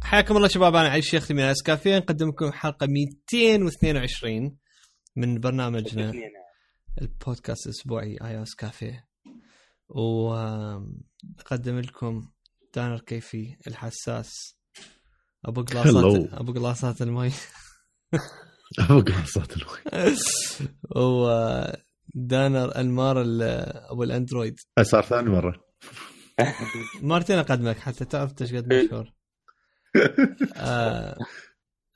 حياكم الله شباب، انا علي الشيخ من اسكافيه، نقدم لكم حلقه 222 من برنامجنا البودكاست الاسبوعي ايوس كافيه. ونقدم لكم دانر كيفي الحساس ابو قلاصات المي ابو قلاصات المي ودانر انمار ابو الاندرويد. صار ثاني مره مرتين اقدمك حتى تعرف ايش قد مشهور.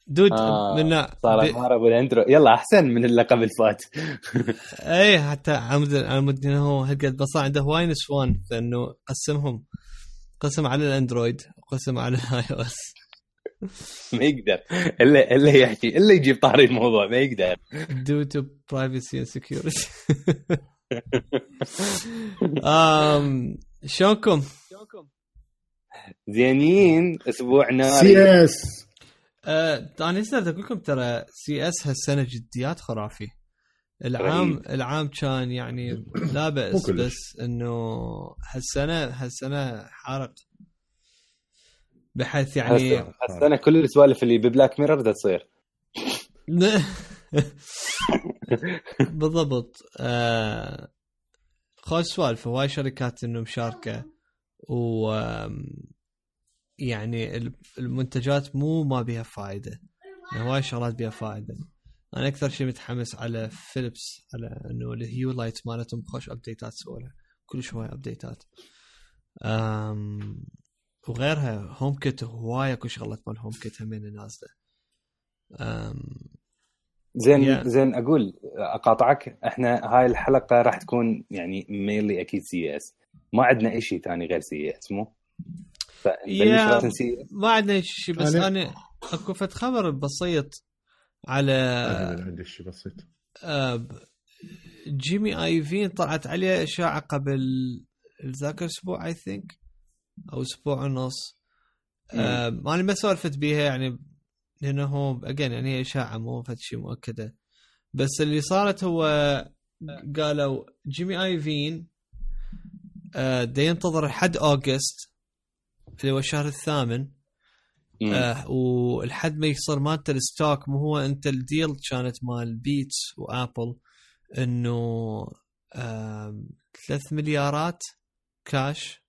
دود منا صار انمار ابو الاندرويد، يلا احسن من اللقب الفات. اي حتى عمود هو هالقد بس عنده هواي نسوان، لانه قسم على الاندرويد وقسم على الاي او اس. ما يقدر الا يحكي الا يجيب طاري الموضوع، ما يقدر due to privacy and security. شلونكم؟ زينين. اسبوع ناري. سي اس انا نسيت اقول لكم ترى سي اس هالسنه جديات خرافي. العام كان يعني لا بأس، بس انه هالسنه حارق، بحيث يعني هالسنه كل السوالف اللي ببلاك ميرور ده تصير. بالضبط. خوش سوالف، هواي شركات انه مشاركه، و يعني المنتجات مو ما بيها فائده، هواي شغلات بيها فائده. انا اكثر شيء متحمس على فيليبس، على انه الهيو لايت مالتهم خوش ابديتات سوولها، كل شويه ابديتات. وغيرها هوم كيت، هوايه كل شغلات مال هوم كيت همين نازله. زين اقول اقاطعك، احنا هاي الحلقه راح تكون يعني مينلي اكيد سي اس، ما عندنا اي شيء ثاني غير سي اس. مو ما عندنا شيء، بس انا اكو فت خبر بسيط على عندي شيء بسيط. جيمي ايفين طلعت عليه اشاعه قبل ذاك الاسبوع اي ثينك، او اسبوع ونص. انا ما سولفت بيها يعني، لانه هو اجين يعني هي اشاعه مو فد شيء مؤكده. بس اللي صارت هو قالوا جيمي ايفين دا ينتظر لحد اوغست اللي هو الشهر الثامن، والحد ما يصير مالته الستوك. مو هو انت الديل كانت مال بيتس وابل انه 3 مليارات كاش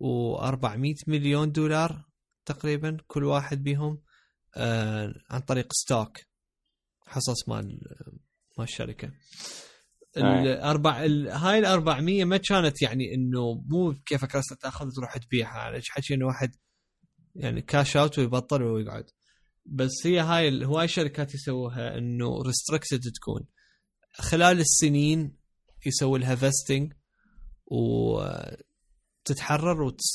و400 مليون دولار تقريبا كل واحد بيهم عن طريق ستوك، حصص مال الشركة. هاي 400 ما كانت يعني انه مو كيفك راسك تاخذ تروح تبيعها، على حكي انه واحد يعني كاش اوت ويبطل ويقعد. بس هي هاي هواي شركات يسووها انه ريستريكتد، تكون خلال السنين يسوي لها فيستنج وتتحرر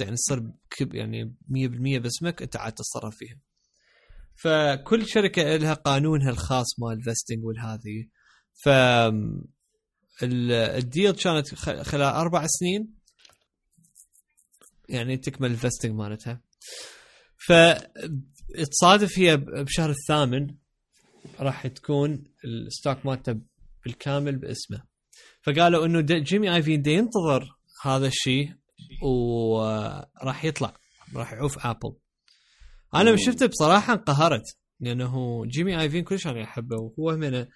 يعني تصير يعني 100% باسمك، انت عاد تتصرف فيها. فكل شركة لها قانونها الخاص مال فيستنج والهذه. ف الديل كانت خلال 4 سنين يعني تكمل الفيستنج مالتها. فتصادف هي بشهر الثامن راح تكون الستوك مالته بالكامل باسمه. فقالوا انه جيمي ايفين دي ينتظر هذا الشيء وراح يطلع، راح يعوف ابل. انا شفته بصراحه انقهرت، لانه جيمي ايفين كلش انا احبه، وهو من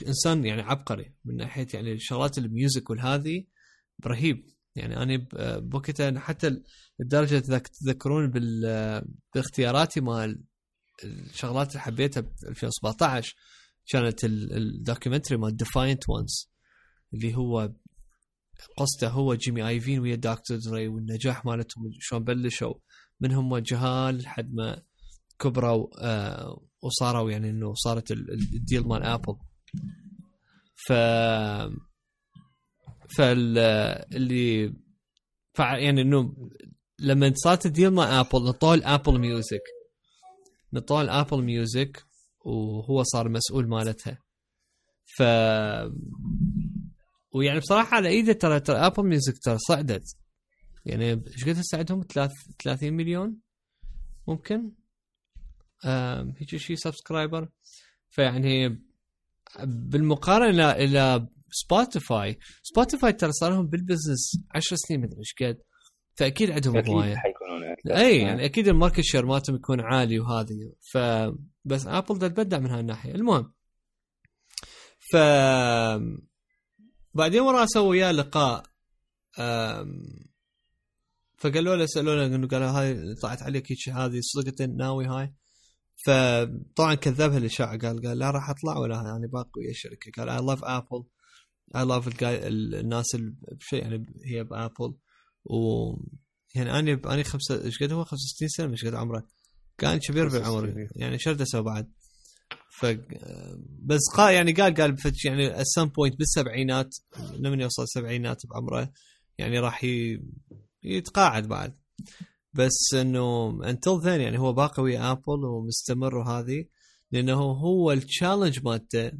انسان يعني عبقري من ناحيه يعني شغلات الميوزك والهذه، رهيب. يعني انا بوقتها حتى الدرجه تذكرون باختياراتي مال الشغلات اللي حبيتها ب 2017 كانت الدوكيومنتري مال ديفاينت وانس، اللي هو قصته هو جيمي ايفين ويا دكتور دري والنجاح مالتهم شلون بلشوا منهم جهال لحد ما كبروا وصاروا يعني انه صارت الديل مال ابل. اللي يعني انه لما صارت الديل مال ابل نطول ابل ميوزك وهو صار مسؤول مالتها. ويعني بصراحه على ايده ترى ابل ميوزك ترى صعدت، يعني ايش قد تساعدهم 30 مليون ممكن هيك شيء سبسكرايبر. فيعني بالمقارنه الى سبوتيفاي ترى صار لهم بالبزنس 10 سنين مدري ايش قد، فاكيد عندهم هوايه اي يعني اكيد الماركت شير مالتهم يكون عالي وهذه بس ابل تتبدع من هالناحيه. المهم بعدين ورا سووا وياه لقاء فقالوا له سالوه انه قالوا هاي طلعت عليك هيك هذه صدقة ناوي هاي؟ فطبعا كذبها الاشاعه قال لا راح اطلع ولا يعني باقي ويا الشركه. قال I love Apple I love الناس بشيء يعني هي بابل و يعني انا خمسة ايش قد هو 65 سنه مش قد عمره كان كبير بالعمر يعني شرده سوى بعد بس يعني قال يعني at some point بالسبعينات لما يوصل السبعينات بعمره يعني راح يتقاعد بعد. بس انه until then يعني هو باقي ويا ابل ومستمر وهذه لانه هو التشالنج مالته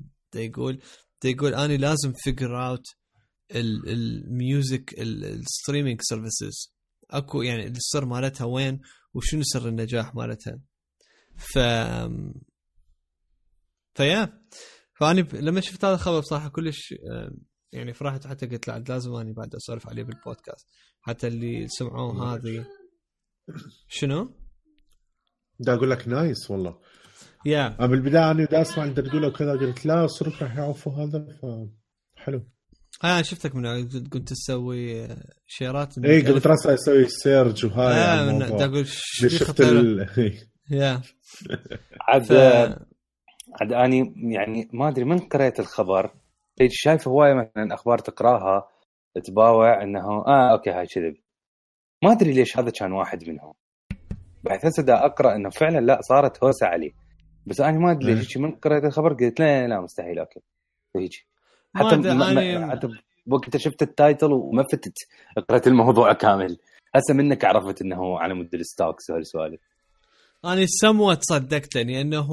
يقول انا لازم figure out الميوزك الستريمينج سيرفيسز اكو يعني السر مالتها وين وشنو سر النجاح مالتها. فأنا لما شفت هذا الخبر بصراحة كلش يعني فرحت حتى قلت لا لازم أنا بعد أسولف عليه بالبودكاست حتى اللي سمعوه هذه. شنو؟ دا أقول لك نايس والله أنا بالبداية أنا دا أسمع أنت تقوله وكذا قلت لا صرف راح يعرفوا هذا فحلو. شفتك من كنت تسوي شيرات إيه قلت راسي أسوي سيرج وهاي دا أقول شفت عاد أني يعني ما أدري من قرأت الخبر شايف هواية مثلا أخبار تقراها تباوع إنه أوكي هاي كذب ما أدري ليش هذا كان واحد منهم بعد هسه دا أقرأ إنه فعلا لا صارت هوسة عليه بس أنا ما أدري ليش من قرأت الخبر قلت لا مستحيل أوكي هيك حتى وقت شفت التايتل وما فتت قرأت الموضوع كامل هسه منك عرفت إنه على مود الستوكس وهالسوالف. أنا سموت صدقت لأنه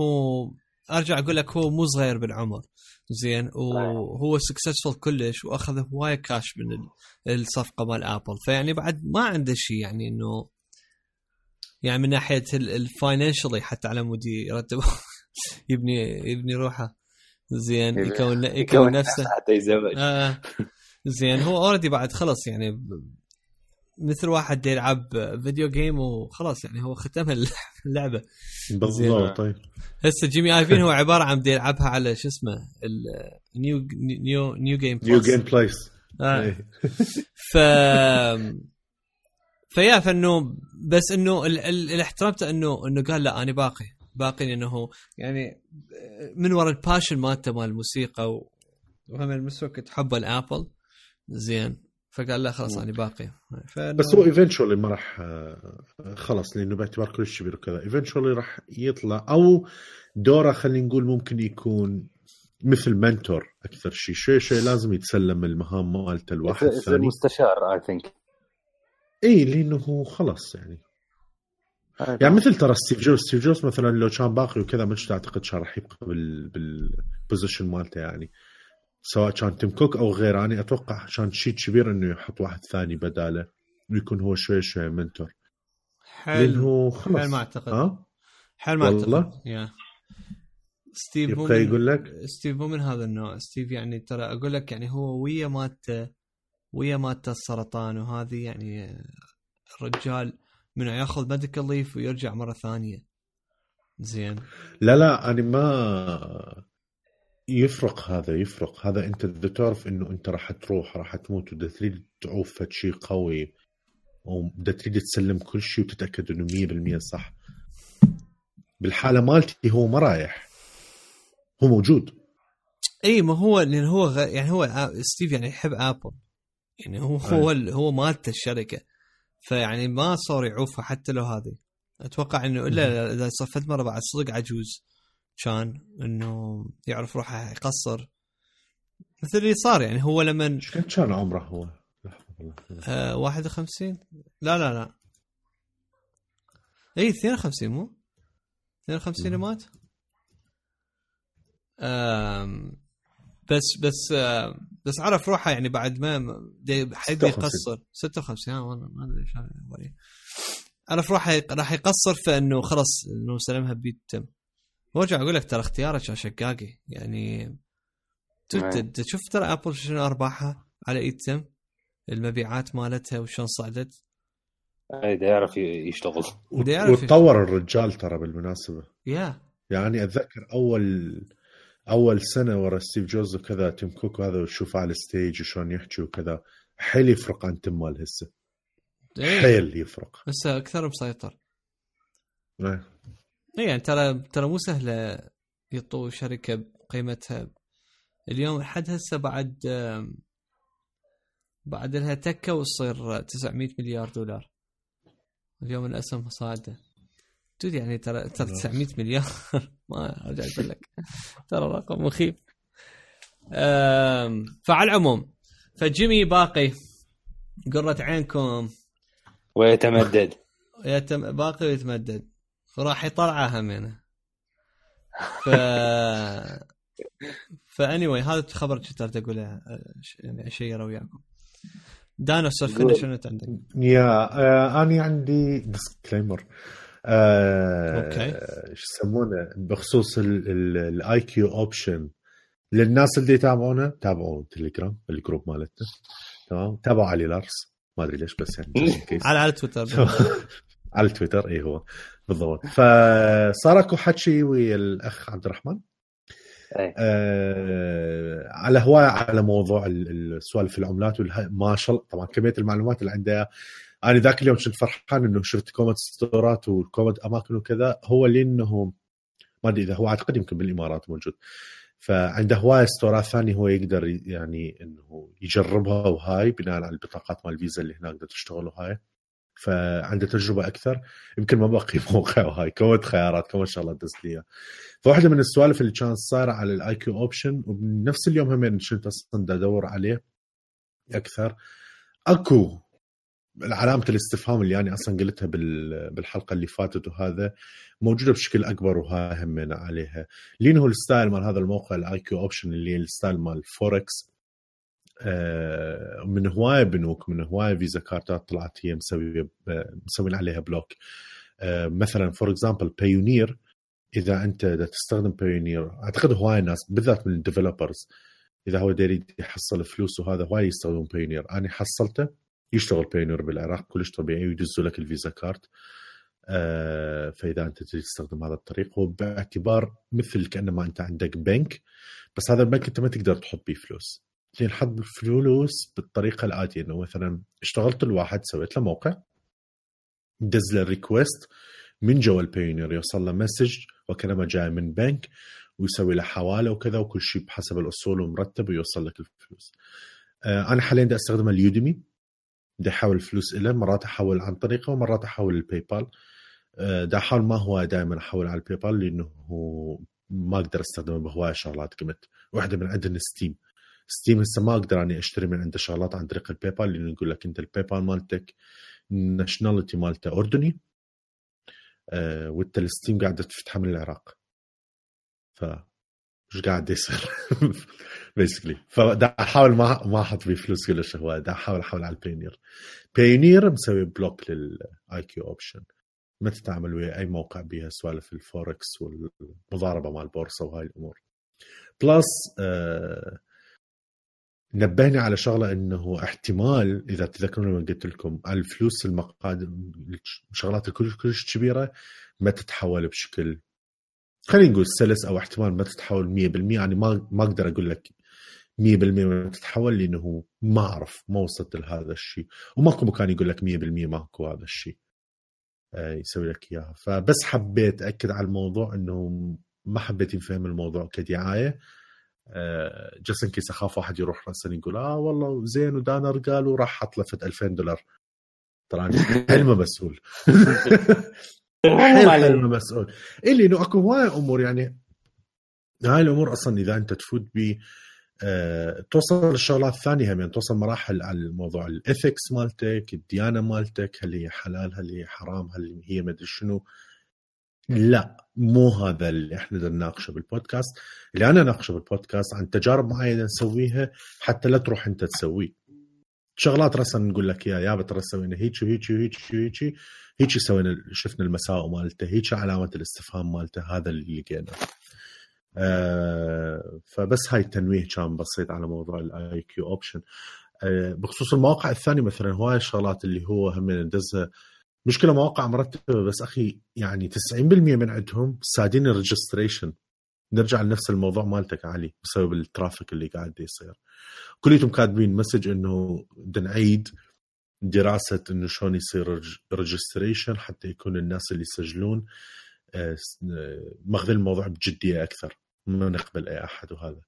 أرجع أقول لك هو مو صغير بالعمر زين وهو سكسسفul كلش وأخذ هواية كاش من الصفقة مال أبل فيعني بعد ما عنده شيء يعني إنه يعني من ناحية الفاينانشالي حتى على مودي يرتب يبني روحه زين يكون نفسه حتى يزوج زين هو أوردي بعد خلص يعني مثل واحد يلعب فيديو جيم وخلاص يعني هو ختم اللعبة بالضبط. طيب هسه جيمي ايفين هو عبارة عن بدي يلعبها على شو اسمه نيو جيم بلايس فانه بس انه الاحترامته انه قال لا انا باقي انه يعني من وراء الباشن مالته مال الموسيقى وهم المسوك تحب الابل زين فقال لا خلاص انا باقي بس هو ايفنتشولي ما راح خلص لانه باعتبار كل شيء كذا ايفنتشولي راح يطلع او دوره خلينا نقول ممكن يكون مثل منتور اكثر شيء لازم يتسلم المهام مالته الواحد الثاني مستشار اي ثينك اي لانه خلص يعني مثل ترى ستيف جوبز مثلا لو كان باقي وكذا مش اعتقد كان راح يبقى بالبوزيشن مالته يعني سواء كان تيم كوك أو غيره. أنا أتوقع كان شيء كبير إنه يحط واحد ثاني بداله ويكون هو شوي منتور. حل ما أعتقد حل ما أعتقد ستيف يقول لك ستيف مو من هذا النوع. ستيف يعني ترى أقول لك يعني هو ويا مات السرطان وهذه يعني الرجال منه ياخذ ميديكال ليف ويرجع مرة ثانية زين. لا أنا ما يفرق هذا انت تعرف انه انت راح تروح راح تموت وده تريد تعوف شيء قوي وده تريد تسلم كل شيء وتتأكد انه 100% صح. بالحالة مالتي هو ما رايح هو موجود. اي ما هو لان هو يعني هو ستيف يعني يحب ابل يعني هو مالته الشركة فيعني ما صار يعوفها حتى لو هذه اتوقع انه الا اذا صفت مرة بعد صدق عجوز كان انه يعرف روحه يقصر مثل اللي صار يعني هو لما كان عمره هو 51 لا اي 52 مو 52 مات بس عرف روحه يعني بعد ما حد يقصر 56 والله ما ادري ايش عرف روحه راح يقصر فانه خلص انه سلمها بيتم. وارجع اقول لك ترى اختيارك كان شقاقي يعني تشوف ترى ابل شنو ارباحها على ايتم المبيعات مالتها وشون صعدت اذا يعرف يشتغل وتطور الرجال ترى بالمناسبة. يا يعني اتذكر اول سنة ورا ستيف جوبز وكذا تيم كوك وهذا وتشوفه على الستيج وشون يحكي وكذا حيل يفرق عن تيم مال هسه. حيل يفرق هسه اكثر مسيطر. ايه يعني ترى مو سهلة يطو شركة قيمتها اليوم حد هسه بعد لها تكة وتصير 900 مليار دولار اليوم الأسهم صاعدة. تدري يعني ترى 900 مليار ما أرجع أقول لك ترى رقم مخيف. فعلى العموم فجيمي باقي قرة عينكم ويتمدد باقي ويتمدد وراح يطلعها همينه. فانيوي هذا الخبر كنت اقوله يعني اشيره وياكم. دانا سولفنا شنو عندك؟ يا اني عندي ديسكليمر اوكي ايش يسمونه بخصوص الاي كيو اوبشن للناس اللي يتابعونا. تابعوا تليجرام الجروب مالتنا تمام. تابعوا علي لارس ما ادري ليش بس يعني على تويتر على تويتر اي هو بالضبط. فصار اكو حكي ويا الاخ عبد الرحمن على هواية على موضوع السوالف العملات ما شاء الله طبعا كمية المعلومات اللي عنده. أنا ذاك اليوم كنت فرحان إنه شفت كومنت ستورات وكومنت أماكن وكذا. هو لأنه ما أدري إذا هو أعتقد يمكن بالإمارات موجود فعنده هواية ستورات ثانية هو يقدر يعني إنه يجربها وهاي بناء على البطاقات مال الفيزا اللي هناك تشتغل وهاي. فعنده تجربة أكثر يمكن ما بقي موقع وهاي كومنت خيارات كم شاء الله دست لي. فواحدة من السوالف اللي كانت صايرة على الاي كيو اوبشن وبنفس اليوم همين كنت اصلا ادور عليه اكثر اكو علامة الاستفهام اللي يعني اصلا قلتها بالحلقة اللي فاتت وهذا موجودة بشكل اكبر وها همين عليها لانه الستايل مال هذا الموقع الاي كيو اوبشن اللي الستايل مال فوركس من هواية بنوك من هواية فيزا كارتات طلعت هي مسوين عليها بلوك. مثلا فور اكزامبل بايونير إذا أنت تستخدم بايونير أعتقد هواي الناس بالذات من الديفلوبرز إذا هو داري يحصل فلوس وهذا هواي يستخدم بايونير. أنا حصلته يشتغل بايونير بالعراق كلش طبيعي ويدزوا لك الفيزا كارت. فإذا أنت تستخدم هذا الطريق وباعتبار مثل كأنما أنت عندك بنك بس هذا البنك أنت ما تقدر تحط بيه فلوس. تنحط فلوس بالطريقة الآتية إنه مثلا اشتغلت الواحد سويت له موقع دز له ريكويست من جوا البايونير يوصل له مسج وكانما جاي من بنك ويسوي له حواله وكذا وكل شيء بحسب الأصول ومرتب ويوصل لك الفلوس. أنا حاليا دا أستخدم اليوديمي دا أحول الفلوس إليه مرات أحول عن طريقه ومرات أحول الباي بال. دا أحاول ما هو دائما أحول على الباي بال لأنه ما أقدر أستخدمه بهواية شغلات قمت. واحدة من عندنا ستيم هسه ما أقدر أني أشتري من عنده شغلات عن طريق الباي بال لأنه يقول لك أنت الباي بال مالتك ناشناليتي مالته أردني والتلستيم قاعدة تفتحها من العراق فمش قاعد يصير basically. فدا أحاول ما أحط فيه فلوس كلش هو دا أحاول على بايونير مسوي بلوك للآي كيو أوبشن ما تتعامل ويا أي موقع بيها سوالف الفوركس والمضاربة مع البورصة وهاي الأمور. بلس نبهني على شغلة إنه احتمال إذا تذكرون لما قلت لكم الفلوس المقادم شغلات كلش كبيرة ما تتحول بشكل خلينا نقول سلس أو احتمال ما تتحول 100%. يعني ما أقدر أقول لك 100% ما تتحول لأنه ما أعرف ما وصلت لهذا الشيء وماكو مكان يقول لك 100% ماكو هذا الشيء يسوي لك إياها. فبس حبيت أكد على الموضوع إنه ما حبيت يفهم الموضوع كدعاية جسن كيس أخاف واحد يروح رأسا يقول والله زين ودانر قالوا راح حط لفت $2000 تراني حلمه مسؤول حلمه مسؤول اللي إنه أكو هواي أمور يعني هاي الأمور أصلا إذا أنت تفوت ب توصل الشغلات الثانية هم يعني توصل مراحل على الموضوع الإثكس مالتك الديانة مالتك هل هي حلال هل هي حرام هل هي مدري شنو. لا مو هذا اللي احنا نناقشه بالبودكاست. اللي انا ناقشه بالبودكاست عن تجارب معينه نسويها حتى لا تروح انت تسوي شغلات رسم نقول لك يا بترى سوينا هيك وهيك وهيك وهيك هيك سوينا شفنا المساوئ مالته هيك علامه الاستفهام مالته هذا اللي لقينا. فبس هاي التنويه كان بسيط على موضوع الاي كيو اوبشن. بخصوص المواقع الثانيه مثلا هواي الشغلات اللي هو هم ندزها مشكلة مواقع مرتبة بس أخي يعني 90% من عندهم سادين الريجستريشن. نرجع لنفس الموضوع مالتك علي بسبب الترافيك اللي قاعد يصير. كليتهم كاتبين مسج إنه نعيد دراسة إنه شلون يصير ريجستريشن حتى يكون الناس اللي يسجلون ماخذين الموضوع بجدية أكثر، ما نقبل أي أحد. وهذا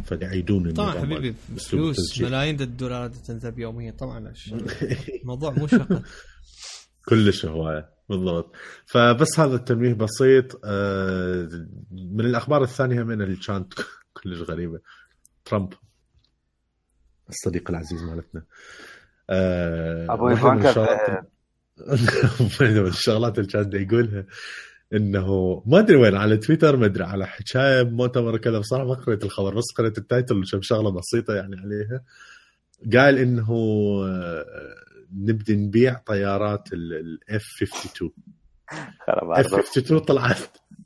فيعيدون طبعا حبيبي فلوس ملايين الدولارات تنذب يوميا طبعا الموضوع مو شغل كلش هواية بالضبط. فبس هذا التنويه بسيط. من الأخبار الثانية من اللي كانت كلش غريبة، ترامب الصديق العزيز مالتنا أبو إيفانكا من الشغلات اللي كان يقولها انه ما ادري وين على تويتر، ما ادري على حكايه مؤتمر كذا، بصراحه ما قريت الخبر بس قريت التايتل وشم شغله بسيطه يعني عليها. قال انه نبدي نبيع طيارات الاف 52. اف 52 طلعت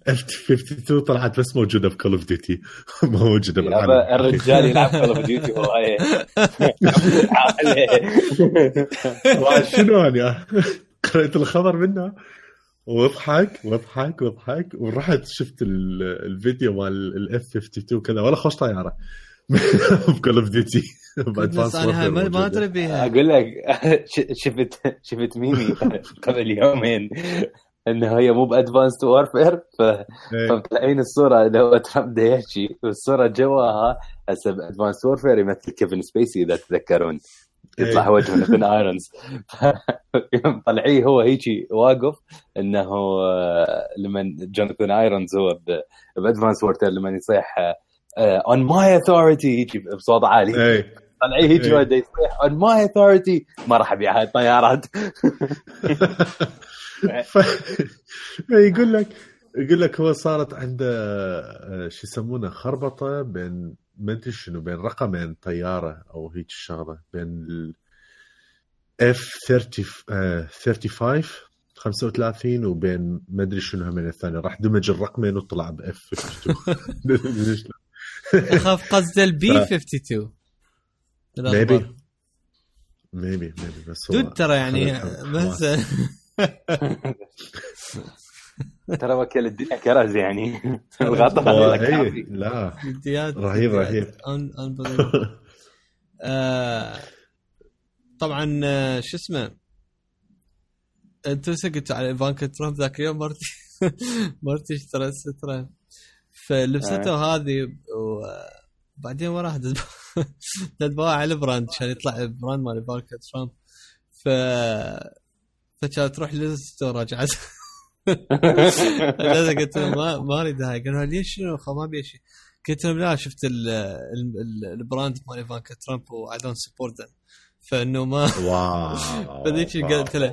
F-52 طلعت بس موجودة بكول اوف ديوتي، ما موجودة بالعالم. الرجال يلعب كول اوف ديوتي والله. شنو أنا قرأت الخبر منه وضحك ورحت شفت الفيديو مال F-52 كذا، ولا خوش طيارة بكول اوف ديوتي. بس أنا ما أدري بيها. أقول لك شفت ميمي قبل يومين انه هي مو بادفانسد وارفير، فمطلعين الصوره اللي هو ترامب ده يحكي، والصوره جواها هسه بادفانسد وارفير يمثل كيفن سبيسي اذا تتذكرون، يطلع هو جوناثان ايرونز. طلعيه هو هيجي واقف انه لما جوناثان ايرونز هو بادفانسد وارفير لما يصيح on my authority يجي بصوت عالي، طلعيه هيجي وده يصيح on my authority ما راح ابيع هاي الطيارات. يقول لك هو صارت عنده شو يسمونه خربطه بين ما ادري شنو، بين رقمين طياره او هيك شغله، بين F-35 وبين ما ادري شنو من الثاني، راح دمج الرقمين وطلع ب F-52. اخاف قصد البي 52 maybe بس هو ترى يعني بس ترى وكل الدنيا كرز يعني الغطاء لا رهيب. طبعا شو اسمه انت سكت على إيفانكا ترامب ذاك اليوم مرتي اشترت سترة فلبسته هذه، وبعدين وراها دبوا على البراند عشان يطلع البراند مال إيفانكا ترامب. فكانت تروح للستور رجعت قلت له ما اريد هاي. قالوا ليش شنو ما بيشي؟ قلت له لا شفت البراند مال إيفانكا ترامب و I don't support them، فانه ما فذيك قلت لها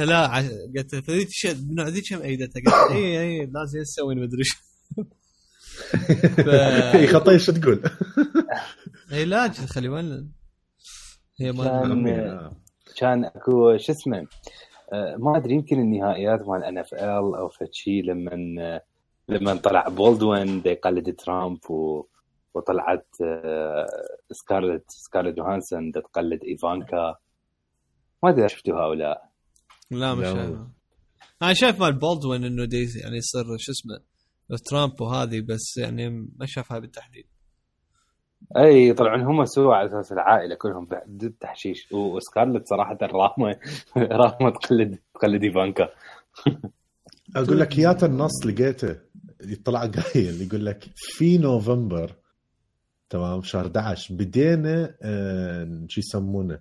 لا، قلت لها فذيك من ذيك هم ايدتها، قلت اي لازم نسوي ما ادري اي خطيه شو تقول. اي لا خلي بالنا هي ما كان اكو شو اسمه ما ادري يمكن النهائيات مال NFL او فشي لما طلع بولدوين يقلد ترامب وطلعت سكارلت جوهانسون تقلد إيفانكا، ما ادري شفتوها او لا. لا مش انا شايف مال بولدوين انه دي يعني يصير شو اسمه ترامب وهذه، بس يعني ما شافها بالتحديد. اي طبعا هم سووا على اساس العائله كلهم ضد تحشيش، وسكارلت صراحه رامه تقلد إيفانكا. اقول لك يات النص لقيته يطلع قايل يقول لك في نوفمبر تمام شهر 11 بدينا شو يسمونه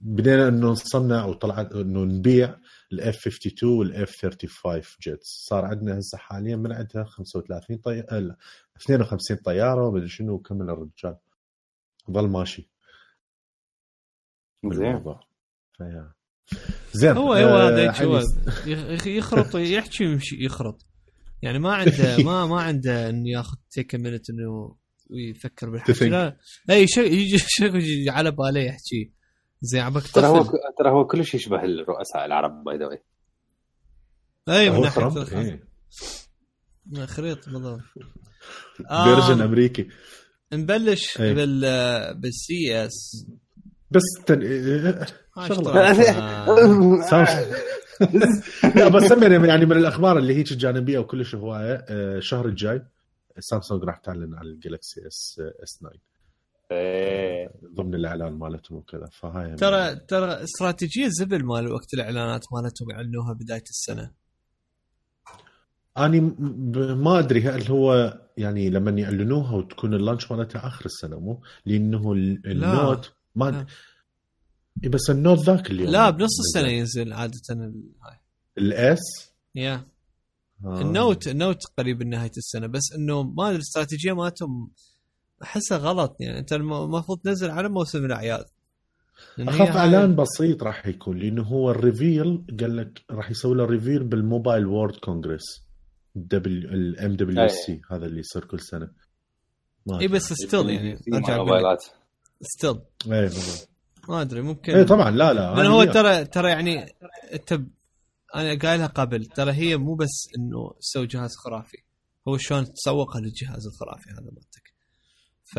بدينا انه نصنع وطلع انه نبيع الاف 52 والاف 35 جيتس. صار عندنا هسه حاليا من عندها 35 طياره 52 طياره ومدري شنو، وكمل الرجال ظل ماشي زين. هو هذا يخرط يحكي ويمشي يخرط، يعني ما عنده ما عنده انه ياخذ تيك مينت انه ويفكر بالحكي. لا اي شيء يجي على باله يحكي زي عبك. ترى هو كلش يشبه الرؤساء العرب باي ذا واي. اي من ناحيه خريط بالضبط فيرجن امريكي. نبلش بالسي اس. بس شغله لا بس يعني من الاخبار اللي هيك جانبيه وكلش هوايه. الشهر الجاي سامسونج راح تعلن عن الجالكسي اس 9 ضمن الاعلان مالتهم وكذا. فهاي ترى استراتيجيه زبل مال وقت الاعلانات مالتهم يعلنوها بدايه السنه. اني ما ادري هل هو يعني لما يعلنوها وتكون اللانش مالتها اخر السنه مو لانه النوت ما بس النوت ذاك اليوم لا بنص السنه ينزل عاده هاي الاس يا النوت قريب من نهايه السنه. بس انه ما الاستراتيجيه مالتهم احسها غلط. يعني انت المفروض تنزل على موسم الاعياد. اخاف اعلان بسيط راح يكون لانه هو الريفيل قال لك راح يسوي له ريفيل بالموبايل وورد كونغرس الام دبليو سي هذا اللي يصير كل سنه. اي بس ستيل يعني ارجع موبايلات ستيل ما ادري ممكن اي طبعا لا لأن هو ترى يعني انت انا قايلها قبل ترى هي مو بس انه تسوي جهاز خرافي هو شلون تسوقها للجهاز الخرافي هذا مالتك. ف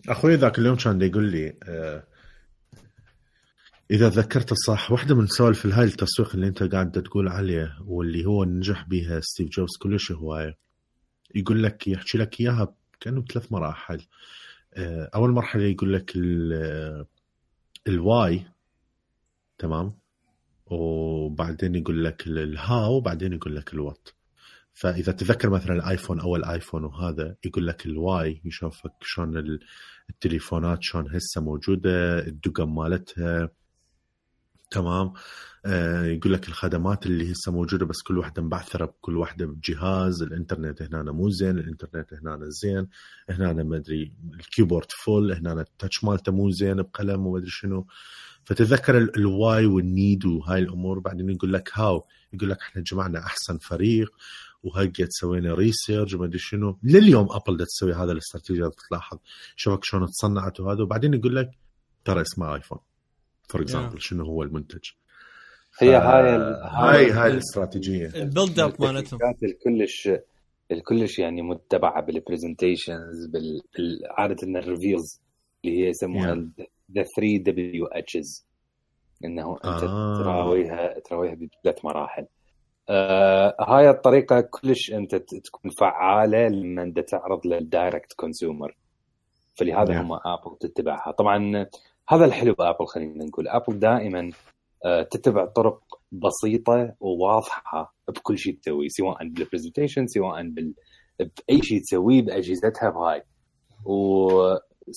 اخوي ذاك اليوم كان يقول لي اذا ذكرت الصح واحده من سوالف هاي التسويق اللي انت قاعد تقول عليه واللي هو نجح بها ستيف جوبز كلش هوايه. يقول لك يحكي لك اياها كانه بثلاث مراحل. اول مرحله يقول لك الواي تمام وبعدين يقول لك الهاو وبعدين يقول لك الوات. فاذا تذكر مثلا الايفون اول ايفون وهذا يقول لك الواي يشوفك شلون التليفونات شلون هسه موجوده الدقم مالتها تمام. يقول لك الخدمات اللي هسه موجوده بس كل واحده مبعثره بكل واحده بجهاز. الانترنت هنا مو زين الانترنت هنا زين هنا ما ادري الكيبورد فول هنا التاتش مالته مو زين بقلم وما ادري شنو. فتذكر الواي والنيد وهاي الامور. بعدين يقول لك هاو يقول لك احنا جمعنا احسن فريق وهيك سوينا ريسيرش وما ادري شنو. لليوم ابل دا تسوي هذا الاستراتيجيه تلاحظ شوفك شلون تصنعت وهذا. وبعدين يقول لك ترى اسمه ايفون فور اكزامبل شنو هو المنتج. هي هاي الاستراتيجيه البيلد اب مالتهم الكلش يعني متبعه بالبرزنتيشنز عاده الريفيلز اللي هي يسموها the 3W's انه انت تراويها بثلاث مراحل. هاي الطريقه كلش انت تكون فعاله لما انت تعرض للدايركت كونسيومر. فلهذا هم ابل تتبعها. طبعا هذا الحلو بابل. خلينا نقول ابل دائما تتبع طرق بسيطه وواضحه بكل شيء تسويه سواء بالبرزنتيشن سواء باي شيء تسويه باجهزتها بهاي. و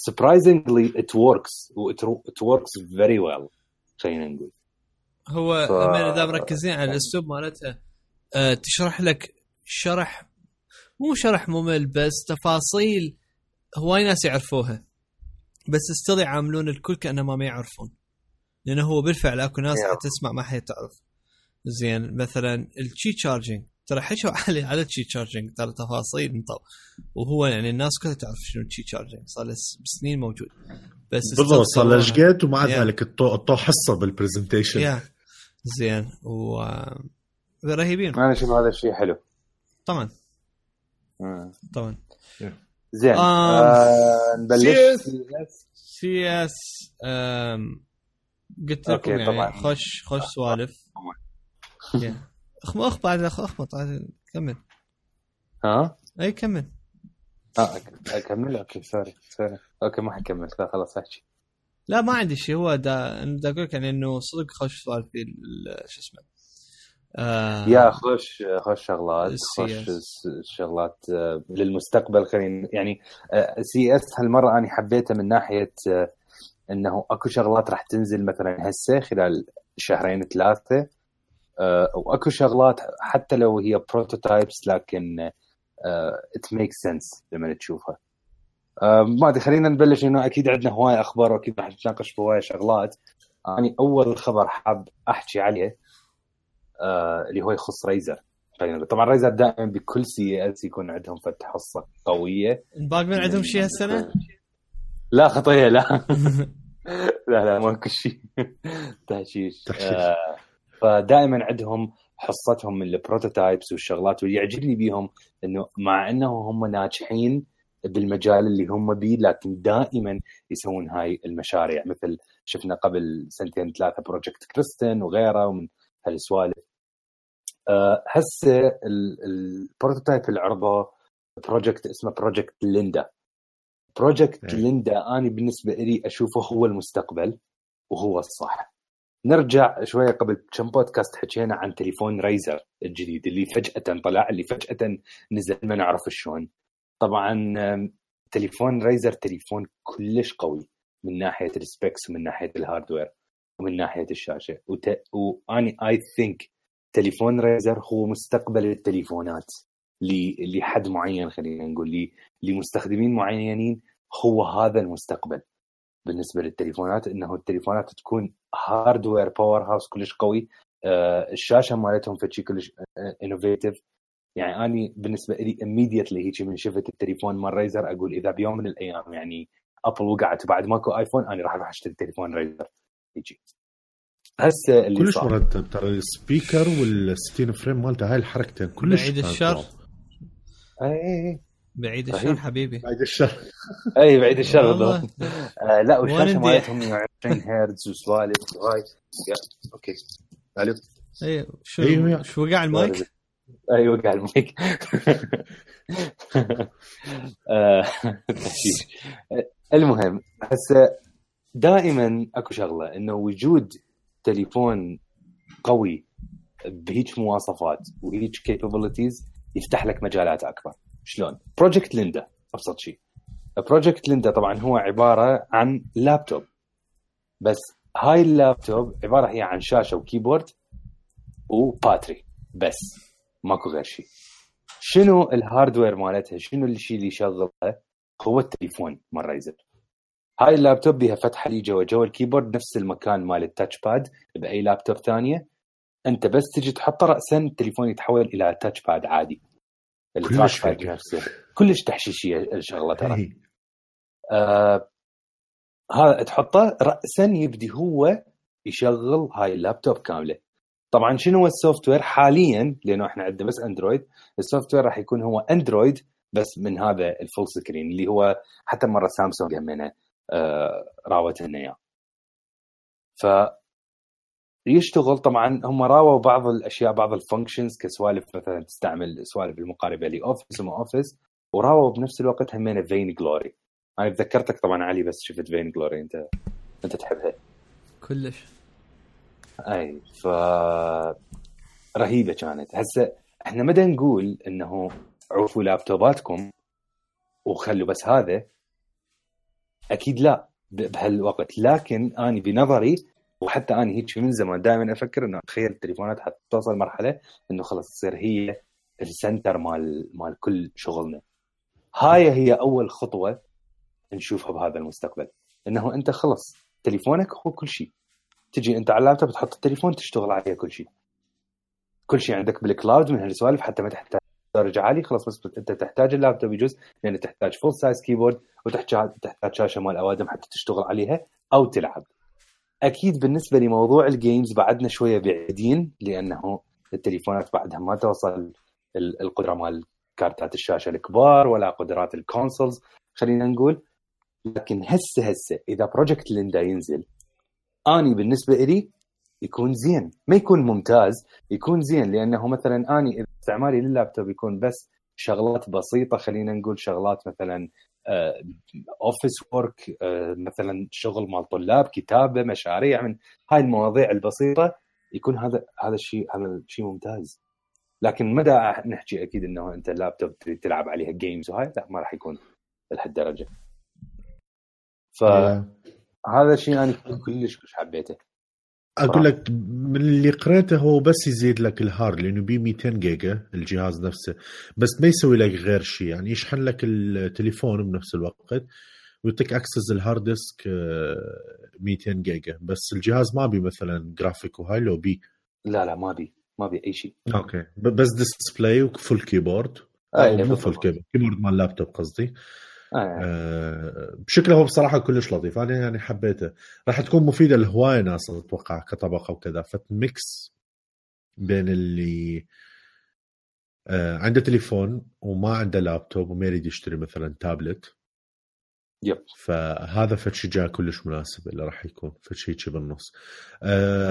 surprisingly it works very well. خلينا نقول هو اذا مركزين على الاسلوب مالته تشرح لك مو شرح ممل بس تفاصيل هواي ناس يعرفوها بس استطيع يعاملون الكل كأنما ما يعرفون. لأنه هو بالفعل أكو ناس تسمع ما حد تعرف زين. مثلا الشي تشارجينج ترى حكوا على الشي تشارجينج ترى تفاصيل وهو يعني الناس كلها تعرف شنو الشي تشارجينج صار له سنين موجود بس بالضبط صار له جيت ومع ذلك الطو حصه بالبرزنتيشن زين رهيبين. انا اشوف هذا الشيء حلو طبعا زين. نبلش سي اس قلت لكم يعني خوش سوالف. اخ بعد اخبط كمل. اي كمل. اكمل اوكي سوري اوكي ما حكمل خلاص احكي. لا ما عندي شيء. هو دا اقول لك يعني انه صدق خوش سوالف في شو اسمه يا خوش شغلات للمستقبل. خلينا يعني سي اس هالمره انا حبيته من ناحيه انه اكو شغلات راح تنزل مثلا هسه خلال شهرين ثلاثه واكو شغلات حتى لو هي بروتوتايبس لكن it makes sense لما تشوفها. ما ادري خلينا نبلش انه اكيد عندنا هواي اخبار واكيد راح نتناقش بهواي شغلات. يعني اول خبر حاب احكي عليه اللي هو يخص ريزر. طبعا ريزر دائما بكل سي اس يكون عندهم فتح حصه قويه. باقي من عندهم شيء هالسنه؟ لا خطيه لا لا ما كل شيء تحشيش. فدائما عندهم حصتهم من البروتوتايبس والشغلات. واللي يعجبني بيهم انه مع انه هم ناجحين بالمجال اللي هم بيه، لكن دائما يسوون هاي المشاريع. مثل شفنا قبل 2-3 بروجكت كريستن وغيره ومن هالسوالف. هسه البروتوتايب العرضه بروجكت اسمه بروجكت ليندا. بروجكت ليندا أنا بالنسبة لي أشوفه هو المستقبل وهو الصح. نرجع شوية قبل كم بودكاست حكينا عن تليفون رايزر الجديد اللي فجأة طلع، اللي فجأة نزل ما نعرف شلون. طبعا تليفون رايزر تليفون كلش قوي من ناحية السبيكس ومن ناحية الهاردوير ومن ناحية الشاشة. وأني I think تليفون رايزر هو مستقبل التليفونات لحد معين، خلينا نقول لمستخدمين معينين هو هذا المستقبل بالنسبة للتليفونات، إنه التليفونات تكون هاردوير باور هاوس كلش قوي، الشاشة مالتهم فشي كلش innovative. يعني أنا بالنسبة لي immediately هيك من شفت التليفون مال رايزر أقول إذا بيوم من الأيام يعني أبل وقعت بعد ماكو آيفون أنا راح أشتري تليفون رايزر يجي. هسه اللي كلش مرتب ترى السبيكر والستين فريم مالته، هاي الحركتين كلش بعيد الشر. اي بعيد الشر حبيبي، بعيد الشر. اي بعيد الشر لا والشاشه مالتهم 120 هرتز وسوالف هاي. اوكي الو اي شو وقع المايك؟ اي وقع المايك. المهم هسه دائما اكو شغله انه وجود تليفون قوي بهيج مواصفات وهيج capabilities يفتح لك مجالات اكبر. شلون؟ بروجكت ليندا ابسط شيء. بروجكت ليندا طبعا هو عباره عن لابتوب، بس هاي اللابتوب عباره هي عن شاشه وكيبورد وباتري بس، ماكو غير شيء. شنو الهاردوير مالتها؟ شنو الشيء اللي يشغلها؟ هو التليفون مال رايزر. هاي اللابتوب بيها فتحه لي جوا الكيبورد نفس المكان مال التاتش باد باي لابتوب ثانيه. انت بس تجي تحط راسا التليفون يتحول الى تاتش باد عادي. التاتش باد نفسه كلش تحشيشيه الشغله ترى. هذا تحطه راسا يبدي هو يشغل هاي اللابتوب كامله. طبعا شنو هو السوفت وير حاليا؟ لانه احنا عندنا بس اندرويد. السوفت وير راح يكون هو اندرويد بس من هذا الفول سكرين اللي هو حتى مره سامسونج همنا راوت لنا اياه. ف يشتغل طبعا هم راووا بعض الاشياء، بعض الفانكشنز كسوالف مثلا تستعمل سوالف المقاربه لاوفيس وما اوفيس، وراووا بنفس الوقت همنا فين جلوري. انا تذكرتك طبعا علي بس شفت فين جلوري انت تحبها كلش. اي ف رهيبه كانت. هسه احنا مدى نقول انه عوفوا لابتوباتكم وخلوا بس هذا؟ اكيد لا بهالوقت. لكن اني بنظري وحتى اني هيك من زمان دائما افكر انه اتخيل التليفونات حتوصل مرحله انه خلص تصير هي السنتر مال كل شغلنا. هاي هي اول خطوه نشوفها بهذا المستقبل، انه انت خلص تليفونك هو كل شيء. تجي انت على اللابتوب تحط التليفون تشتغل عليه كل شيء عندك بالكلاود من هالسوالف، حتى ما تحتاج درجه عاليه. خلاص بس انت تحتاج اللابتوب يجوز لان تحتاج فول سايز كيبورد وتحتاج شاشه مال اوادم حتى تشتغل عليها او تلعب. اكيد بالنسبه لموضوع الجيمز بعدنا شويه بعيدين، لانه التليفونات بعدها ما توصل القدره مال كارتات الشاشه الكبار ولا قدرات الكونسولز خلينا نقول. لكن هسه اذا بروجكت ليندا ينزل اني بالنسبه لي يكون زين، ما يكون ممتاز، يكون زين. لانه مثلا اني استعمالي لللابتوب يكون بس شغلات بسيطه، خلينا نقول شغلات مثلا اوفيس وورك، مثلا شغل مال طلاب، كتابه، مشاريع، من هاي المواضيع البسيطه، يكون هذا الشيء ممتاز. لكن مدى نحكي اكيد انه انت اللابتوب تلعب عليها جيمز وهاي لا، ما راح يكون لهالدرجه. فهذا الشيء انا كلش حبيته. اقول لك من اللي قريته هو بس يزيد لك الهارد لانه بي 200 جيجا الجهاز نفسه، بس ما يسوي لك غير شيء. يعني يشحن لك التليفون بنفس الوقت ويعطيك اكسس الهارد ديسك 200 جيجا، بس الجهاز ما بي مثلا جرافيك وهاي لو بي لا ما بي اي شيء. اوكي بس ديسبلاي وفول كيبورد مو فول كيبورد مال اللابتوب قصدي. بشكله هو بصراحة كلش لطيف. أنا يعني حبيته، راح تكون مفيدة لهواية ناس أتوقع كطبقة وكذا. فتميكس بين اللي عنده تليفون وما عنده لابتوب وما يريد يشتري مثلا تابلت. يب. فهذا فشي جاء كلش مناسب اللي راح يكون فشي شيء بالنص.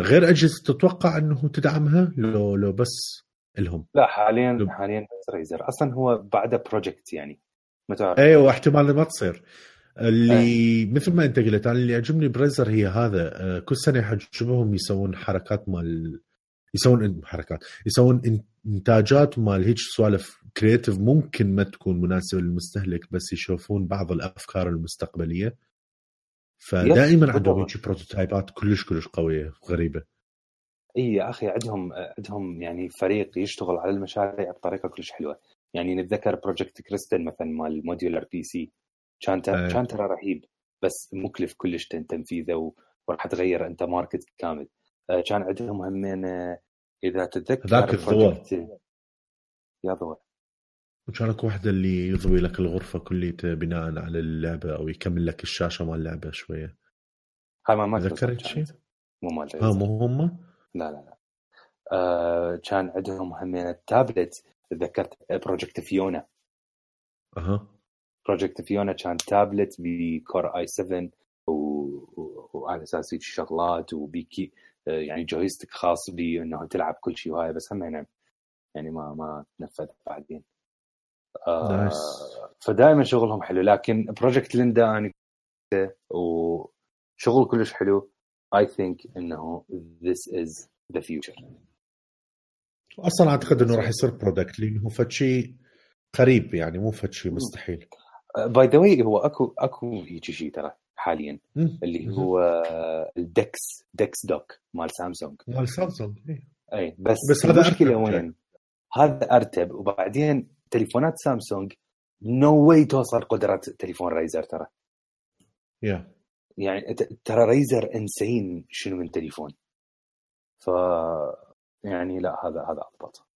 غير أجهزة تتوقع أنه تدعمها لو بس لهم؟ لا حاليا بس ريزر أصلا هو بعده بروجكت يعني ما تعرف. أيوة واحتمال ما تصير اللي مثل ما أنت قلت. أنا اللي يعجبني بريزر هي هذا كل سنة يحجبهم يسوون حركات يسوون إنتاجات مال هيك سوالف كرياتيف ممكن ما تكون مناسبة للمستهلك بس يشوفون بعض الأفكار المستقبلية. فدائما عندهم هيك بروتوتايبات كلش قوية وغريبة. اي يا اخي عندهم يعني فريق يشتغل على المشاريع بطريقه كلش حلوه. يعني نتذكر بروجكت كريستال مثلا مال موديولر بي سي كان ترى رهيب بس مكلف كلش تنفيذه وراح تغير انت ماركت كامل. كان عندهم همين اذا تتذكر ذاك الضوء يا ضوء وكانك واحدة اللي يضوي لك الغرفة كلية بناء على اللعبة أو يكمل لك الشاشة مال اللعبة شوية. هاي ما ذكرت شيء مو مال مو هم. لا كان عندهم همين التابلت. تذكرت بروجكت فيونا. بروجكت فيونا كان تابلت بكور اي 7 وعلى اساس شغلات وبيكي يعني جويستيك خاص بي انه تلعب كل شيء وهاي بس هم يعني ما تنفذ بعدين. فدائما شغلهم حلو. لكن بروجكت ليندا يعني وشغل كلش حلو. I think انه this is the future. اصلا اعتقد انه راح يصير برودكت لانه فشي قريب يعني مو فشي مستحيل. باي ذا واي هو اكو هيك شيء ترى حاليا اللي هو الدكس دوك مال سامسونج. اي بس هذا مشكله وين هذا ارتب. وبعدين تليفونات سامسونج نو واي توصل قدرة تليفون ريزر ترى. يعني ترى ريزر انسين شنو من تليفون. ف يعني لا هذا أضبط.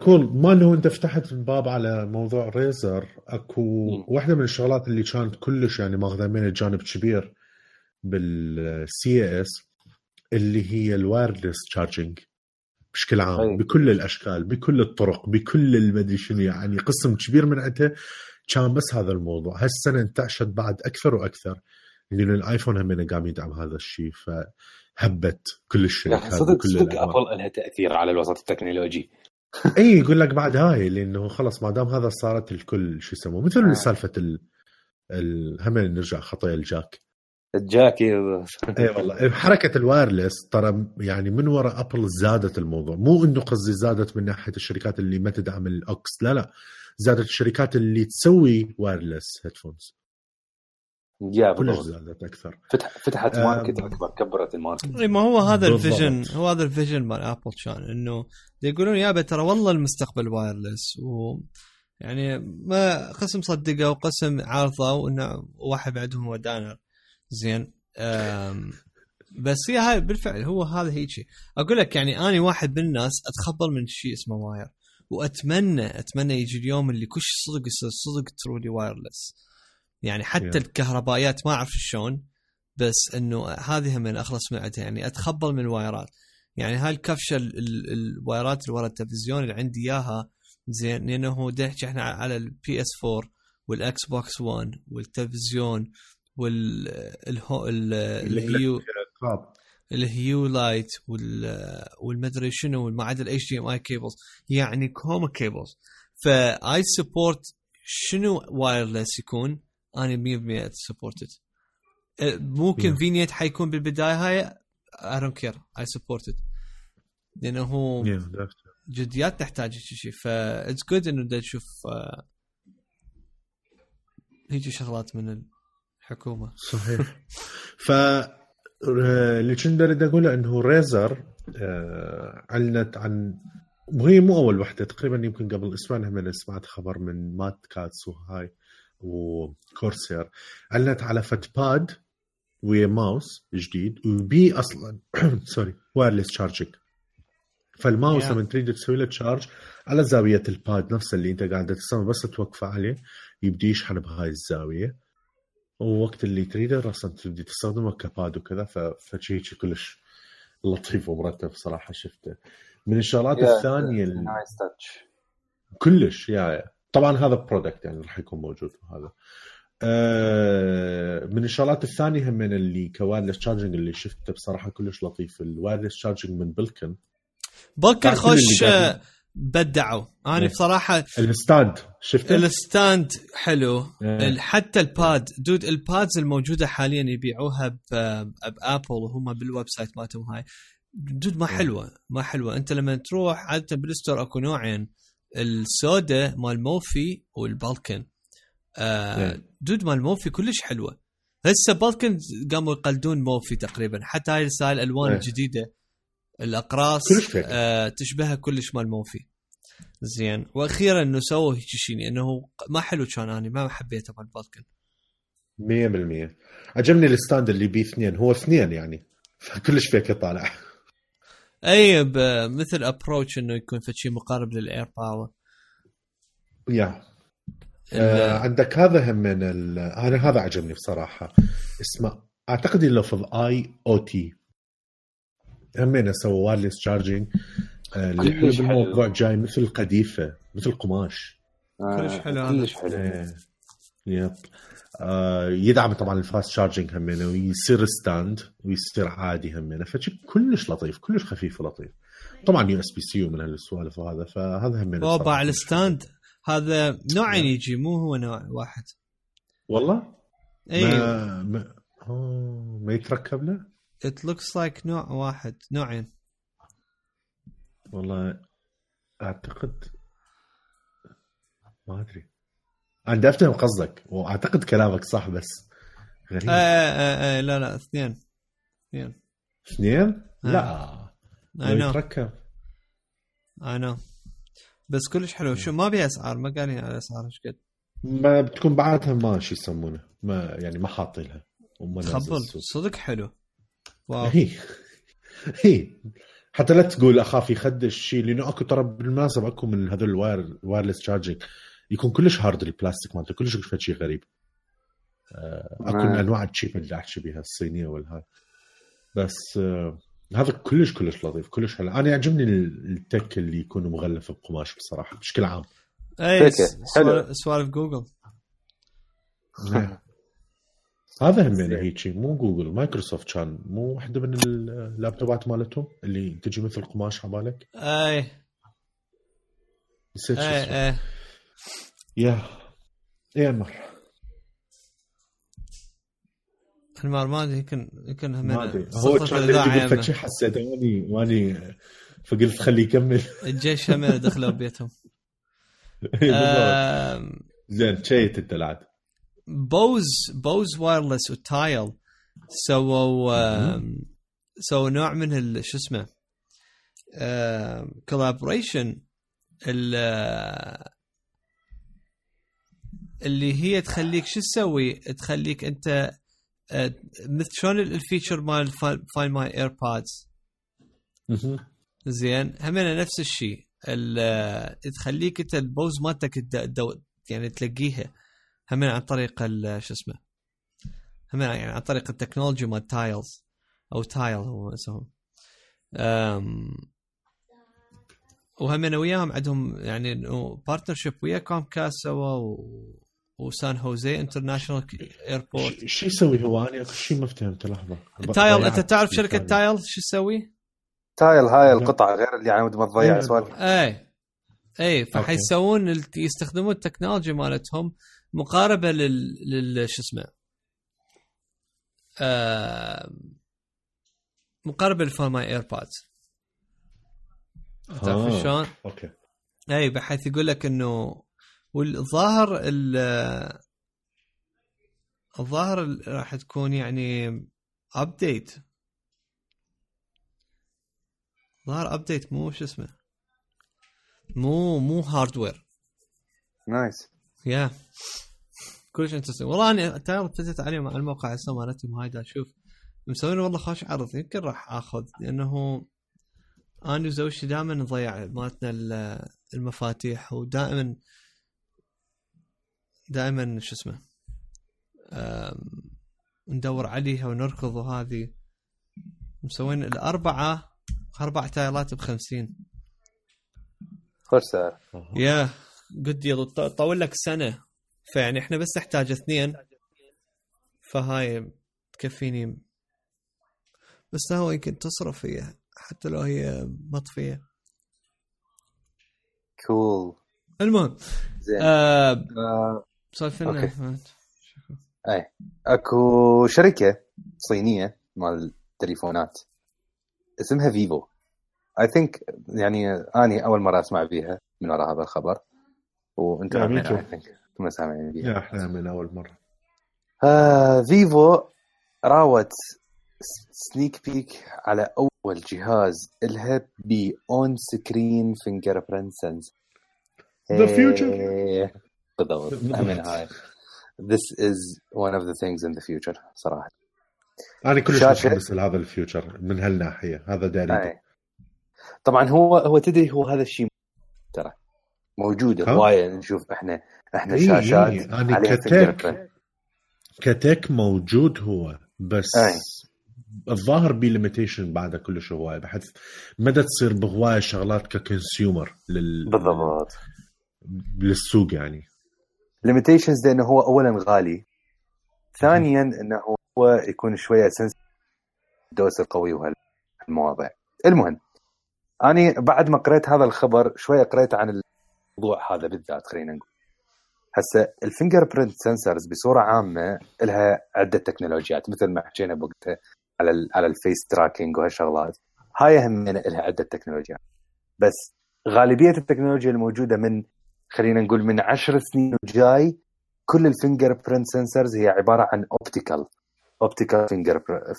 كول ما له انت فتحت الباب على موضوع ريزر. اكو واحدة من الشغلات اللي كانت كلش يعني ماخذة من الجانب كبير بالسي اس اللي هي الوايرلس تشارجينج بشكل عام بكل الاشكال بكل الطرق بكل المدري شنو. يعني قسم كبير من عندها كان بس هذا الموضوع. هالسنة انتعشت بعد اكثر واكثر لأن الايفون هم قام يدعم هذا الشيء فهبت كل الشركات. صدق ابل لها تاثير على الوسط التكنولوجي. اي يقول لك بعد هاي لانه خلص ما دام هذا صارت الكل شو يسموه مثل سالفه هم نرجع خطايا الجاك اي والله حركه الوايرلس ترى يعني من وراء ابل زادت الموضوع. مو انه قصدي زادت من ناحيه الشركات اللي ما تدعم الاوكس لا زادت الشركات اللي تسوي وايرلس هيدفونز. كلش زادت اكثر. فتحت ماركت اكبر كبرت الماركت. ما هو هذا الفيجن هذا الفيجن مال ابل كان انه يقولون يا ترى والله المستقبل وايرلس يعني ما قسم صدقوا وقسم عارضوا انه واحد بعدهم هو دانر زين. بس هي هاي بالفعل هو هذا هيك اقول لك. يعني اني واحد من الناس اتخبل من شيء اسمه واير واتمنى يجي اليوم اللي كل صدق يصير صدق ترولي وايرلس. يعني حتى الكهربائيات ما أعرف شلون بس إنه هذه من أخلص من عندها. يعني أتخبل من الوايرات. يعني هاي الكفشة الوايرات اللي ورا التلفزيون اللي عندي إياها زين لأنه نحكي إحنا على البي اس 4 والإكس بوكس 1 والتلفزيون الهيو لايت والمدري شنو والمعدل HDMI كيبلز يعني كوما كيبلز. فاي سبورت شنو وايرلس يكون أنا 100% سبورتد. ممكن فينيت حيكون بالبداية هاي I don't care I support it لأنه جديات تحتاج شيء. it's good إنه دا تشوف هيجي شغلات من الحكومة. صحيح. اللي كنت أريد أقوله إنه ريزر علنت عن وهي مو أول وحدة تقريبا يمكن قبل أسبوعين هم سمعت خبر من مات كاتس وهاي وكورسير علنت على فتباد ويا ماوس جديد وبي أصلا سوري وايرلس تشارجينج. فالماوس لما تريد تسوي له تشارج على زاوية الباد نفسه اللي أنت قاعد تسمع بس توقفه عليه يبدي يشحن بهاي الزاوية. ووقت اللي تريده رأسا تبدي تستخدمه كباد وكذا فشيء كلش لطيف ومرتب صراحه شفته. من الشغلات الثانيه نايس تاتش كلش طبعا هذا برودكت يعني راح يكون موجود وهذا. من الشغلات الثانيه هم من اللي كوايرلس تشارجنج اللي شفته بصراحه كلش لطيف الوايرلس تشارجنج من بلكن خوش بدعوا. انا بصراحه الستاند شفته الستاند حلو. حتى الباد دود البادز الموجوده حاليا يبيعوها بابل وهم بالويب سايت مالتهم هاي دود ما حلوه. انت لما تروح عاده بالستور اكو نوعين السودا مال موفي والبالكن. دود مال موفي كلش حلوه. هسه بالكن قاموا يقلدون موفي تقريبا حتى هاي السايل الالوان الجديده الاقراص تشبهها كلش مال موفي زين. واخيرا انه سووا هيك شيء انه ما حلو كان انا ما حبيته مال بالكن 100%. عجبني الستاند اللي بيه 2 هو 2 يعني كلش فيك طالع اي مثل ابروتش انه يكون في شيء مقارب للاير باور. عندك هذا هم من انا هذا عجبني بصراحه اسمه اعتقد لفظ IoT همين سووا وايرلس تشارجينج اللي حلو بالموضوع جاي مثل قديفه مثل قماش كلش حلو كلش حلو. يدعم طبعا الفاست تشارجينج همين ويصير ستاند ويصير عادي همين فشي كلش لطيف كلش خفيف ولطيف. طبعا USB-C ومن هالسوالف وهذا فهذا همين طبعا الستاند هذا نوعين يجي مو هو نوع واحد والله. ايوه ما يتركب له it looks like نوع واحد نوعين والله اعتقد ما ادري. انا افتهم قصدك واعتقد كلامك صح بس غريب. لا اثنين لا يتركب انا بس كلش حلو. شو ما بيها اسعار ما قالين على اسعار ايش قد ما بتكون بعدها ما شو يسمونه ما يعني ما حاطينها خبل صدق حلو. واو هي حتى لا تقول اخاف يخدش شيء لانه اكو ترى بالمناسبه اكو من هذول الوايرلس تشارجينج يكون كلش هارد البلاستيك مالته كلش شيء غريب. اكو من انواع الشيب اللي احكي بها الصينيه والهاي بس هذا كلش لطيف كلش حلو. انا يعجبني التك اللي يكون مغلف بقماش بصراحه بشكل عام. اي سوالف جوجل هذا هم هيك مو جوجل مايكروسوفت كان مو واحده من اللابتوبات مالتهم اللي تجي مثل قماش عبالك. اي يا مر المار ما ادري يمكن هم هو كان يقول فتشي حسيت واني فقلت خليه يكمل. الجيش هم دخلوا بيتهم. زين شيت انت لعب بوز وايرلس وتايل سووا نوع من شو اسمه كولابوريشن اللي هي تخليك شو تسوي تخليك انت مثل شلون الفيتشر مال فاين ماي ايربودز زين همنا نفس الشيء تخليك انت البوز مالتك يعني تلاقيها همنا عن طريق شو اسمه همنا يعني عن طريق التكنولوجيا مال تايلز او تايل هو اسمهم. وهمنا وياهم عندهم يعني بارتنرشيب ويا كومكاست سوا وسان هوزي انترناشونال ايربورت. شو يسوي هو انا اكو شيء ما فهمت لحظه. تايل انت تعرف شركه تايل شو تسوي؟ تايل هاي القطع غير اللي يعني ما تضيع سوالف. اي فحيسوون يستخدمون التكنولوجيا مالتهم مقاربه شو اسمه مقاربه لفورماي ايربودز. تعرف شلون؟ اوكي اي بحيث يقول لك انه والظاهر الظاهر راح تكون يعني ابديت ظاهر ابديت مو شو اسمه مو هاردوير. نايس يا كلش انترستينج والله. انا تعرف فتت عليهم على الموقع هسه مالتهم هاي دا اشوف مسوين والله خوش عرض يمكن راح اخذ لانه انا وزوجتي دائما نضيع مالتنا المفاتيح ودائما شو اسمه ندور عليها ونركض وهذه مسوين الأربعة 4 تايرات ب50. خوش سعر. يا قد يضل طول لك سنة، فيعني احنا بس نحتاج 2، فهاي تكفيني. بس هو يمكن تصرف فيها حتى لو هي مطفية. كول. المهم زين. سالفنا. اي اكو شركة صينية مال تليفونات اسمها فيفو. اي ثينك يعني اني اول مرة اسمع بيها من وراء هذا الخبر، وانتم اي ثينك كنا سامعين بيها. يا احنا من اول مرة. فيفو راوت سنيك بيك على اول جهاز لها بأون سكرين فينجر برنت سنس. The future. بالضبط. من هاي this is one of the things in the future صراحة. أنا كلش متحمس لهذا الفيوتشر من هالناحية، هذا داري. طبعا هو تدري هو هذا الشيء ترى موجود هواية. نشوف احنا شاشات عليها كتك موجود هو، بس الظاهر بي ليميتيشن بعد كلش هواية، بحيث مدى تصير بهواية شغلات ككونسيومر بالضبط للسوق يعني. limitations لأنه هو أولا غالي، ثانيا أنه هو يكون شوية دوس القوي وهالمواضيع. المهم أنا بعد ما قرأت هذا الخبر شوية قرأت عن الموضوع هذا بالذات. خلينا نقول هسه الفينجر برنت سنسرز بصورة عامة لها عدة تكنولوجيات، مثل ما حكينا بوقتها على الفيس تراكينج وهالشغلات هاي هم لها عدة تكنولوجيات. بس غالبية التكنولوجيا الموجودة من خلينا نقول من 10 سنين وجاي كل الفينجر برنت سنسرز هي عبارة عن اوبتيكال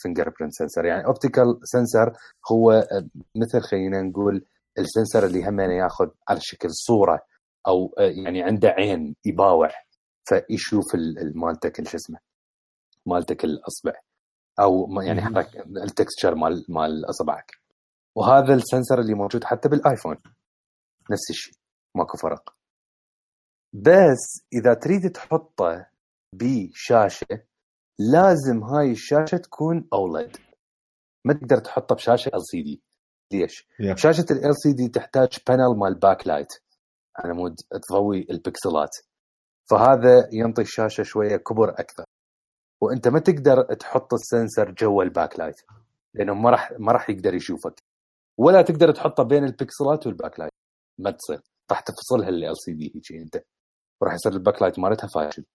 فينجر برنت سنسر. يعني اوبتيكال سنسر هو مثل خلينا نقول السنسر اللي هم ياخذ على شكل صورة او يعني عنده عين يباوع فيشوف مالتك شو اسمه مالتك الاصبع او يعني حركة التكستشر مال اصبعك. وهذا السنسر اللي موجود حتى بالايفون نفس الشيء ماكو فرق. بس اذا تريد تحطه بشاشة لازم هاي الشاشة تكون أولد، ما تقدر تحطه بشاشة LCD. ليش؟ شاشة ال LCD تحتاج بانل مال باك لايت على مود تضوي البكسلات، فهذا ينطي الشاشة شوية كبر أكثر، وأنت ما تقدر تحط السنسر جوا الباك لايت لأنه ما راح يقدر يشوفك، ولا تقدر تحطه بين البكسلات والباك لايت، ما تصير، راح تفصلها ال LCD هيك أنت، وراح يصير الباك لايت مالتها فاشل.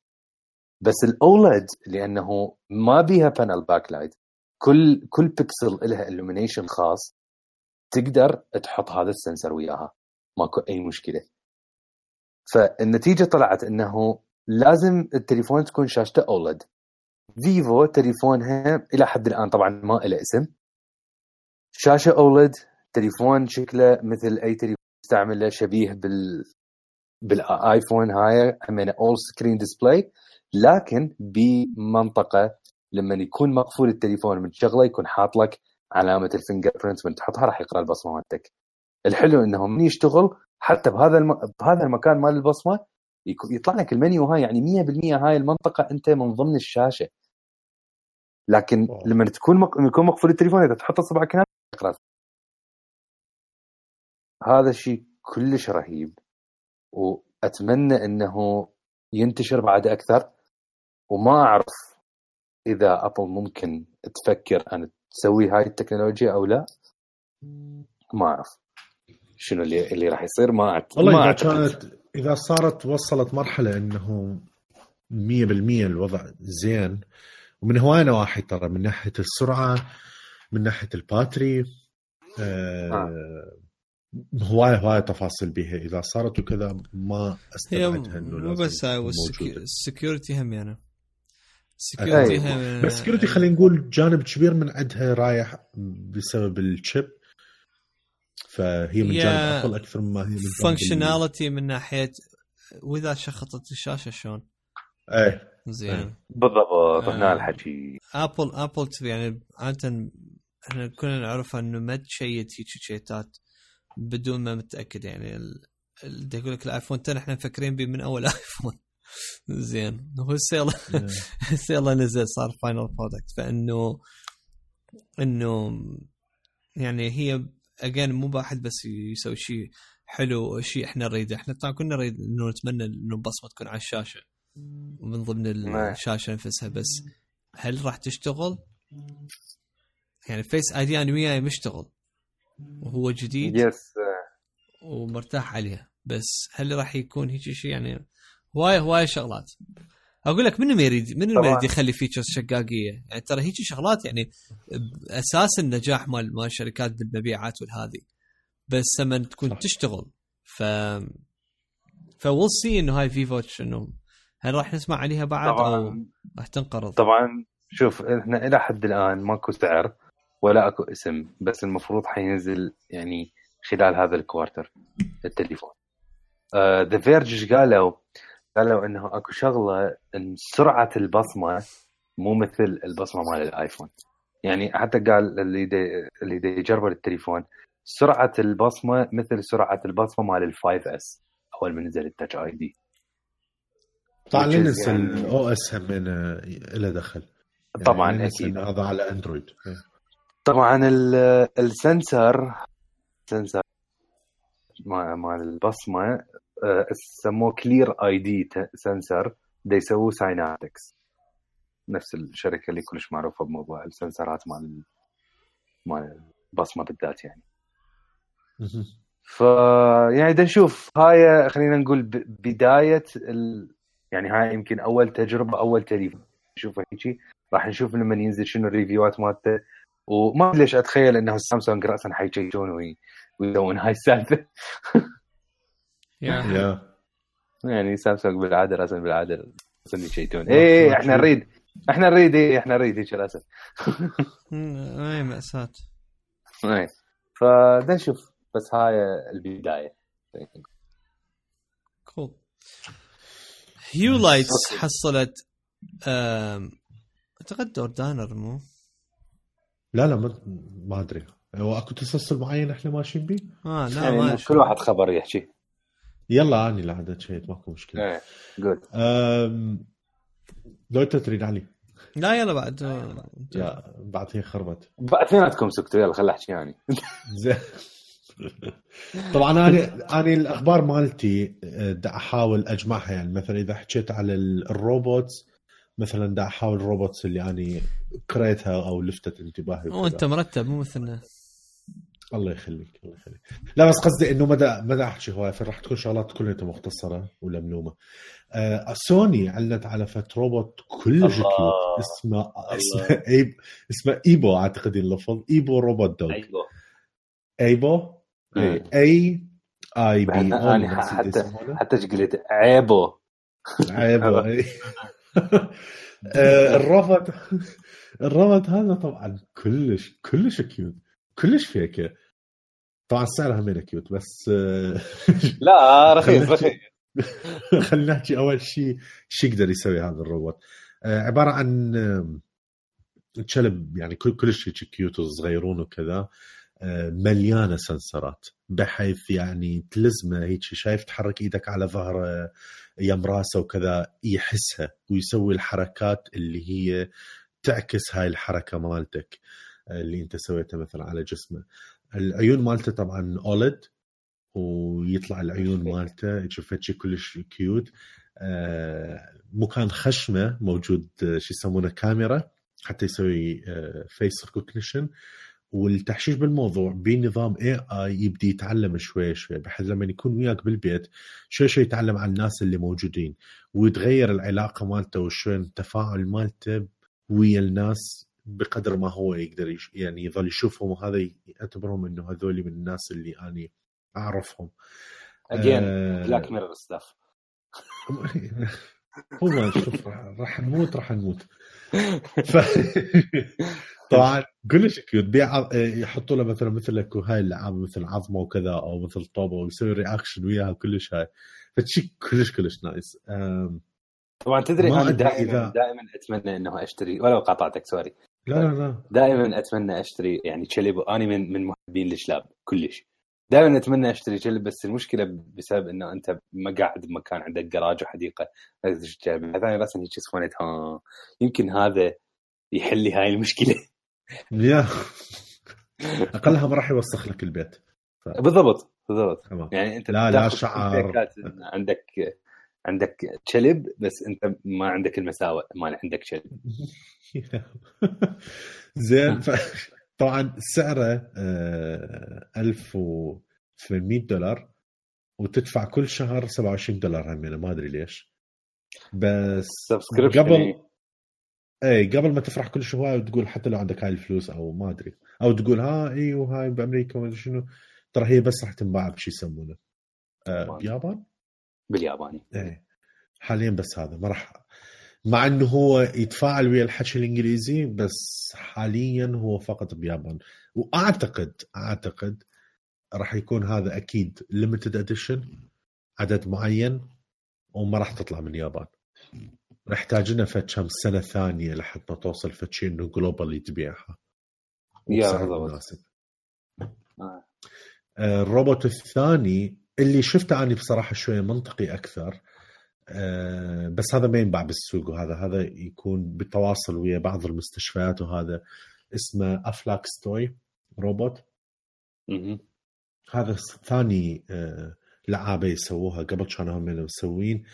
بس الأولد لأنه ما بيها بانل باك لايت، كل بيكسل لها illumination خاص، تقدر تحط هذا السنسر وياها ماكو أي مشكلة. فالنتيجة طلعت أنه لازم التليفون تكون شاشته أولد. فيفو تليفونها إلى حد الآن طبعا ما إله اسم، شاشة أولد، تليفون شكله مثل أي تليفون استعمله شبيه بالآيفون هاي همينة all screen display، لكن بمنطقة لما يكون مقفول التليفون من شغله يكون حاط لك علامة الفينجر برنت، من تحطها راح يقرأ البصمة مالتك. الحلو انه من يشتغل حتى بهذا المكان مال البصمة يطلع لك المنيو هاي، يعني 100% هاي المنطقة انت من ضمن الشاشة. لكن لما يكون مقفول التليفون اذا تحط صبعك هنا يقرأ. هذا الشيء كلش رهيب، واتمنى انه ينتشر بعد اكثر. وما أعرف إذا أبل ممكن تفكر أن تسوي هاي التكنولوجيا أو لا، ما أعرف شنو اللي راح يصير. ما أعتقد إذا صارت وصلت مرحلة إنه 100% الوضع زين، ومن هواي نواحي ترى، من ناحية السرعة، من ناحية الباتري، هواي تفاصيل بيها إذا صارت وكذا، ما أستبعدها إنه بس السكيورتي هم يعني بس سكيورتي خلينا نقول جانب كبير من عندها رايح بسبب الشيب، فهي من جانب أقل أكثر مما هي من فانكشناليتي من ناحية وإذا شخطت الشاشة شلون. زين بالضبط. هنا الحكي أبل يعني عادة احنا كنا نعرف انه ما تشيت هيك شيتات بدون ما متاكد. يعني اللي يقول لك الايفون 10 احنا مفكرين به من اول ايفون. زين هو السيلا نزل صار فاينل برودكت، فانه انه يعني هي اجين مو واحد بس يسوي شيء حلو شيء احنا نريده. احنا طبعا كنا نريد انه نتمنى انه البصمه تكون على الشاشه ومن ضمن الشاشه نفسها، بس هل راح تشتغل؟ يعني فيس اي دي انا وياي مشتغل وهو جديد يس ومرتاح عليها، بس هل راح يكون هيك شيء؟ يعني هواي شغلات. اقول لك منو ما يريد يخلي فيتشرز شقاقيه، يعني ترى هيك شغلات يعني اساس النجاح مال الشركات بالمبيعات والهذه، بس لما تكون صح. تشتغل فويل سي انه هاي في واتش انه هل راح نسمع عليها بعد طبعاً. او راح تنقرض؟ طبعا شوف احنا الى حد الان ماكو سعر ولا اكو اسم، بس المفروض حينزل يعني خلال هذا الكوارتر التليفون. ذا فيرج قالوا انه اكو شغله ان سرعه البصمه مو مثل البصمه مال الايفون. يعني حتى قال اللي دي يجرب التليفون سرعه البصمه مثل سرعه البصمه مال ال5S اول ما نزل التاتش اي دي. طبعا ننزل الاو اس هم له دخل طبعا يعني اكيد هذا على اندرويد. طبعا السنسر مال البصمه سموه كلير اي دي سنسر، دا يسووه سايناتكس، نفس الشركه اللي كلش معروفه بموضوع السنسرات مال البصمه بالذات يعني. يعني دا نشوف هاي خلينا نقول بدايه يعني هاي يمكن اول تجربه اول تليفون نشوفه هيك. راح نشوف لما ينزل شنو الريفيوات مالته، وما ليش اتخيل انه سامسونج راسا حيجيجون ويسوون هاي السالفه. يعني سامسونج بالعاده راسا بالعاده يجيجون ايه احنا نريد هيك راسا. اي مأساة. اي فدا نشوف، بس هاي البدايه. كول. هيو لايتس حصلت اعتقد اوردانر مو لا ما ادري هو اكو تسلسل معين احنا ماشيين بيه. لا يعني ما كل واحد خبر يحكي. يلا اني لعدت شيء ماكو مشكله. جود. لو تريد علي لا يلا بعد لا بعد هي خربت بعد اثنيناتكم سكتوا يلا خلي احكي يعني. طبعا انا الاخبار مالتي دا احاول اجمعها. يعني مثلا اذا حكيت على الروبوتس مثلا دا احاول الروبوتس اللي انا قريتها او لفتت انتباهي. وانت مرتب مو مثلنا. الله يخليك. لا بس قصدي انه مدى احكي هواي، فراح تكون شغلات كلها مختصره ولا ملومه. سوني علنت على فت روبوت كلش كيوت اسمه ايبو، اعتقد اللفظ ايبو روبوت دوغ. ايبو اي بي او حتى قلت عيبو الروبوت هذا طبعا كلش كيوت كلش فيكه. طبعا سعرها من كيوت بس لا رخيص. خلينا نحكي اول شيء شو يقدر يسوي هذا الروبوت. عباره عن كلب يعني كلش كيوت وصغيرون وكذا، مليانه سنسرات بحيث يعني تلزمه هيك شايف تحرك ايدك على ظهره يم راسه وكذا يحسها ويسوي الحركات اللي هي تعكس هاي الحركه مالتك اللي انت سويتها مثلا على جسمه. العيون مالته طبعا اولد ويطلع العيون مالته تشوف شيء كلش كيوت. مكان خشمه موجود شو يسمونه كاميرا حتى يسوي فيس ريكوجنيشن. والتحشيش بالموضوع بنظام AI يبدي يتعلم شوي بحيث لما يكون وياك بالبيت شوي يتعلم عن الناس اللي موجودين ويتغير العلاقة مالته وشوي التفاعل مالته ويا الناس بقدر ما هو يقدر يعني يظل يشوفهم، وهذا يعتبرهم انه هذول من الناس اللي أنا أعرفهم. بلاك ميرور ستاف. هو شوف راح نموت طبعا كلش كيوت. يحطوا له مثل لك هاي اللعابه مثل عظمه وكذا او مثل طوبه ويسوي رياكشن وياها كلش هاي، فشي كلش نايس. طبعا تدري انا دائما اتمنى انه اشتري، ولو قاطعتك سوري. لا دائما اتمنى اشتري يعني كلب. انا من محبين الكلاب كلش، دائما اتمنى اشتري كلب. بس المشكله بسبب انه انت ما قاعد بمكان عندك جراج وحديقه هذا راسا هيك سخونت. يمكن هذا يحل لي هاي المشكله. يا اقلها ما راح يوسخ لك البيت. بالضبط تمام. يعني انت لا شعر، عندك كلب بس انت ما عندك المساوئ ما عندك كلب. زين. طبعا سعره $1800 وتدفع كل شهر $27 همينه، ما ادري ليش. بس قبل ما تفرح كل شوي وتقول حتى لو عندك هاي الفلوس او ما ادري، او تقول وهاي بامريكا ولا شنو، ترى هي بس راح تنباع بشي يسمونه بيابان، بالياباني. حاليا بس هذا ما راح، مع انه هو يتفاعل ويا الحكي الانجليزي، بس حاليا هو فقط بيابان. واعتقد راح يكون هذا اكيد limited edition، عدد معين، وما راح تطلع من اليابان. نحتاج لنا كم سنه ثانيه لحتى توصل شيء انه جلوبالي تبيعها وبسعر مناسب. الروبوت الثاني اللي شفته أنا بصراحه شويه منطقي اكثر، بس هذا ما ينباع بالسوق، وهذا يكون بالتواصل ويا بعض المستشفيات، وهذا اسمه أفلاكس توي روبوت. هذا ثاني لعابة يسووها، قبل كانوا هم مسوين.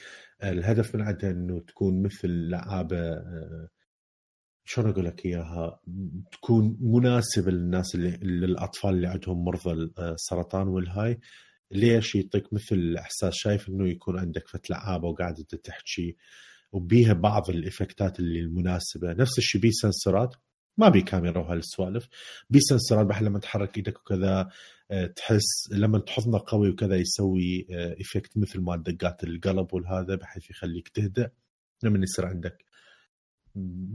الهدف من عندها انه تكون مثل لعابة شلون اقول لك اياها، تكون مناسبة للناس للأطفال اللي عندهم مرضى السرطان والهاي. ليش؟ يعطيك مثل احساس شايف انه يكون عندك لعابة وقاعدة تحكي، وبيها بعض الإفكتات اللي المناسبة. نفس الشيء بيه سنسورات، ما بيه كاميرا وهالسوالف، بيه سنسورات بحيث لما تحرك ايدك وكذا تحس، لما تحضنه قوي وكذا يسوي إفكت مثل ما دقات القلب والهذا، بحيث يخليك تهدأ لما يصير عندك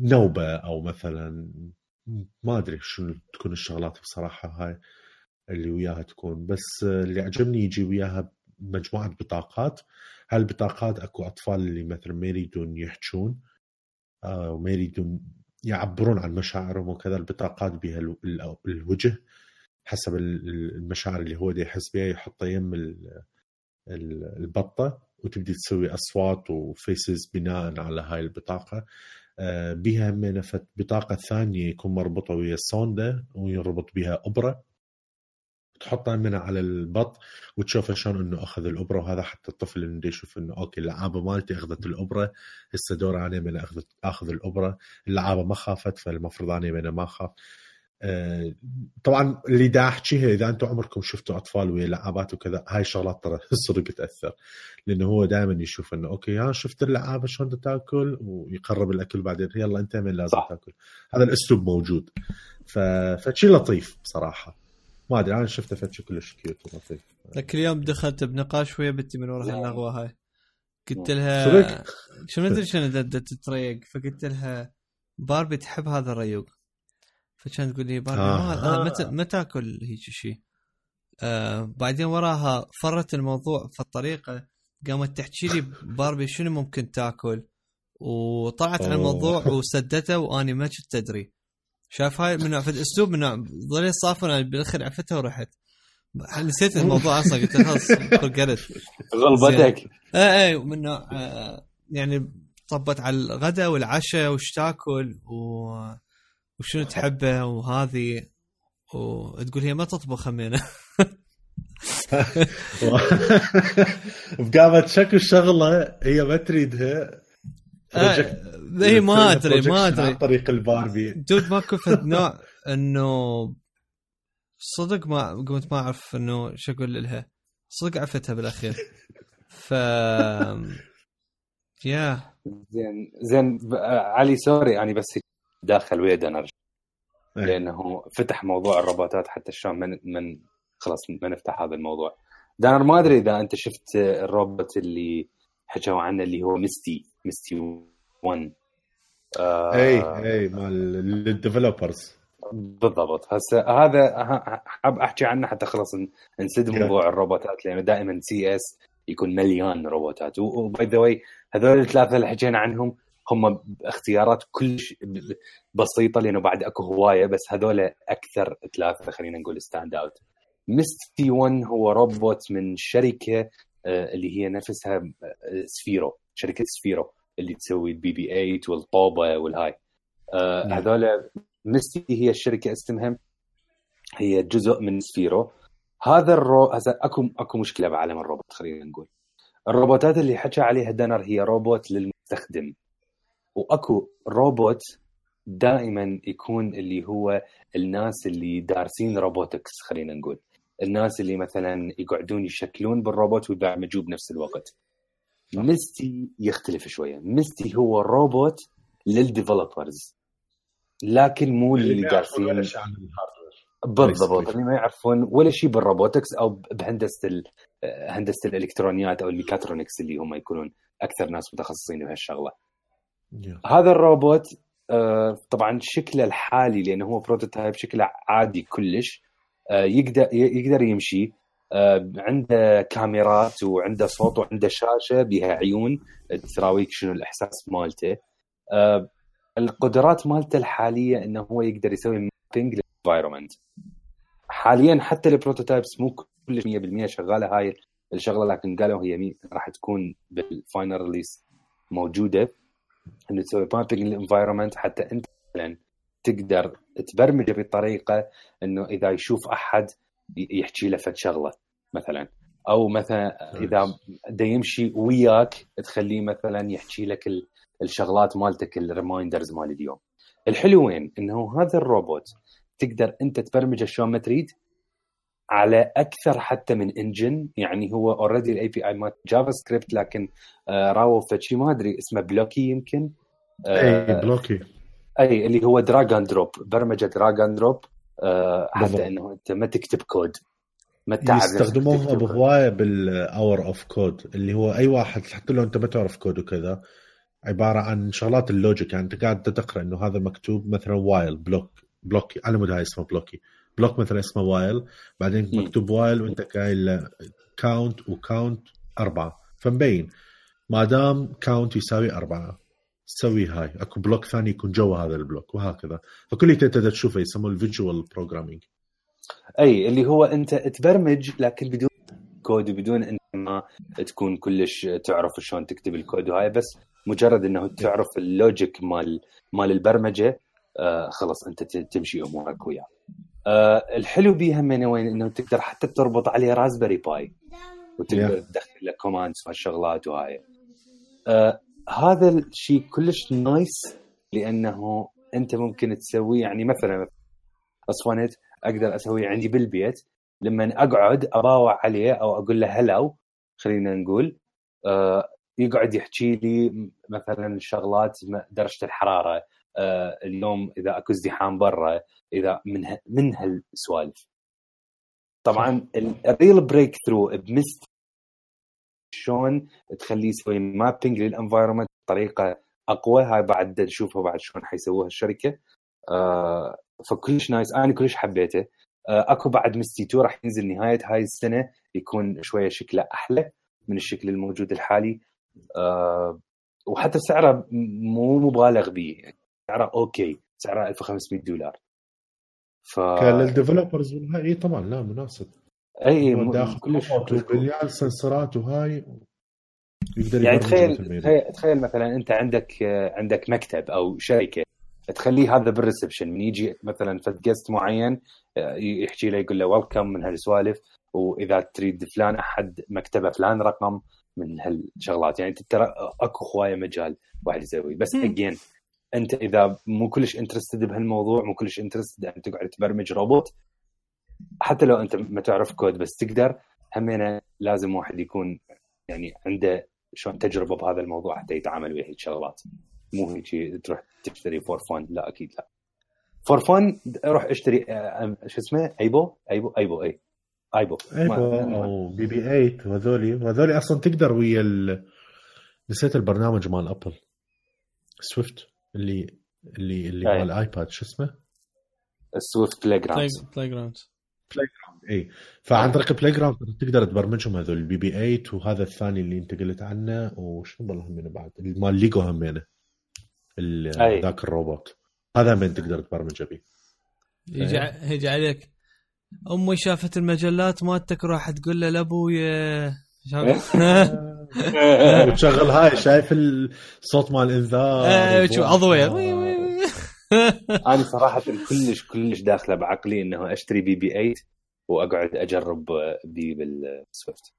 نوبة أو مثلا ما أدري شو تكون الشغلات بصراحة هاي اللي وياها تكون. بس اللي عجبني يجي وياها مجموعة بطاقات. هالبطاقات أكو أطفال اللي مثلا ما يريدون يحجون وما يريدون يعبرون عن مشاعرهم وكذا، البطاقات بها الوجه حسب المشاعر اللي هو دي يحس بها، يحطها يم البطة وتبدي تسوي أصوات وفيسز بناء على هاي البطاقة. بها من بطاقة ثانية يكون مربوطة ويا السوندا ويربط بها أبرة، تحطها منها على البط وتشوف شلون انه اخذ الابره، وهذا حتى الطفل اللي يشوف انه اوكي اللعابه مالتي اخذت الابره، هسه دور علي من اخذ الابره. اللعابه ما خافت، فالمفروض اني من ما خاف. طبعا اللي دا احكيها، اذا انتم عمركم شفتوا اطفال ويا لعابات وكذا، هاي شغلات ترى صدق تاثر، لانه هو دائما يشوف انه اوكي شفت اللعابه شلون تاكل، ويقرب الاكل بعدين يلا انت من لازم تاكل. هذا الاسلوب موجود، فشي لطيف بصراحه. ما ادري انا شفته فتش كلش كيوت ولطيف. لك اليوم دخلت بنقاش ويا بنتي من وراء اللغوه هاي، قلت لها شو ندري شنو تتريق، فقلت لها باربي تحب هذا الريوق، فكانت تقول لي باربي ما تاكل هيك شيء. بعدين وراها فرت الموضوع في الطريقه، قامت تحكي لي باربي شنو ممكن تاكل، وطلعت عن الموضوع وسدته، واني ما كنت ادري. شاف هاي من في الاسلوب من ظلي صافن، انا بالاخر عفتها ورحت نسيت الموضوع اصلا. قلت خلاص قلت غلبتك. اي من يعني طبت على الغداء والعشاء وش تاكل وشنو تحبه وهذه، وتقول هي ما تطبخ همينه. بقامت شكل شغله هي ما تريدها. هي ما ادري عن طريق الباربي دود ماكو فد نوع انه صدق ما قمت ما اعرف انه شو اقول لها، صدق عفتها بالاخير. ف يا زين علي سوري يعني بس داخل ويا نرجع، لانه فتح موضوع الروبوتات حتى شلون من خلاص ما نفتح هذا الموضوع. دانر ما ادري اذا انت شفت الروبوت اللي حكوا عنه اللي هو ميستي 1. اي مال الديفلوبرز بالضبط. هسه هذا حاب احكي عنه حتى خلاص نسد موضوع الروبوتات، لانه دائما سي اس يكون مليان روبوتات. وباي ذا واي هذول الثلاثه اللي حكينا عنهم هم اختيارات كلش بسيطه، لانه بعد اكو هوايه، بس هذول اكثر ثلاثه خلينا نقول ستاند اوت. ميستي 1 هو روبوت من شركه اللي هي نفسها سفيرو، شركه سفيرو اللي تسوي الBB-8 والطوبه والهاي. هذول ميستي هي الشركه اسمها، هي جزء من سفيرو. هذا هذا اكو مشكله بعالم الروبوت. خلينا نقول الروبوتات اللي حكى عليها دانر هي روبوت للمستخدم، واكو روبوت دائما يكون اللي هو الناس اللي دارسين روبوتكس. خلينا نقول الناس اللي مثلا يقعدون يشكلون بالروبوت ويبرمجوه بنفس الوقت. ميستي يختلف شويه. ميستي هو روبوت للديفلوبرز، لكن مو اللي دارسين بالضبط، اللي ما يعرفون ولا شيء بالروبوتكس او بهندسه هندسه الالكترونيات او الميكاترونكس اللي هم يكونون اكثر ناس متخصصين بهالشغله. هذا الروبوت طبعا شكله الحالي لانه هو بروتوتايب، شكله عادي كلش. يقدر يمشي، عنده كاميرات وعنده صوت وعنده شاشه بها عيون تراويك شنو الاحساس مالته. القدرات مالته الحاليه انه هو يقدر يسوي مابينج للانفايرمنت. حاليا حتى البروتوتايبس مو كلش 100% شغاله هاي الشغله، لكن قالوا هي راح تكون بالفاينل ريليس موجوده، انه تسوي مابينج للانفايرمنت حتى انت مثلا تقدر تبرمجه بطريقه انه اذا يشوف احد يحكي له فد شغله مثلا، او مثلا اذا دا يمشي وياك تخليه مثلا يحكي لك الشغلات مالتك، الريمايندرز مال اليوم. الحلوين انه هذا الروبوت تقدر انت تبرمجه شلون ما تريد على اكثر حتى من انجن. يعني هو اوريدي الاي بي اي مال جافا سكريبت، لكن راو فشي ما ادري اسمه بلوكي يمكن اي بلوكي، اي اللي هو دراج اند دروب، برمجه دراج اند دروب حتى انه انت ما تكتب كود، ما تعرف. يستخدموها بهوايه بالاور اوف كود، اللي هو اي واحد حتى لو انت ما تعرف كود وكذا، عباره عن شغلات اللوجيك. يعني انت قاعد تقرا انه هذا مكتوب مثلا وايل بلوكي على مود هاي اسمه بلوك مثلا اسمه وايل، بعدين مكتوب وايل وانت قايل كاونت وكاونت 4، فمبين ما دام كاونت يساوي 4 تسوي هاي، اكو بلوك ثاني يكون جوا هذا البلوك، وهكذا. فكل تقدر تشوفه يسموه الفيجوال بروجرامينج. اي اللي هو انت تبرمج لكن بدون كود وبدون انت ما تكون كلش تعرف شلون تكتب الكود وهاي، بس مجرد انه تعرف اللوجيك مال البرمجه خلاص انت تمشي امورك وياه. الحلو بيها من وين انه تقدر حتى تربط عليه رازبري باي وتقدر تدخل له كوماندز وهالشغلات وهاي. هذا الشيء كلش نايس لانه انت ممكن تسويه. يعني مثلا اصفنت اقدر اسويه عندي بالبيت، لما اقعد اباوع عليه او اقول له هلو خلينا نقول، يقعد يحكي لي مثلا شغلات درجه الحراره اليوم، اذا اكو ازدحام برا، اذا من هالسوالف. طبعا الريل بريك ثرو بمست شلون تخليه يسوي مابينج للانفايرمنت بطريقه اقوى. هاي بعد نشوفها بعد شلون حيسووها الشركه. فكلش نايس، انا كلش حبيته. اكو بعد ميستي 2 راح ينزل نهايه هاي السنه، يكون شويه شكله احلى من الشكل الموجود الحالي. وحتى سعره مو مبالغ به، يعني سعره اوكي، سعره $1500. للديفلوبرز هاي طبعا لا مناسب. اي كلش باليال سنسرات وهاي يقدر يعني تخيل مثلا انت عندك مكتب او شركه، تخليه هذا بالريسبشن، من يجي مثلا فد جست معين يحكي له يقول له ويلكم من هالسوالف، واذا تريد فلان احد مكتبه فلان رقم من هالشغلات. يعني ترى اكو هوايه مجال واحد يسوي. بس اجين انت اذا مو كلش انترستد بهالموضوع، مو كلش انترستد ان تقعد تبرمج روبوت، حتى لو انت ما تعرف كود بس تقدر، همينه لازم واحد يكون يعني عنده شلون تجربه بهذا الموضوع حتى يتعامل ويا هالشغلات. مو هيك تروح تشتري فور فان، لا اكيد لا. فور فان روح اشتري شو اسمه ايبو او بي بي 8 وهذولي اصلا تقدر ويا نسيت البرنامج مال ابل سويفت اللي مال الايباد، شو اسمه السويفت بلاي جراوند اي. فعن طريق بلاي جراوند تقدر تبرمجهم هذول البي بي 8 وهذا الثاني اللي انت قلت عنه، وشنو بالله همينه بعد مال ليجو همينه ذاك الروبوت هذا من تقدر تبرمجه بيه. يجي عليك امي شافت المجلات مالتك راح تقول له لابويا وتشغل هاي، شايف الصوت مال الانذار شو عضويه انا صراحه كلش داخله بعقلي انه اشتري BB-8 واقعد اجرب بي بالسويفت.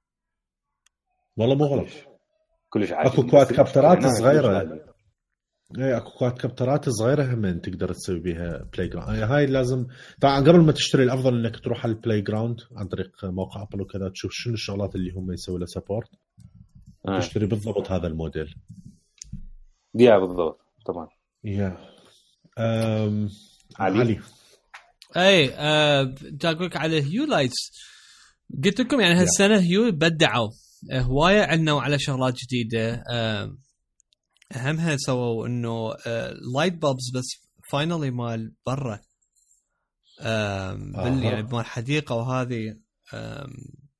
والله مو غلط. كلش عاجبني. اكو كواد كابترات صغيره، اي اكو كواد كابترات صغيره هم تقدر تسوي بيها بلاي جراوند. هاي لازم طبعا قبل ما تشتري الافضل انك تروح على البلاي جراوند عن طريق موقع ابل وكذا، تشوف شنو الشغلات اللي هم يسوي لها سبورت، تشتري بالضبط هذا الموديل. يا بالضبط طبعا. يا علي اي تاكلك على هيو لايتس. قلت لكم يعني هالسنه هيو بدعوا هوايه عنوا على شغلات جديده. اهمها سووا انه لايت بابز بس فاينلي مال برا يعني مال حديقه وهذه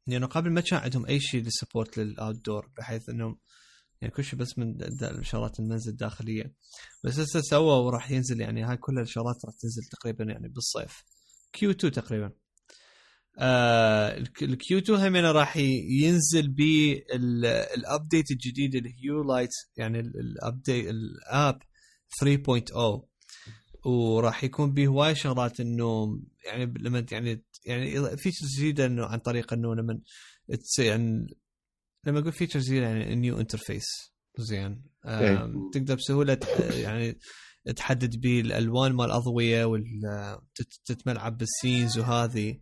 يعني قبل ما كان عندهم اي شيء للسبورت للاوت دور، بحيث انه يعني كل شيء بس من شغلات المنزل الداخليه. بس هسه سووا وراح ينزل يعني هاي كل الشغلات راح تنزل تقريبا يعني بالصيف Q2 تقريبا. الQ2 هم راح ينزل بالابديت الجديد الهيو لايت، يعني الابديت الاب 3.0، وراح يكون به هواي شغلات انه يعني لما يعني فيتشرز جديده انه عن طريق انه يعني لما اقول فيتشرز جديده يعني نيو انترفيس زين. تقدر بسهوله يعني تحدد به الالوان مال الاضويه وتتملعب بالسينز وهذه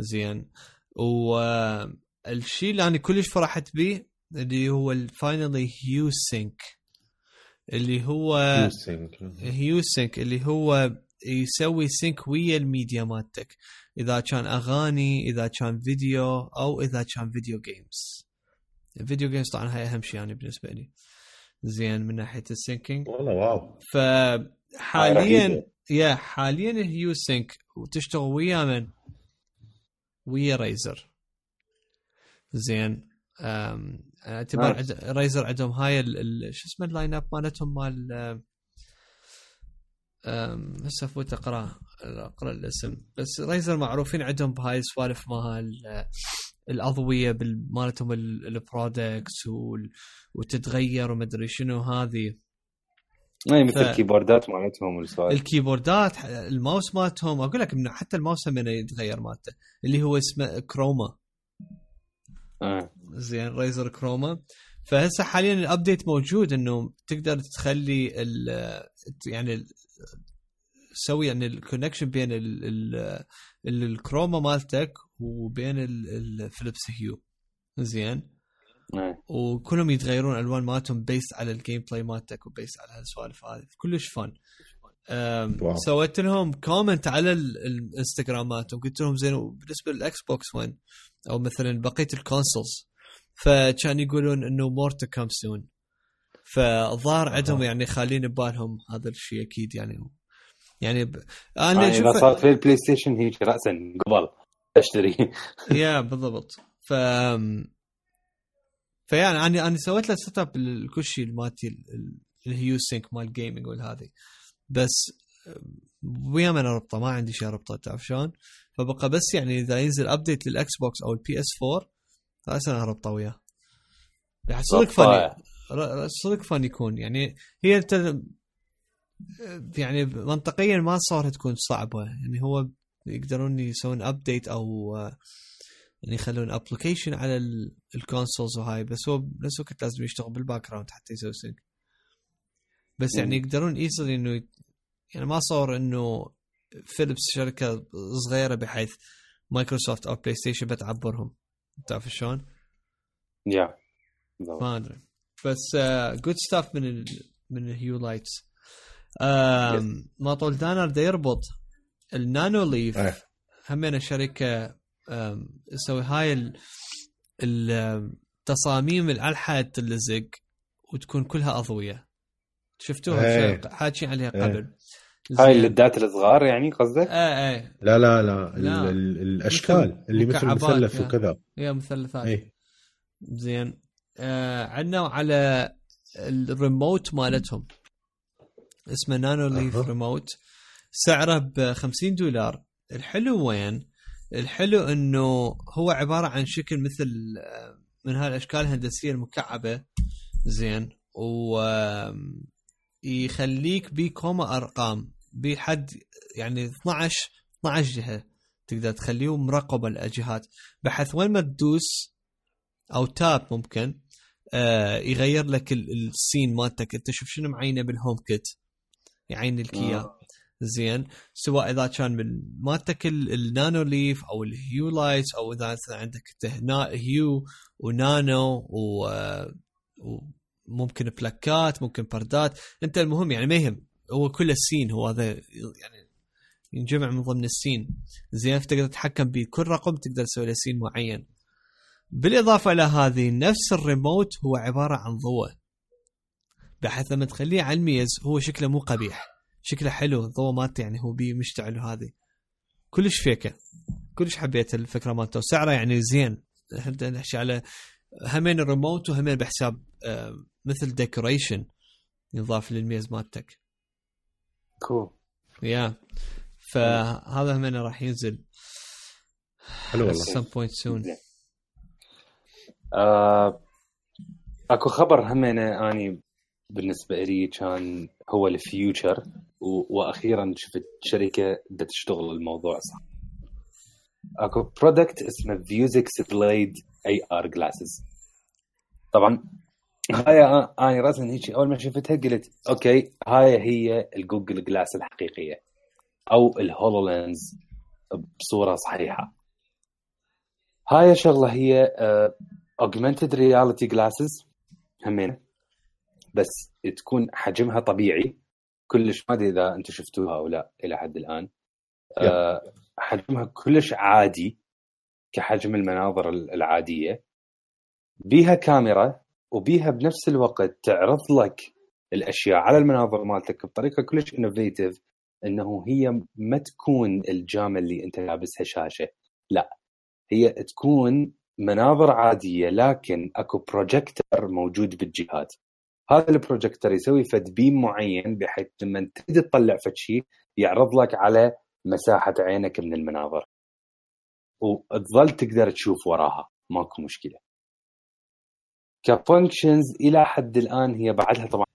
زين. والشيء اللي انا كلش فرحت به اللي هو الفاينلي هيو سينك، اللي هو هيو سينك اللي هو يسوي سينك ويا الميديا مالتك، اذا كان اغاني، اذا كان فيديو، او اذا كان فيديو جيمز. الفيديو جيمز طبعا هاي اهم شيء يعني بالنسبه لي زين من ناحيه السينكينج. والله واو. فحاليا حاليا الهيو سينك وتشتغل ويا من ويا رايزر زين. اعتبار رايزر عندهم هاي شو اسمه اللاين اب مالتهم مال هسه فوت اقرا الاسم. بس رايزر معروفين عندهم بهاي السوالف مال الاضويه مالتهم البرودكتس وتتغير وما ادري شنو هذه. مثل الكيبوردات مالتهم والسوالف، الكيبوردات، الماوس مالتهم. اقول لك انه حتى الماوس من يتغير مالته اللي هو اسمه كروما. زين رايزر كروما. فهسه حاليا الابديت موجود انه تقدر تخلي يعني سوي يعني الكونكشن بين الكروما مالتك وبين الفليبس هيو زين. وكلهم يتغيرون الوان مالتهم بيست على الجيم بلاي مالتك وبيست على هالسوالف هذه. كلش فن. سويت لهم كومنت على الانستغرام مالتهم، قلت لهم زين بالنسبه للاكس بوكس 1 او مثلا بقيه الكونسولز، فكان يقولون انه مور تو كم سون. فظهر عندهم يعني خالين ببالهم هذا الشيء اكيد يعني انا اذا صار في البلاي ستيشن هيك راسا قبل اشتري. يا بالضبط. فيعني انا سويت له سيت اب لكل شيء مالتي الهيو سينك مال جيمنج والهذه، بس ويا من اربطه ما عندي شيء اربطه تعرف شلون. فبقى بس يعني اذا ينزل ابديت للاكس بوكس او البي اس 4 فاسا اربطه وياه. صدق فني، صدق فن يكون يعني. هي انت يعني منطقيا ما صارت تكون صعبه يعني. هو يقدرون يسوون ابديت او يعني يخلون ابلكيشن على الكونسولز وهاي، بس هو بنفس الوقت لازم يشتغل بالباك جراوند حتى يسوي سينك. بس يعني يقدرون ايزلي انه يعني ما صار انه فيليبس شركه صغيره بحيث مايكروسوفت او بلاي ستيشن بتعبرهم تعرف شلون. ما ادري بس جود ستاف من الهيو لايتس. ما طول دانر دا يربط النانو ليف همين شركه تسوي هاي التصاميم الألحة تلزق وتكون كلها أضوية. شفتوها حاكي عليها قبل. هاي اللدات الصغار يعني قصدك؟ لا الأشكال اللي مثل مثلث وكذا. هي مثلثات. زين. عندنا على الريموت مالتهم اسمه نانو ليف ريموت، سعره $50. الحلو وين؟ الحلو انه هو عبارة عن شكل مثل من هالاشكال الهندسية المكعبة زين، ويخليك بكوما ارقام بحد يعني 12 جهة تقدر تخليه مراقبة الجهات، بحيث وين ما تدوس أو تاب ممكن يغير لك السين مالتك. انت شوف شنو معينه بالهوم كيت يعين لك اياه زين، سواء اذا كان من مالتك النانو ليف او الهيو لايت، او اذا عندك هيو ونانو وممكن بلاكات ممكن بردات. انت المهم يعني ما يهم، هو كل السين هو هذا يعني ينجمع من ضمن السين زين. تقدر تتحكم بكل رقم تقدر تسوي له سين معين. بالإضافة إلى هذه نفس الريموت هو عبارة عن ضوء، بحيث لما تخليه على الميز هو شكله مو قبيح، شكله حلو الضوء مالته يعني هو بيه مشتعل. وهذه كلش فيكة، كلش حبيت الفكرة مالته وسعره يعني زين. احنا نحكي على همين الريموت وهمين بحساب مثل ديكوريشن يضاف للميز مالتك. كول يا فهذا همين راح ينزل حلو والله some point soon. اكو خبر همينه اني بالنسبه لي كان هو الفيوتشر، واخيرا شفت شركه بدها تشتغل الموضوع صح. اكو برودكت اسمه فيوزكس بليد اي ار جلاسز. طبعا هاي انا راسا هيك اول ما شفتها قلت اوكي هاي هي الجوجل جلاس الحقيقيه او الهولولينز بصوره صحيحه. هاي شغله هي augmented reality glasses همين، بس تكون حجمها طبيعي كلش. ما ادري اذا انتم شفتوها او لا الى حد الان. حجمها كلش عادي كحجم المناظر العاديه، بيها كاميرا وبيها بنفس الوقت تعرض لك الاشياء على المناظر مالتك بطريقه كلش انوفيتيف، انه هي ما تكون الجامه اللي انت لابسها شاشه، لا هي تكون مناظر عادية لكن اكو بروجيكتور موجود بالجهات. هذا البروجيكتور يسوي فد بيم معين بحيث لما تريد تطلع فد شيء يعرض لك على مساحة عينك من المناظر وتظل تقدر تشوف وراها، ماكو مشكلة. كفانكشنز إلى حد الآن هي بعدها طبعا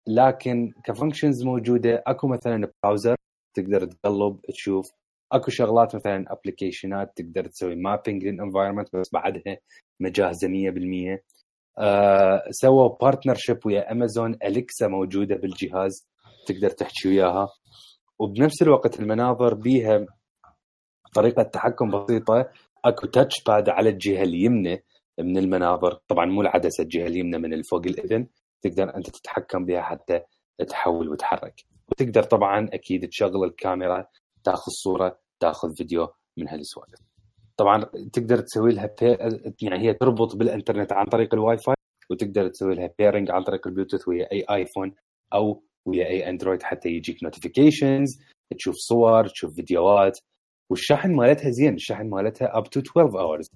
لكن كفانكشنز موجودة. اكو مثلا براوزر تقدر تقلب تشوف، اكو شغلات مثلا ابلكيشنات تقدر تسوي مابينج للانفايرمنت بس بعدها مجهزه 100%. سووا بارتنرشيب ويا امازون، اليكسا موجوده بالجهاز تقدر تحكي وياها، وبنفس الوقت المناظر بيها طريقه تحكم بسيطه. اكو تاتش باد على الجهه اليمنى من المناظر، طبعا مو العدسه، الجهه اليمنى من الفوق الاذن تقدر انت تتحكم بها حتى تحول وتحرك. وتقدر طبعا اكيد تشغل الكاميرا، تاخذ صوره، تاخذ فيديو من هالسوالف. طبعا تقدر تسوي لها يعني هي تربط بالانترنت عن طريق الواي فاي، وتقدر تسوي لها بيرنج عن طريق البلوتوث ويا اي ايفون او ويا اي اندرويد حتى يجيك نوتيفيكيشنز، تشوف صور، تشوف فيديوهات. والشحن مالتها زين، الشحن مالتها up to 12 hours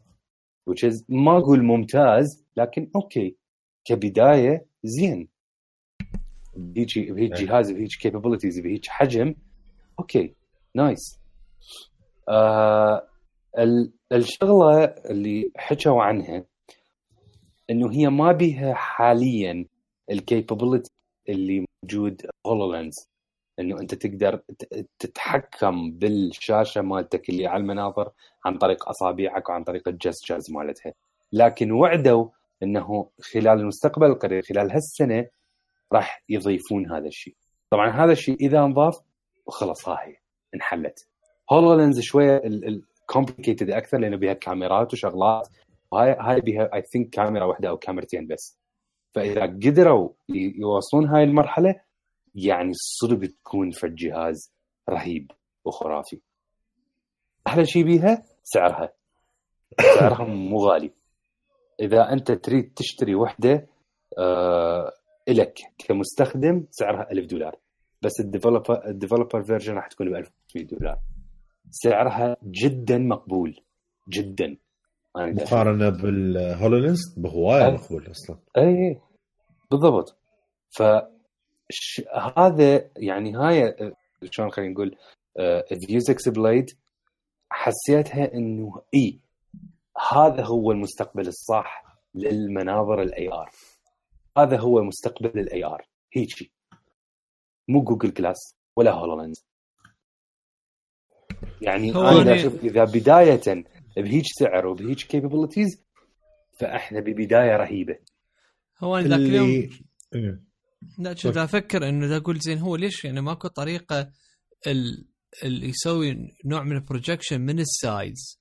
which is ما اقول ممتاز لكن اوكي كبدايه زين. بهيك جهاز بهيك كابابيلتيز بهيك حجم اوكي نايس. الشغله اللي حكوا عنها انه هي ما بيها حاليا الكابابيلتي اللي موجود هولولينز، انه انت تقدر تتحكم بالشاشه مالتك اللي على المناظر عن طريق اصابعك وعن طريق الجسترز مالتها. لكن وعدوا انه خلال المستقبل القريب خلال هالسنه راح يضيفون هذا الشيء. طبعا هذا الشيء اذا انضاف وخلص هاي انحلت. هولولينز شويه الكومبليكيتد اكثر لانه بها كاميرات وشغلات، وهاي بها اي ثينك كاميرا واحده او كاميرتين بس. فاذا قدروا يوصلون هاي المرحله يعني صدق تكون في الجهاز رهيب وخرافي. احلى شيء بيها سعرها مو غالي. اذا انت تريد تشتري وحده لك كمستخدم سعرها $1000، بس الديفلوبر فيرجن راح تكون $1500. سعرها جدا مقبول جدا مقارنه بالهولولينز بهوايه مقبول اصلا. اي بالضبط. هذا يعني هاي شلون خلينا نقول فيوزكس بليد حسيتها انه هذا هو المستقبل الصح للمناظر الاي ار. هذا هو مستقبل الاي ار هيجي. مو جوجل جلاس ولا هولولينز. يعني هو انا يعني- اشوف اذا بدايه بهيج سعر وبهيج كابابيلتيز فاحنا ببدايه رهيبه. هو أنا ذاك اليوم إيه. لا كنت افكر انه ذا اقول زين هو ليش يعني ماكو طريقه اللي يسوي نوع من البروجكشن من السايدز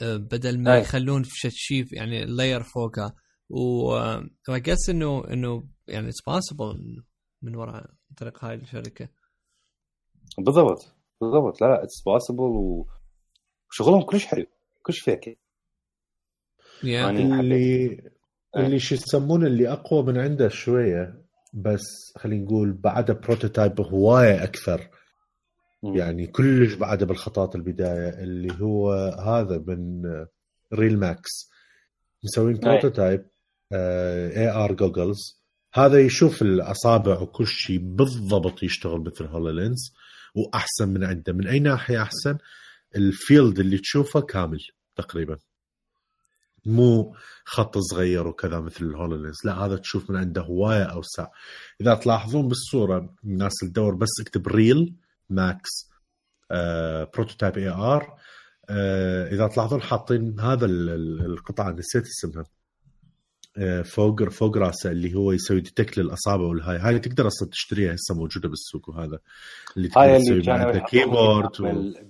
بدل ما أي. يخلون في شيء يعني لاير فوقها وقس انه يعني اتس بوسيبل من وراء طريق هاي الشركه. بالضبط لا اتس بوسيبل وشغلهم كلش حلو كلش فيك يعني اللي شو يسمونه اللي اقوى من عنده شويه بس خلينا نقول بعده بروتوتايب هوايه اكثر يعني كلش بعده بالخطوات البدايه اللي هو هذا من ريل ماكس مسوين بروتوتايب اي ار جوجلز. هذا يشوف الاصابع وكل شيء بالضبط يشتغل مثل هولولينز واحسن من عنده. من اي ناحيه احسن؟ الفيلد اللي تشوفه كامل تقريبا مو خط صغير وكذا مثل الهولولينز، لا هذا تشوف من عنده هوايه اوسع. اذا تلاحظون بالصوره الناس تدور بس اكتب ريل ماكس بروتوتايب اي ار اذا تلاحظون حاطين هذا القطعه نسيت اسمها فوق راسه اللي هو يسوي ديتكت للاصابع والهاي اللي تقدر اصلا تشتريها هسه موجوده بالسوق. وهذا اللي تقدر تسوي معه كيبورد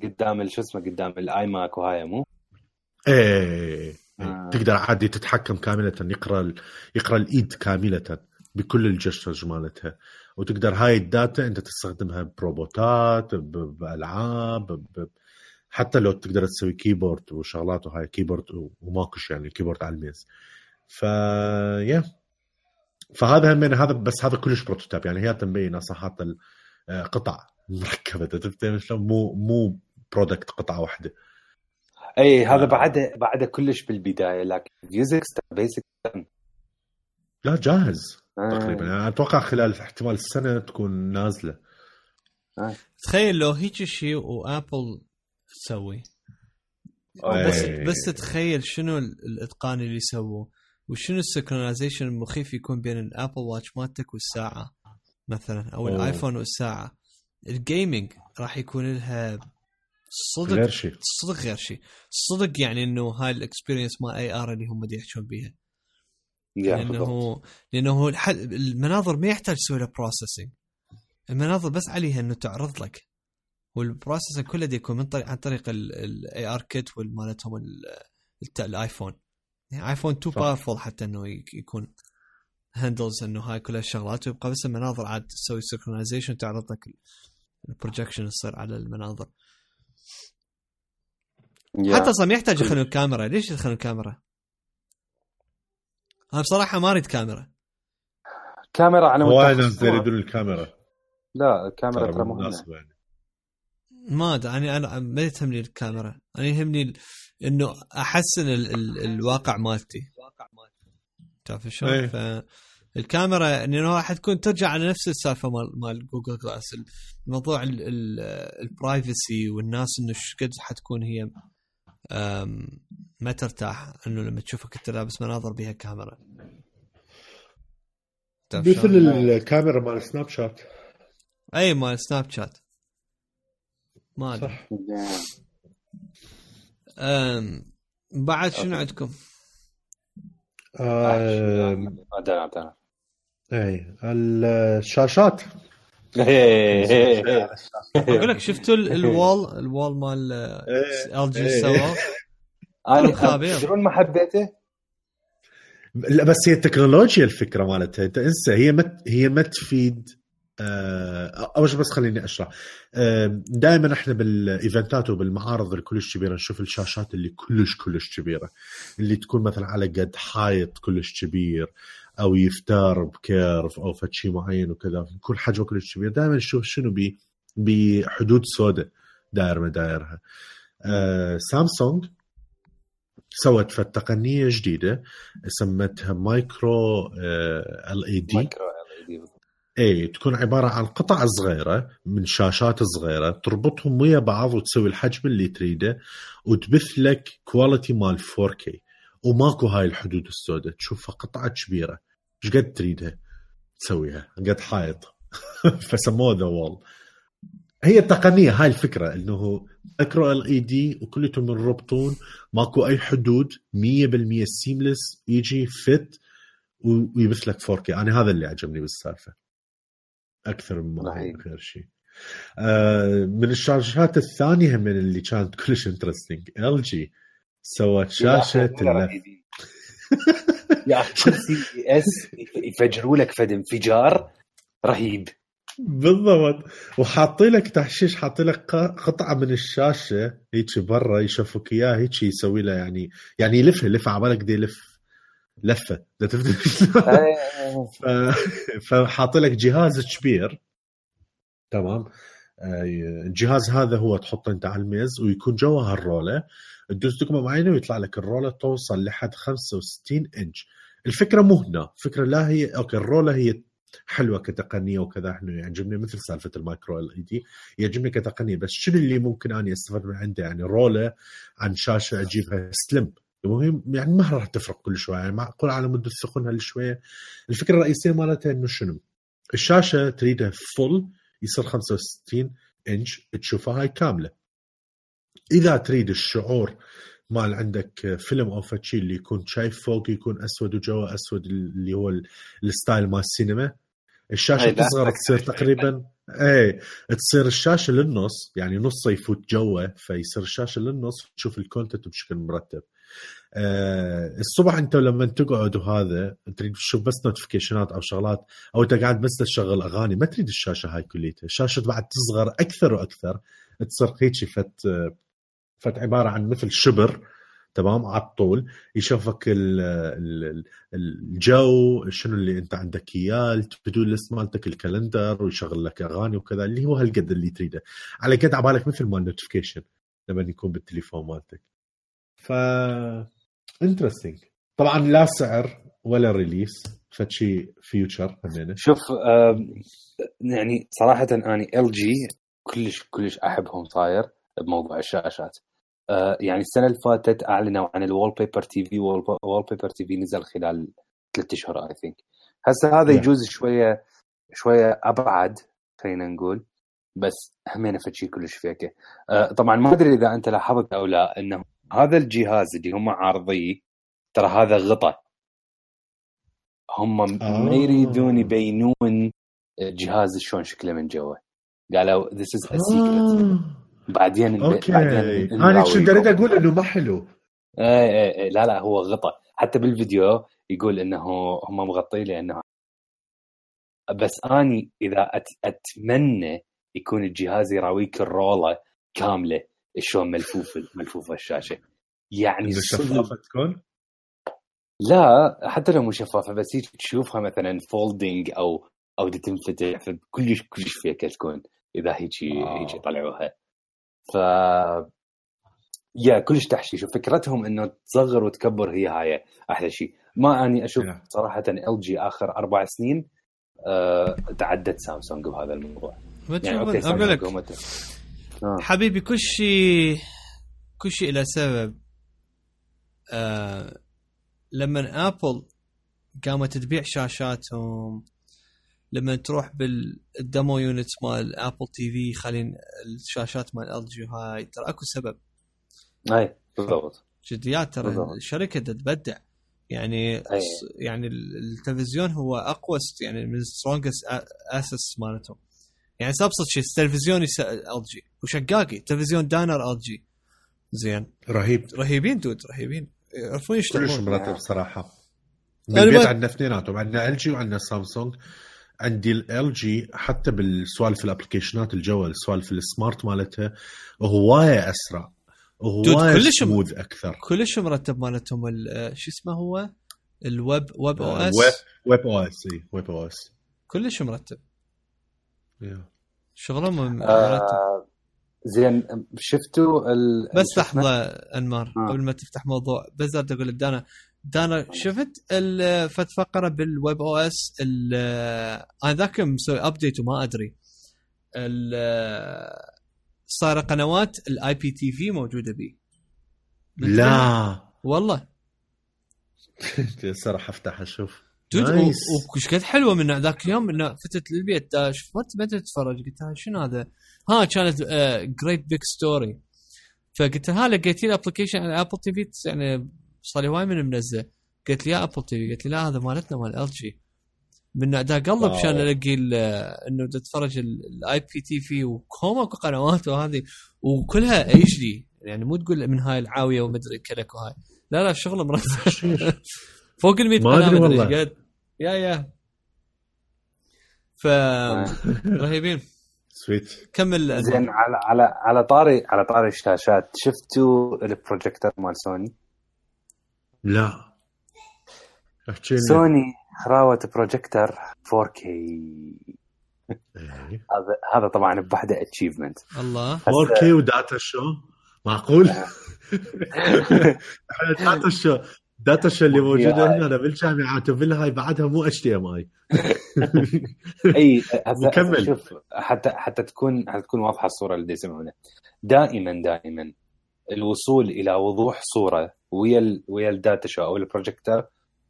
قدام شو اسمه قدام الاي ماك وهاي مو تقدر عادي تتحكم كامله يقرا الايد كامله بكل الجسترز مالتها. وتقدر هاي الداتا انت تستخدمها بروبوتات بالعاب حتى لو تقدر تسوي كيبورد وشغلات وهاي كيبورد وماكوش يعني كيبورد على الميز. فهذا من هذا بس هذا كلش بروتوتايب يعني هي تنبين صحات القطع مركبه تفهم شلون مو برودكت قطعه واحده. اي هذا بعد كلش بالبدايه لكن فيزكس بيسك لا جاهز تقريبا يعني اتوقع خلال احتمال السنه تكون نازله. تخيل لو هيك شيء وابل تسوي بس تخيل شنو الاتقان اللي سووه وشنو السينكرونايزيشن المخيف يكون بين الابل واتش مالتك والساعه مثلا او الايفون والساعه. الجيمنج راح يكون لها صدق غير شيء صدق يعني انه هاي الاكسبيرينس ما اي ار اللي هم بدي يحكون بيها لانه المناظر ما يحتاج تسوي لها بروسيسنج. المناظر بس عليها انه تعرض لك والبروسيسنج كله دي يكون عن طريق الاي ار كيت والمالتهم الايفون. يعني ايفون 2 باورفول حتى انه يكون هاندلز انه هاي كل الشغلات ويبقى بس المناظر عاد تسوي سينكرونايزيشن تعرض لك البروجكشن يصير على المناظر. حتى اصلا يحتاج يدخلون الكاميرا. ليش يدخلون الكاميرا؟ انا بصراحه ما اريد كاميرا انا وايد يريدون الكاميرا. لا الكاميرا ترى مهمه يعني. ما ادري انا ما يهمني الكاميرا. انا يهمني انه احسن الواقع مالتي تعرف شلون. فالكاميرا انه راح تكون ترجع على نفس السالفه مال جوجل جلاس الموضوع البرايفسي والناس انه قد حتكون هي ما ترتاح انه لما تشوفك انت لابس مناظر بها كاميرا مثل الكاميرا مال سناب شات. اي مال سناب شات ما ادري. بعد شنو عندكم؟ اي الشاشات. اقول لك شفتوا الوال مال ال جي سوا انا شلون ما حبيته. لا بس هي التكنولوجيا الفكره مالتها انت انسى هي ما تفيد. اول شيء بس خليني اشرح. دائما احنا بالايفنتات وبالمعارض الكلش كبيره نشوف الشاشات اللي كلش كبيره اللي تكون مثلا على قد حائط كلش كبير او يفتار بكيرف او فشي معين وكذا يكون حجمه كلش كبير. دائما نشوف شنو بحدود سوداء داير مدايرها. سامسونج سوت تقنيه جديده سمتها مايكرو ال اي دي. اي تكون عباره عن قطع صغيره من شاشات صغيره تربطهم ويا بعض وتسوي الحجم اللي تريده وتبث لك كواليتي مال 4K وماكو هاي الحدود السوداء. تشوفها قطعه كبيره ايش قد تريدها تسويها قد حائط فسموه ذا وول. هي التقنيه هاي الفكره انه مايكرو ال اي دي وكلتهم مربطون، ماكو اي حدود، 100% سيملس، يجي فت ويبث لك 4K. انا هذا اللي عجبني بالسالفه اكثر من غير شيء. من الشاشات الثانيه من اللي كانت كلش انترستينج، ال جي سوت شاشه يا كل سي اس يفجروا لك فد انفجار رهيب بالضبط. وحاطي لك تحشيش، حاطي لك قطعه من الشاشه هيك برا يشوفك اياه، هيك يسوي له يعني يلفها على بالك دي لفه فحاطي لك جهاز كبير تمام. الجهاز هذا هو تحطه انت على الميز ويكون جوا هالرولة، تدوس دقمة معينة ويطلع لك الرولة توصل لحد 65 إنش. الفكرة مو هنا، فكرة لا هي أوكي الرولة هي حلوة كتقنية وكذا، احنا يعجبني مثل سالفة المايكرو ال اي دي يعجبني كتقنية، بس شنو اللي ممكن أنا استفاد من عنده؟ يعني رولة عن شاشة أجيبها سلم، المهم يعني ما راح تفرق كل شوية، يعني معقول على مدة ثقلها شوية. الفكرة الرئيسية مالتها إنه شنو، الشاشة تريدها فل يصير 65 إنش تشوفها هاي كاملة. إذا تريد الشعور مال عندك فيلم أو فتشي اللي يكون شايف فوق يكون أسود وجوا أسود، اللي هو الستايل مال السينما، الشاشة تصغر تصير تقريبا تصير الشاشة للنص، يعني نص يفوت جوا فيصير الشاشة للنص، تشوف الكونتنت بشكل مرتب. الصبح انت لما تقعد وهذا تريد تشوف بس نوتيفيكيشنات او شغلات، او انت قاعد بس تشغل اغاني، ما تريد الشاشه هاي كليتها. الشاشه بعد تصغر اكثر واكثر، تصير هيك فت عباره عن مثل شبر تمام على الطول، يشوفك الجو شنو اللي انت عندك اياه، التو ليست مالتك، الكالندر، ويشغل لك اغاني وكذا، اللي هو هالقد اللي تريده على قد عبالك، مثل ما النوتيفيكيشن لما يكون بالتليفون مالتك. ف انترستينج. طبعا لا سعر ولا ريليس، فشي فيوتشر همينه. شوف يعني صراحه اني ال جي كلش احبهم صاير بموضوع الشاشات. يعني السنه اللي فاتت اعلنوا عن الوول بيبر تي في، وول بيبر تي في نزل خلال 3 اشهر اي ثينك. هسه هذا يجوز شويه ابعد خلينا نقول، بس همينه فشي كلش فيكه. طبعا ما ادري اذا انت لاحظت او لا انه هذا الجهاز اللي هم عارضيه ترى هذا غطاء، هم ما يريدون يبينون الجهاز شلون شكله من جوا، قالوا this is a secret. بعدين انا شو دريت اقول انه ما حلو. لا هو غطاء، حتى بالفيديو يقول انه هم مغطي لانه، بس اني اذا اتمنى يكون الجهاز يراويك الرولة كاملة شلون ملفوفة الشاشة، يعني شفافة تكون. لا حتى لو مو شفافة، بس تشوفها مثلا فولدينج او تنفتح، فكلش فيك تكون اذا هيك طلعوها. ف يا كلش تحشيش، وفكرتهم انه تصغر وتكبر هي هاي احلى شيء. ما اني اشوف صراحة ال جي اخر 4 سنين تعدت سامسونج بهذا الموضوع. يعني اقول لك حبيبي كل شيء له سبب. لما ابل قامت تبيع شاشاتهم، لما تروح بالديمو يونت مال ابل تي في خلين الشاشات مال ال جي هاي، ترى اكو سبب. اي بالضبط جديات، ترى الشركه تتبدع يعني. يعني التلفزيون هو اقوى يعني من سترونجست اسس مالتهم. يعني ابسط شيء التلفزيون ال جي وشقاقي تلفزيون دانر ال جي زين رهيبين دود، رهيبين يعرفون يشتغلون كلش مرتب صراحه. بالبيت عندنا اثنيناتهم، عندنا ال جي وعندنا سامسونج. عندي ال جي حتى بالسوالف الابلكيشنات الجوال، سوالف السمارت مالتها وهوايه اسرع وهوايه سموث اكثر، كلش مرتب مالتهم. شو اسمه هو الويب او اس، ويب او اس ويب او اس كلش مرتب. شغلهم مرتب. زين شفتوا بس لحظه انمار قبل ما تفتح موضوع، بس بدي اقول لك دانا شفت فت فقره بالويب او اس انا ذاك مسوي ابديت وما ادري صار قنوات الاي بي تي في موجوده بي. لا والله صراحه افتح اشوف وش قد حلوه من ذاك اليوم انه فتت للبيت داش ما تتفرج قلت لها شنو هذا كانت جريت بيج ستوري فقلت لها لقيتي الابلكيشن على ابل تي في يعني صار لي هواي من منزل قلت لي يا ابل تي في قلت لي لا هذا مالتنا مال ال جي من دا قلب عشان الاقي انه تتفرج الاي بي تي في وكوما قنوات وهذه وكلها اتش دي يعني مو تقول من هاي العاويه ومدري كلك وهاي لا الشغل مرتب فوق ال 100 قناه مدري قد يا ف رهيبين سويت كمل زين على طاري الشاشات شفتوا البروجيكتور مال سوني؟ لا سوني راوت بروجيكتور 4K هذا طبعا بوحده اتشيفمنت الله 4K وداتا شو معقول داتا شو اللي موجوده هنا بالجامعات وبالهاي بعدها مو HDMI اي مكمل شوف حتى تكون واضحه الصوره اللي يسمعونها دائما الوصول الى وضوح صوره ويا الداتا شو او البروجيكتور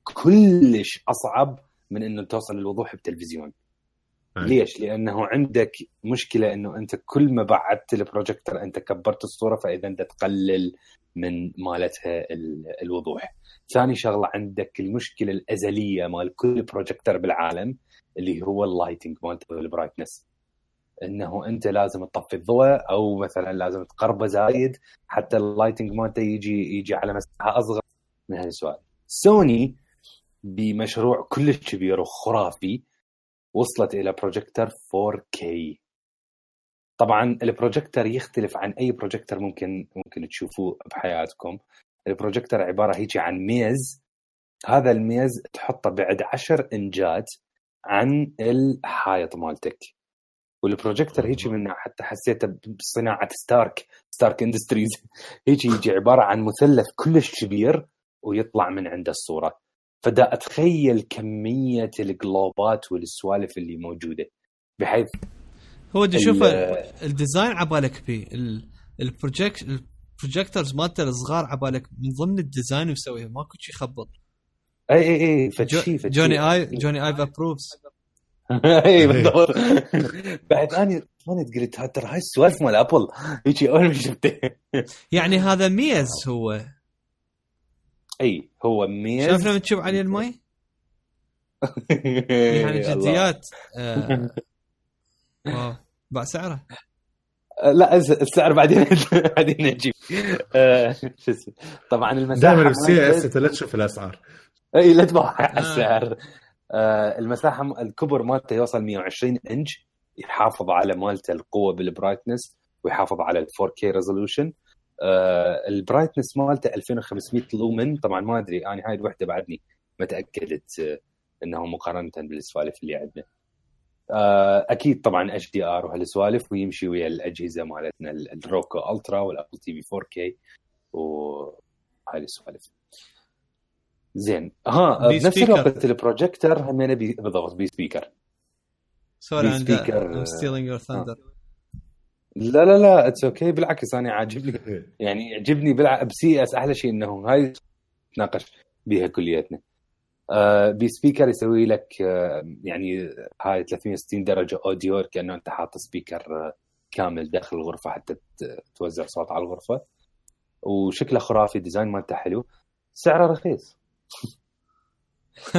كلش اصعب من انه توصل للوضوح بالتلفزيون. ليش؟ لانه عندك مشكله انه انت كل ما بعدت البروجيكتور انت كبرت الصوره فاذا انت تقلل من مالتها الوضوح. ثاني شغله عندك المشكله الازليه مال كل بروجيكتور بالعالم اللي هو اللايتنج مالته والبرايتنس انه انت لازم تطفي الضوء او مثلا لازم تقربه زايد حتى اللايتنج مالته يجي على مساحه اصغر من هالسؤال. سوني بمشروع كلش كبير وخرافي وصلت إلى بروجيكتور 4K. طبعا البروجيكتور يختلف عن أي بروجيكتور ممكن تشوفوه بحياتكم. البروجيكتور عبارة هيجي عن ميز، هذا الميز تحطه بعد 10 إنجات عن الحائط مالتك، والبروجيكتور هيجي منه حتى حسيته بصناعة ستارك اندستريز يجي عبارة عن مثلث كلش كبير ويطلع من عنده الصورة. فدا أتخيل كمية الجلوبات والسوالف اللي موجودة بحيث هو دي شوف الديزاين عبالك بيه البروجيكتورز مالته الصغار عبالك من ضمن الديزاين ويسويه ماكو شيء يخبط. اي جوني ايف ابروفز اي بالضبط. بعد اني قلت ترى هاي السوالف مال ابل يجي اول ما شفته يعني هذا ميز هو هو ميز. شايف لما تشوف عليه الماء يعني جديات باع سعره لا السعر بعدين نجيب شو اسمه. طبعا المساحه دائما بالسي اس لا تشوف الاسعار لا تبع السعر. المساحه الكبر مالته يوصل 120 انش يحافظ على مالته القوه بالبرايتنس ويحافظ على 4K ريزولوشن. البرايتنس مالته 2500 لومن. طبعا ما ادري انا هاي الوحده بعدني ما تاكدت انه مقارنه بالسوالف اللي عندنا. اكيد طبعا HDR وهالسوالف ويمشي ويا الاجهزه مالتنا الروكو الترا والابل تي في 4K وهاي السوالف. زين بنفس الوقت البروجيكتور هم بالضبط بي سبيكر. سوري I'm stealing your thunder. لا اتس اوكي بالعكس انا عاجبني يعني يعجبني بسي اس احلى شيء انه هاي ناقش بيها كلياتنا. بي سبيكر يسوي لك يعني هاي 360 درجه اوديو كانه انت حاط سبيكر كامل داخل الغرفه حتى توزع صوت على الغرفه وشكله خرافي. ديزاين مالته حلو سعره رخيص $3000.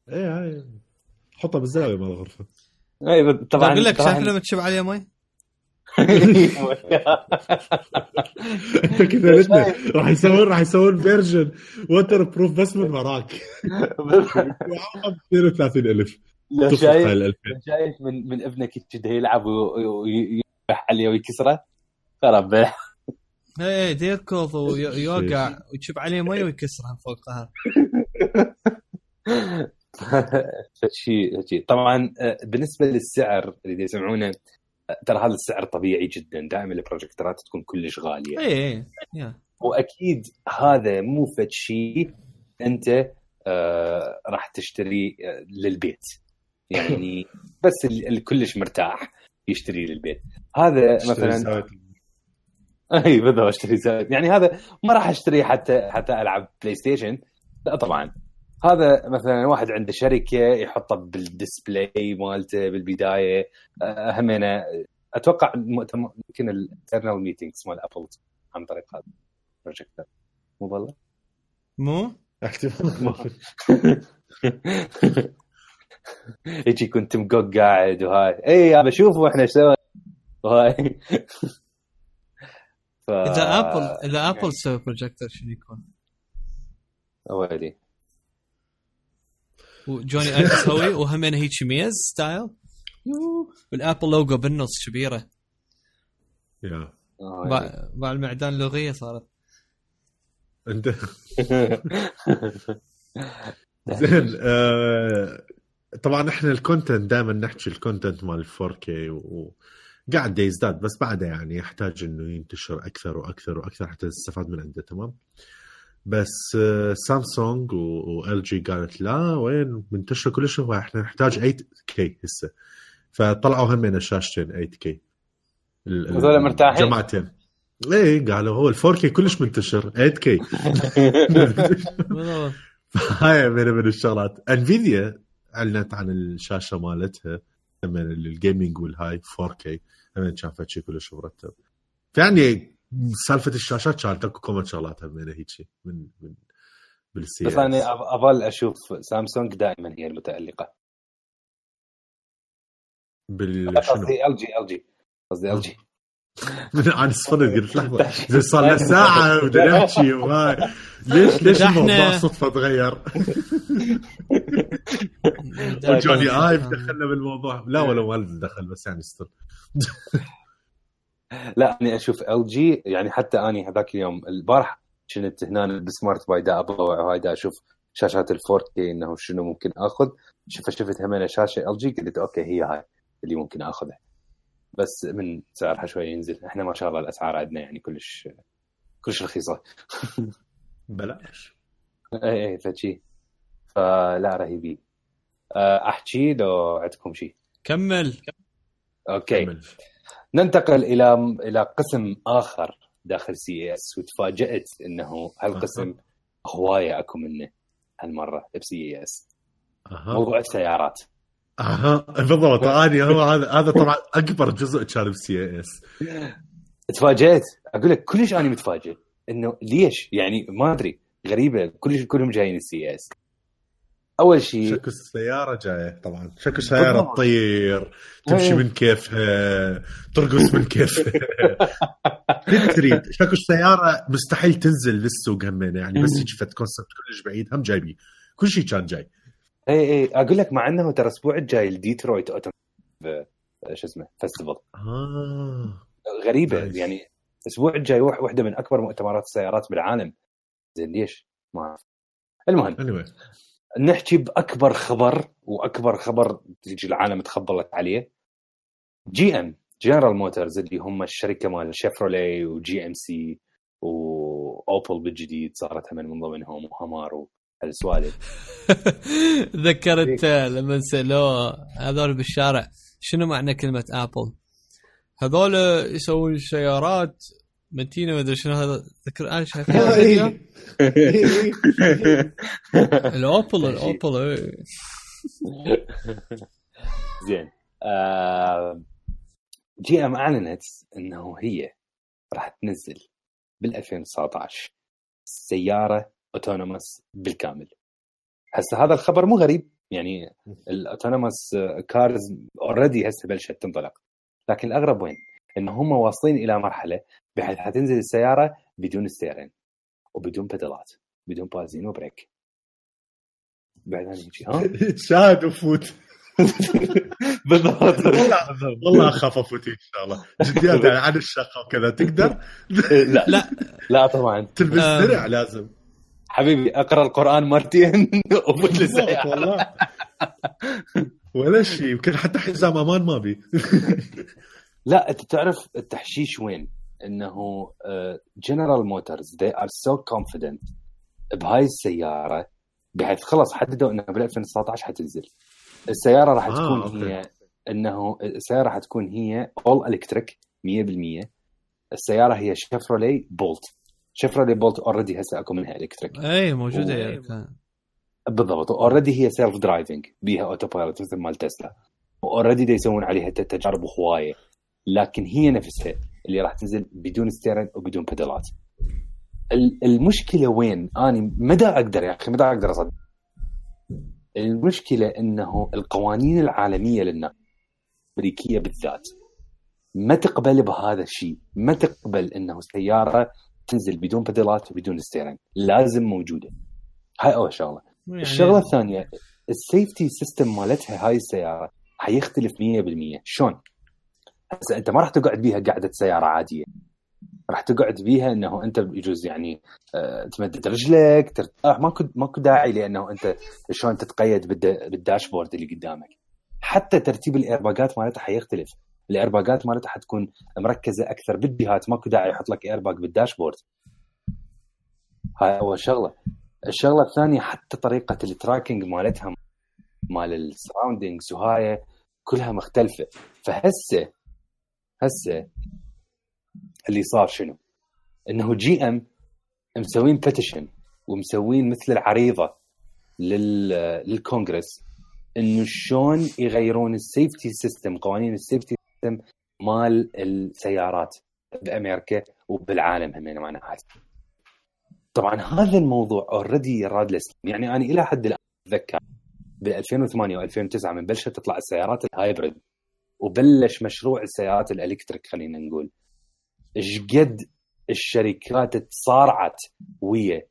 ايه حطها بالزاويه مال الغرفه. اي طبعا اقول لك شايف لما تشوف عليه ماي كذا لسه راح يسوون فيرجن ووتر بروف بس من وراك 32000. شايف من ابنك كذا يلعب ويروح عليه ويكسره خرب ايه يركض ويوقع وتشوف عليه مي ويكسرها فوقها. شيء طبعا بالنسبه للسعر اللي يسمعونه ترى هذا السعر طبيعي جدا. دائما البروجيكتورات تكون كلش غاليه. ايه واكيد هذا مو فد شيء انت راح تشتري للبيت يعني بس الكلش مرتاح يشتري للبيت. هذا مثلا اي بالضبط اشتري زائد يعني هذا ما راح اشتري حتى العب بلاي ستيشن. لا طبعا هذا مثلا واحد عنده شركه يحطه بالديسبلاي مالته بالبدايه. همنا اتوقع يمكن الانترنال ميتينجز مال ابل عن طريق هذا البروجيكتور. مو والله مو يجي كنت مقوق قاعد وهاي اي انا بشوفه احنا ايش سوى وهاي. اذا ابل سوى بروجيكتور شنو يكون؟ اوالي وجوني ايف يسوي وهمين هيك ميز ستايل والابل لوجو بالنص كبيره. يا مع المعدان اللغيه صارت انت زين. طبعا احنا الكونتنت دائما نحكي الكونتنت مال 4K وقاعد يزداد، بس بعده يعني يحتاج انه ينتشر اكثر واكثر واكثر حتى نستفاد من عنده. تمام. بس سامسونج وال جي قالت لا وين منتشر كل شيء، احنا نحتاج 8K هسه، فطلعوا همين شاشتين 8K. هذول مرتاحين جماعتين ايه قالوا هو ال4K كلش منتشر 8K. هاي من الشغلات. انفيديا اعلنت عن الشاشه مالتها من الجيمنج والهاي 4K همين شافت شيء كلش مرتب. يعني سالفه الشاشات كانت اكو كم شغلات همين هيك من بالسياسه. بس انا اظل اشوف سامسونج دائما هي المتالقه. قصدي ال جي عن الصفر قلت لحظه زي صار لنا ساعه بدنا نحكي وهاي ليش الموضوع صدفه تغير. وجوني ايف دخلنا بالموضوع. لا ولا والد دخل بس يعني استر. لا أنا أشوف LG يعني حتى أنا هذاك اليوم البارح كنت هنا بسمارت باي دا أبوع وهاي أشوف شاشات ال4K إنه شنو ممكن أخذ. شفت همين شاشة LG قلت أوكي هي هاي اللي ممكن أخذها، بس من سعرها شوي ينزل. إحنا ما شاء الله الأسعار عندنا يعني كلش رخيصة. بلاش إيه فشي فلا رهيبي. أحكي لو عندكم شيء كمل. أوكي كمل. ننتقل إلى قسم آخر داخل CES، وتفاجأت إنه هالقسم هواية أكو منه هالمرة CES. موضوع السيارات. بالضبط. أنا هو هذا طبعا أكبر جزء كان CES. تفاجأت أقول لك كلش أنا متفاجئ إنه ليش يعني ما أدري غريبة كلهم جايين CES. أول شيء شكل السيارة جاية طبعا، شكل سيارة تطير تمشي من كيفها ترقص من كيفها. تريد شكل سيارة مستحيل تنزل للسوق همين يعني، بس يجي فت كونسبت كلش بعيد هم جايبي كل شيء كان جاي. اي أقول لك مع أنه ترى الأسبوع الجاي الديترويت شو اسمه فستيفال. غريبة يعني الأسبوع الجاي واحدة من أكبر مؤتمرات السيارات بالعالم. زين ليش ما أعرف. المهم نحكي بأكبر خبر، وأكبر خبر تيجي العالم تخبلت عليه. GM جنرال موتورز اللي هم الشركة مال شيفرولي وGMC وأوبل بالجديد صارت من ضمنهم وهامار وهالسوالف. ذكرت لما سألوه هذول بالشارع شنو معنى كلمة أبل، هذول يسوون سيارات متينة وإذا شنو هذا. ذكر أنا شايف الفيديو الأوبل زين. GM أعلنت إنه هي راح تنزل بال2019 سيارة أوتونوموس بالكامل. هسه هذا الخبر مو غريب يعني، الأوتونوموس كارز أوريدي هسه بلشت تنطلق، لكن الأغرب وين إنه هم واصلين إلى مرحلة بحيث هتنزل السيارة بدون ستيرين وبدون بدلات بدون بازين وبريك. بعدين يجي شاهد وفوت. بالضبط. والله أخاف أفوت إن شاء الله جديات عن الشقة وكذا تقدر. لا طبعا تلبس درع لازم حبيبي أقرأ القرآن مرتين وفوت للسيارة والله ولا شيء. يمكن حتى حزام أمان ما بي. لا أنت تعرف التحشيش وين إنه General Motors they are so confident بهاي السيارة بحيث خلص حددوا إنه بال2019 حتنزل السيارة. راح تكون هي إنه السيارة راح تكون هي all electric 100%. السيارة هي شيفرولي بولت شيفرولي بولت اوريدي هسه اكو منها الكتريك اي موجوده يعني كان بالضبط اوريدي هي سيلف درايفنج بيها اوتو بايلوت مثل مال تسلا اوريدي دا يسوون عليها تجارب هوايه لكن هي نفسها اللي راح تنزل بدون ستيرن وبدون بيدالات. المشكله وين اني مدى اقدر يا اخي مدى اقدر اصدق المشكله انه القوانين العالميه للنقل الامريكيه بالذات ما تقبل بهذا الشيء ما تقبل انه السياره تنزل بدون بيدالات وبدون ستيرن لازم موجوده. هاي اول شغله يعني الشغله الثانيه السيفتي سيستم مالتها هاي السياره حيختلف 100%. شلون هسه انت ما راح تقعد بيها قاعده سياره عاديه راح تقعد بيها انه انت يجوز يعني تمدد رجلك ترتاح ماكو داعي لانه انت شلون تتقيد بالداشبورد اللي قدامك. حتى ترتيب الايرباجات مالتها حيختلف الايرباجات مالتها حتكون مركزه اكثر بالجهات ماكو داعي يحط لك ايرباج بالداشبورد. هاي اول شغله. الشغله الثانيه حتى طريقه التراكنج مالتها مال السراوندينجز وهاي كلها مختلفه. فهسه اللي صار شنو انه جي ام مسوين بيتيشن ومسوين مثل العريضه للكونغرس انه شلون يغيرون السيفتي سيستم قوانين السيفتي سيستم مال السيارات بامريكا وبالعالم هم معنا هاي. طبعا هذا الموضوع اوريدي راد له يعني انا الى حد الان اتذكر ب 2008 و2009 من بلشت تطلع السيارات الهايبريد وبلش مشروع السيارات الالكتريك خلينا نقول ايش قد الشركات تصارعت ويا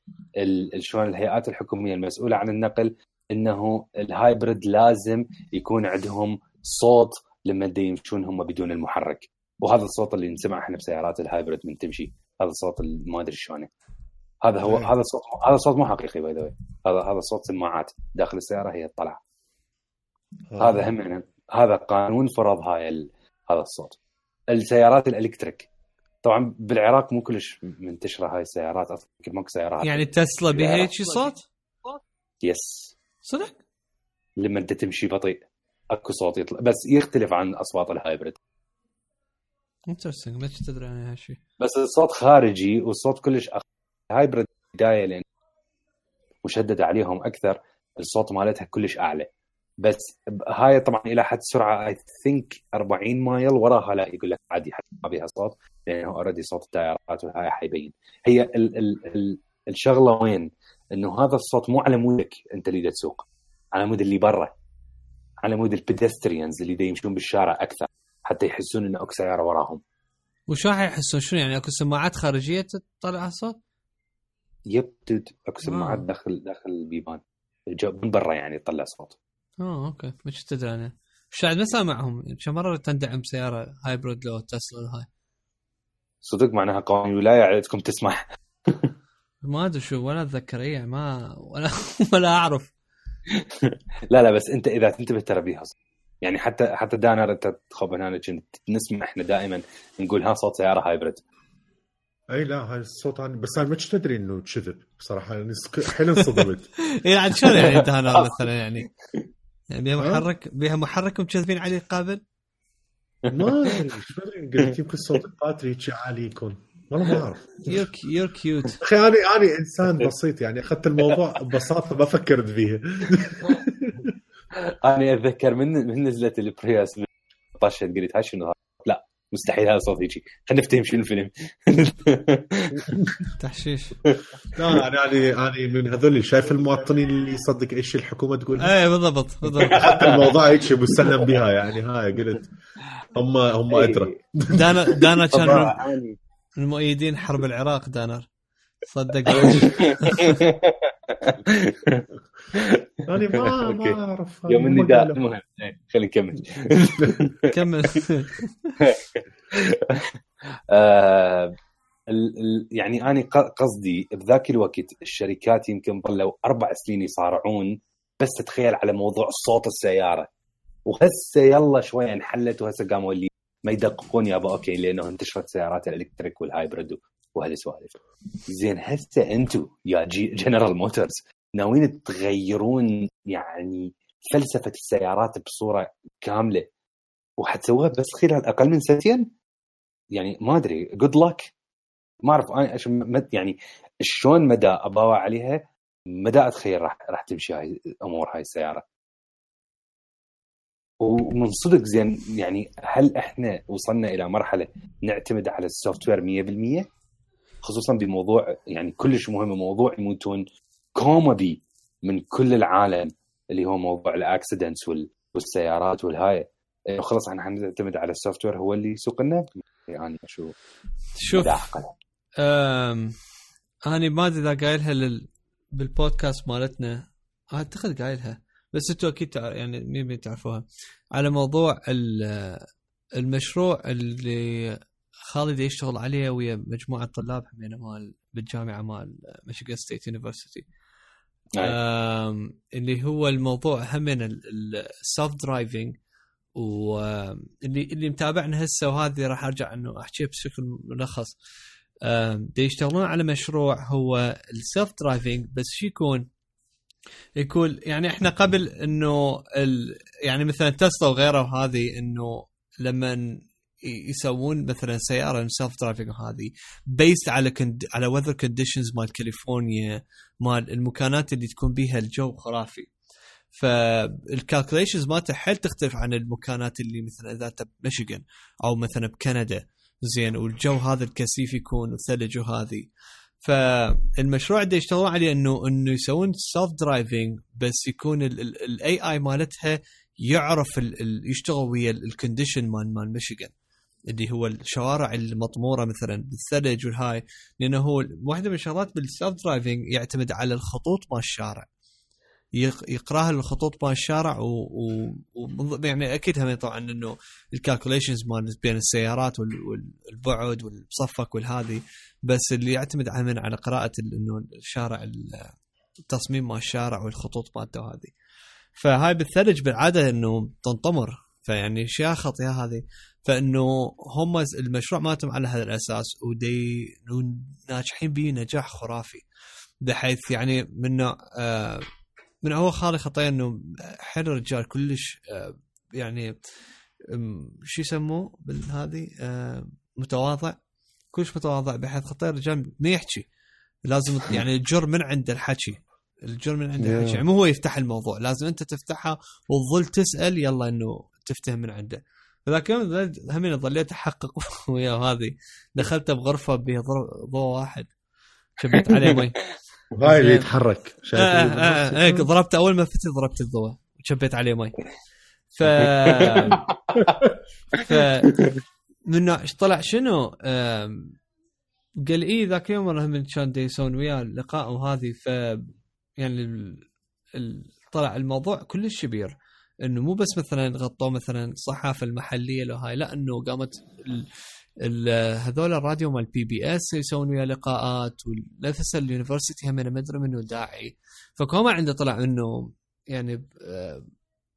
شلون الهيئات الحكوميه المسؤوله عن النقل انه الهايبريد لازم يكون عندهم صوت لما يمشون هم بدون المحرك. وهذا الصوت اللي نسمعه احنا بسيارات الهايبريد من تمشي هذا الصوت ما ادري شلونه هذا هو هذا صوت مو حقيقي باي ذا هذا صوت سماعات داخل السياره هي تطلع. هذا هم هذا قانون فرض هذا الصوت. السيارات الالكتريك طبعا بالعراق مو كلش منتشره هاي السيارات اصلا ماكو سيارات يعني تسلا بها هيك صوت يس صدق لما انت تمشي بطيء اكو صوت يطلع بس يختلف عن اصوات الهايبريد. انترستنج ما تدري عن هالشيء بس الصوت خارجي والصوت كلش الهايبريد بدايه لان مشدد عليهم اكثر الصوت مالتها كلش اعلى بس هاي طبعا الى حد سرعه اي ثينك 40 مايل وراها لا يقول لك عادي حتى ما بيها صوت لانه اوريدي صوت التيارات وهاي حيبين. هي الشغله وين انه هذا الصوت مو على مودك انت اللي تسوق على مود اللي برا على مود البيدستريانز اللي يمشون بالشارع اكثر حتى يحسون انه اكو سياره وراهم. وشو حيحسون شنو يعني اكو سماعات خارجيه تطلع الصوت؟ يب اكو سماعات داخل البيبان من برا يعني تطلع صوت. اوكي مش تدري انا شاهد ما سامعهم كم مره تندعم سياره هايبريد لو تسلا هاي صدق معناها قوانين الولايه عندكم تسمح ما ادري شو ولا اتذكر اي ما ولا اعرف لا بس انت اذا تنتبه ترى بيها يعني حتى دانر انت تخوف هنا كنت نسمع احنا دائما نقول ها صوت سياره هايبريد. اي لا هاي الصوت بس انا مش تدري انه كذب بصراحه حيل انصدمت يعني شلون يعني دانر مثلا يعني بيها محرك ومكذبين عليه قابل ما شو قلت يمكن صوت الباتري شي عالي يكون والله ما اعرف. يور كيوت اخي انا انسان بسيط يعني اخذت الموضوع ببساطه ما فكرت فيه. انا اتذكر من نزلت البرياس طشت قلت هاي شنو لا مستحيل هذا صوت هيجي خلينا نفتهم شنو الفيلم تحشيش. لا انا من هذول اللي شايف المواطنين اللي يصدق ايش الحكومه تقول. اي بالضبط حتى الموضوع هيك مسلم بها يعني هاي قلت هم ادرى. دانا كان المؤيدين حرب العراق دانر صدق. أنا ما أعرف يوم النداء المهم خلينا نكمل كمل. يعني أنا قصدي بذاك الوقت الشركات يمكن ظلوا 4 سنين يصارعون بس تتخيل على موضوع صوت السيارة وهسه يلا شوية انحلت وهسه قاموا اللي ما يدققون يا أبا أوكي لأنه انتشرت سيارات الإلكتريك والهايبريد وهالسوالف. زين هسه أنتوا يا جنرال موتورز ناويين تغيرون يعني فلسفة السيارات بصورة كاملة وحتسووها بس خلال أقل من 2 سنين يعني ما أدري good luck ما اعرف انا يعني شلون مدى اباوع عليها، مدى اتخيل راح تمشي هاي امور هاي السياره. ومن صدق زين يعني هل احنا وصلنا الى مرحله نعتمد على السوفت وير 100%، خصوصا بموضوع يعني كلش مهم، موضوع يموتون كومبي من كل العالم اللي هو موضوع الاكسيدنتس والسيارات والهاي، خلاص احنا حنعتمد على السوفت وير هو اللي يسوق لنا. يعني شوف انا ما ادري اذا قايلها بالبودكاست مالتنا، اعتقد قايلها بس انتوا اكيد يعني مين تعرفوها، على موضوع المشروع اللي خالد يشتغل عليه ويا مجموعه طلاب همينه مال بالجامعه مال ميشيغان ستيت يونيفرسيتي، اللي هو الموضوع همين السلف درايفنج، واللي متابعنا هسه وهذه راح ارجع انه احكي بشكل ملخص. دي يشتغلون على مشروع هو السلف درايفنج، بس شو يكون يعني احنا قبل انه يعني مثلا تسلا وغيره وهذه، انه لما يسوون مثلا سياره سيلف درايفنج هذه بيست على وذر كونديشنز مال كاليفورنيا، مال المكانات اللي تكون بيها الجو خرافي، فالكالكوليشنز مالته حيل تختلف عن المكانات اللي مثلا اذا انت بميشيغان او مثلا بكندا زين، والجو هذا الكثيف يكون وثلج وهذه. فالمشروع اللي يشتغلون عليه انه يسوون سيلف درايفنج، بس يكون الاي اي مالتها يعرف يشتغل ويا الكونديشن مال ميشيغان اللي هو الشوارع المطموره مثلا بالثلج والهاي، لانه هو واحده من الشغلات بالسيلف درايفنج يعتمد على الخطوط مال الشارع، يقراها الخطوط مال الشارع يعني اكيد هم طبعا انه الكالكوليشنز مال بين السيارات والبعد والمصفق والهذه، بس اللي يعتمد على قراءه انه الشارع التصميم مال الشارع والخطوط مالته هذه. فهاي بالثلج بالعاده انه تنطمر، فيعني اشياء خطيره هذه، فانه هم المشروع مالتهم على هذا الاساس ودي ناجحين به نجاح خرافي، بحيث يعني من هو خالي خطيه انه حل الرجال كلش يعني شو يسموه بالهذه متواضع، كلش متواضع، بحيث خطيه الرجال ما يحكي، لازم يعني الجر من عند الحكي، الجر من عند الحكي، يعني مو هو يفتح الموضوع، لازم انت تفتحها وتظل تسال يلا انه تفتهم من عنده. فذاك يوم همين ظليت احقق وياه، هذه دخلت بغرفه بها ضوء واحد شبيت عليه مي وهاي اللي يتحرك هيك ضربت اول ما فتت ضربت الضوء وشبيت عليه مي. ف منه طلع شنو قال ايه ذاك يوم هم كان يسوون وياه لقاء وهذه، ف يعني طلع الموضوع كلش كبير، انه مو بس مثلا غطوا مثلا الصحافه المحليه لو هاي، لا انه قامت هذول الراديو مال بي بي اس يسوون ويا لقاءات، ونفس اليونيفرسيتي هم ما ادري منه داعي، فكما عنده طلع انه يعني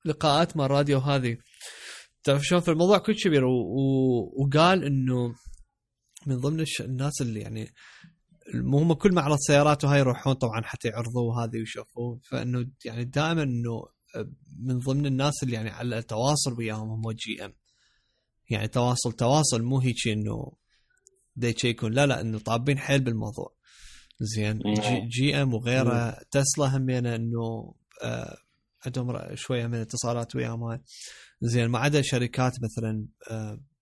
لقاءات مال الراديو هذه، تعرف شلون في الموضوع كل كبير. وقال انه من ضمن الناس اللي يعني هم كل معرض سيارات وهاي يروحون طبعا حتى يعرضوا هذه ويشوفوا، فانه يعني دائما انه من ضمن الناس اللي يعني على التواصل وياهم هم جي ام، يعني تواصل مو هيك انه دي يكون لا انه طابين حيل بالموضوع زين. جي ام وغيره تسلا همينه انه عندهم شويه من اتصالات وياهم هاي زين، ما عدا شركات مثلا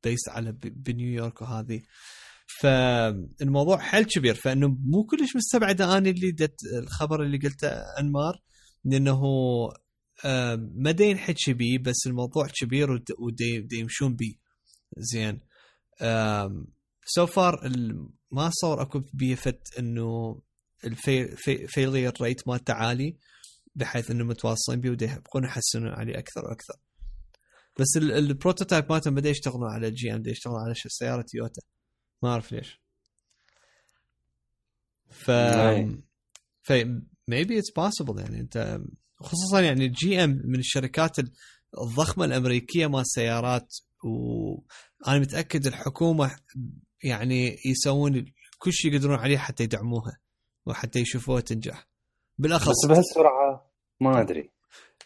بيست على بنيويورك وهذه، فالموضوع حيل كبير. فانه مو كلش مستبعد انا اللي الخبر اللي قلته انمار، لانه ما دين حكي بيه، بس الموضوع كبير ودي يمشون بيه زين. سو فار ما صار اكو بيفت انه الفيلير ريت مالته عالي، بحيث انه متواصلين بيه ودي يبقون يحسنون عليه اكثر واكثر. بس البروتوتايب مالتهم بدا يشتغلون على الجي ام، بدا يشتغلون على سياره تويوتا، ما اعرف ليش. ف maybe it's possible يعني انت خصوصا يعني الجي ام من الشركات الضخمه الامريكيه مال السيارات، وانا متاكد الحكومه يعني يسوون كل شيء يقدرون عليه حتى يدعموها وحتى يشوفوها تنجح بالاخص. بس بهالسرعه ما ادري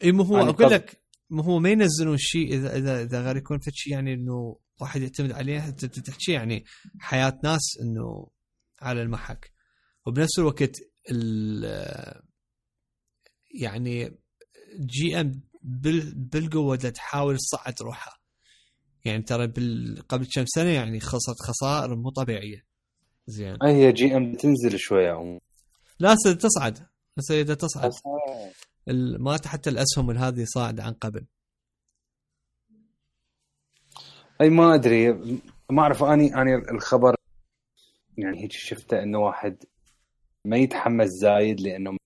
اي مو هو اقول لك مو هو ما ينزلون شيء اذا غير يكون في شيء يعني انه واحد يعتمد عليه تحكي يعني حياه ناس انه على المحك، وبنفس الوقت يعني جي ام بالقوة تحاول تصعد روحها. يعني ترى قبل كم سنة يعني خسرت خسائر مو طبيعية. زين هي جي ام تنزل شوية لا تصعد، سيدة تصعد ما حتى الأسهم هذه صاعد عن قبل. أي ما أدري، ما أعرف. أنا الخبر يعني هيك شفته إنه واحد ما يتحمس زايد، لأنه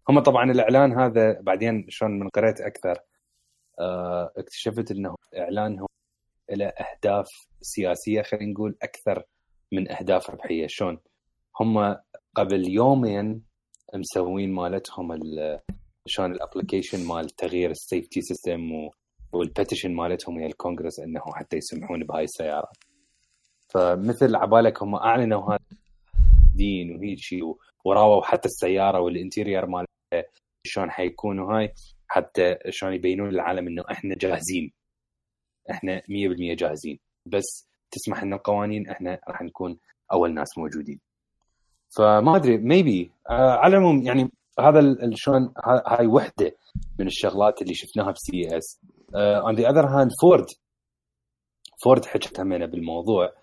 هم طبعا الإعلان هذا بعدين شلون من قرأت أكثر اكتشفت إنه إعلانهم إلى أهداف سياسية، خلينا نقول أكثر من أهداف ربحية. شلون هم قبل يومين مسوين مالتهم شلون الابليكيشن مال تغيير السيفتي سيستم والبيتيشن مالتهم هي الكونغرس انه حتى يسمحون بهاي السيارات. فمثل عبالك هم اعلنوا هذا دين وهيك شيء، وراووا حتى السياره والانتيرير مالها شلون حيكونوا هاي، حتى شلون يبينون للعالم انه احنا جاهزين، احنا 100% جاهزين، بس تسمح لنا القوانين احنا راح نكون اول ناس موجودين. فما ادري ميبي على العموم يعني هذا شلون هاي وحده من الشغلات اللي شفناها بسي اس. on the other hand فورد حكت همنا بالموضوع.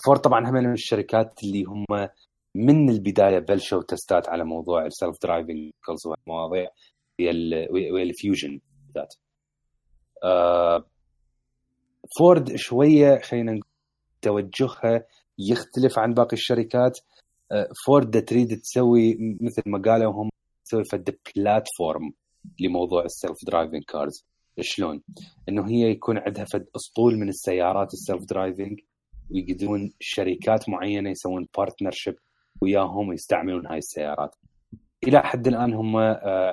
فورد طبعا همنا من الشركات اللي هم من البدايه بلشوا تستات على موضوع السلف درايفنج كلز والمواضيع والفيوجن ذات. فورد شويه خلينا نقول توجهها يختلف عن باقي الشركات. فورد تريد تسوي مثل ما قالوا هم تسوي فد بلاتفورم لموضوع السلف درايفنج كارز. شلون انه هي يكون عندها فد اسطول من السيارات السلف درايفنج، ويقدرون شركات معينه يسوون بارتنرشيب وياهم ويستعملون هاي السيارات. الى حد الان هم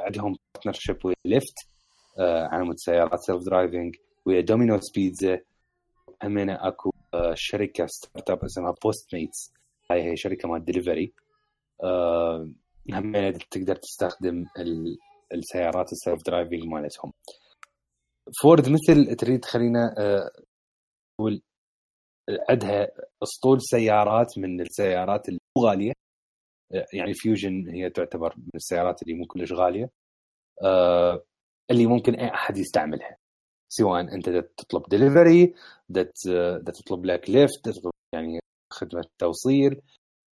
عندهم بارتنرشيب ويا ليفت على مود سيارات سلف درايفنج، ويا دومينوز بيتزا، همنا اكو شركه ستارت اب اسمها بوست ميتس، هاي شركه مال ديليفري. همنا تقدر تستخدم السيارات السلف درايفنج مالتهم. فورد مثل تريد خلينا نقول عندها اسطول سيارات من السيارات الغاليه، يعني فيوجن هي تعتبر من السيارات اللي مو كلش غاليه، اللي ممكن اي احد يستعملها، سواء انت تطلب ديليفري، تطلب لك ليفت، تطلب يعني خدمه توصيل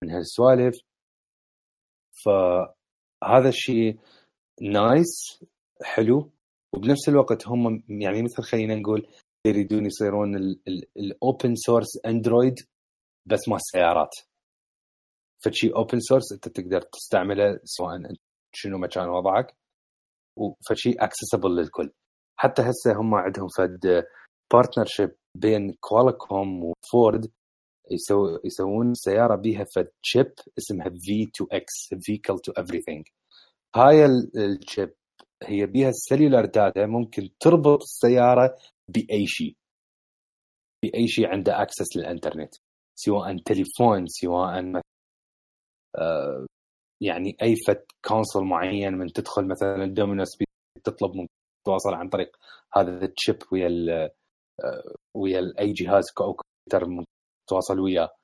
من هالسوالف. فهذا الشيء نايس حلو، وبنفس الوقت هم يعني مثل خلينا نقول يريدون يصيرون الاوبن سورس اندرويد بس مع السيارات. فشي اوبن سورس انت تقدر تستعمله سواء شنو مكان وضعك، وفشي اكسسبل للكل. حتى هسه هم عندهم فد بارتنرشيب بين كوالكوم وفورد، يسوون سيارة بيها فد شيب اسمها V2X Vehicle to Everything. هاي الشيب هي بيها السيلولار داتا، ممكن تربط السيارة بأي شيء عنده أكسس للإنترنت، سواء تليفون، سواء يعني أي فد كونسول معين، من تدخل مثلا دومينوز تطلب من تواصل عن طريق هذا الشيب ويا أي جهاز كمبيوتر تواصل وياه.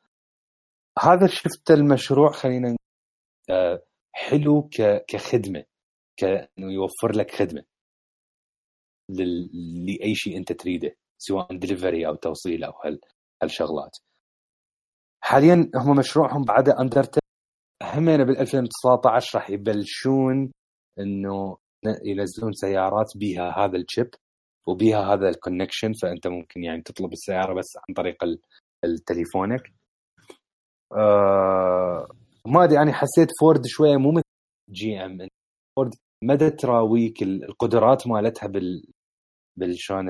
هذا شفت المشروع خلينا حلو كخدمة، كأنه يوفر لك خدمة لأي شيء أنت تريده، سواء ديليفري أو توصيل أو هالشغلات. حاليا هم مشروعهم بعد أندرتيل، همين بال2019 راح يبلشون إنه ينزلون سيارات بيها هذا الشيب وبيها هذا الكونكشن، فأنت ممكن يعني تطلب السيارة بس عن طريق التليفونك. ما أدري، أنا حسيت فورد شوية مو مثل جي ام. فورد مدى تراويك القدرات مالتها بالشان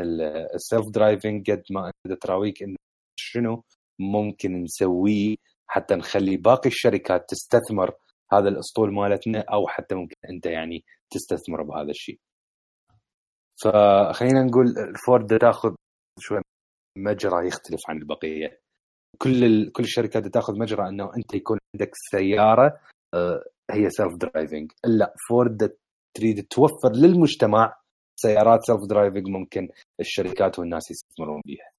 السيلف درايفنج، قد ما مدى تراويك إنه شنو ممكن نسويه حتى نخلي باقي الشركات تستثمر هذا الأسطول مالتنا، أو حتى ممكن أنت يعني تستثمر بهذا الشيء. فخلينا نقول فورد تأخذ شوية مجرى يختلف عن البقية. كل الشركات تأخذ مجرى أنه أنت يكون عندك سيارة هي سيلف درايفنج. لا، فورد تريد توفر للمجتمع سيارات سيلف درايفنج ممكن الشركات والناس يستثمرون بيها.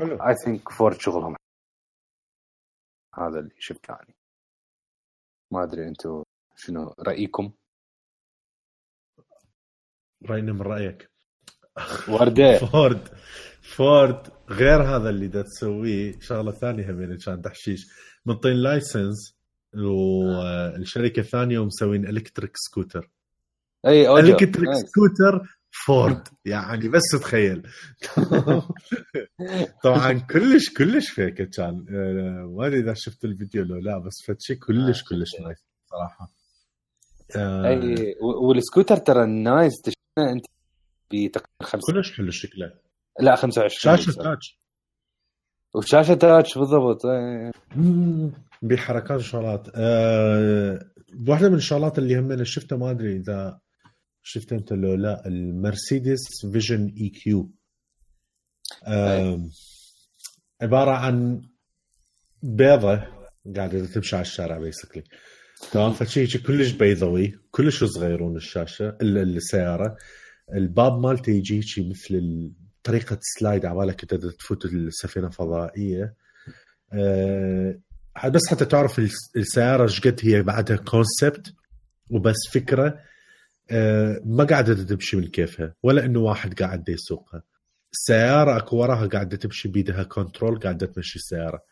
I think فورد شغلهم هذا اللي شفته يعني. ما ادري انتم شنو رايكم؟ راينا من رايك. ورده فورد غير هذا اللي دا تسويه شغله ثانيه هم كان تحشيش منطين لايسنس والشركه الثانيه ومسوين الكتريك سكوتر. اي اوجو الكتريك سكوتر فورد يعني بس تخيل. طبعا كلش فيك كان ما ادري اذا شفت الفيديو لو لا بس فتشي كلش نايس صراحه. اي والسكوتر ترى نايس تشوفه انت بتقريبا 5 كلش حلو شكله. لا 25 شاشه تاتش وشاشه تاتش بالضبط. بحركات وشغلات. واحده من الشغلات اللي هم انا شفتها ما ادري اذا شفت انت لو لا المرسيدس فيجن اي كيو عباره عن بيضه قاعده تمشي على الشارع بيسكلي تمام. فشي كلش بيضوي كلش صغيرون الشاشه السياره. الباب مالته يجي شيء مثل طريقه سلايد عبالك انت تفوت السفينه فضائيه. بس حتى تعرف السياره ايش قد هي بعدها كونسبت وبس فكره. ما قاعده تمشي من كيفها ولا انه واحد قاعد يسوقها. السياره اكو وراها قاعده تمشي بيدها كنترول قاعده تمشي السياره.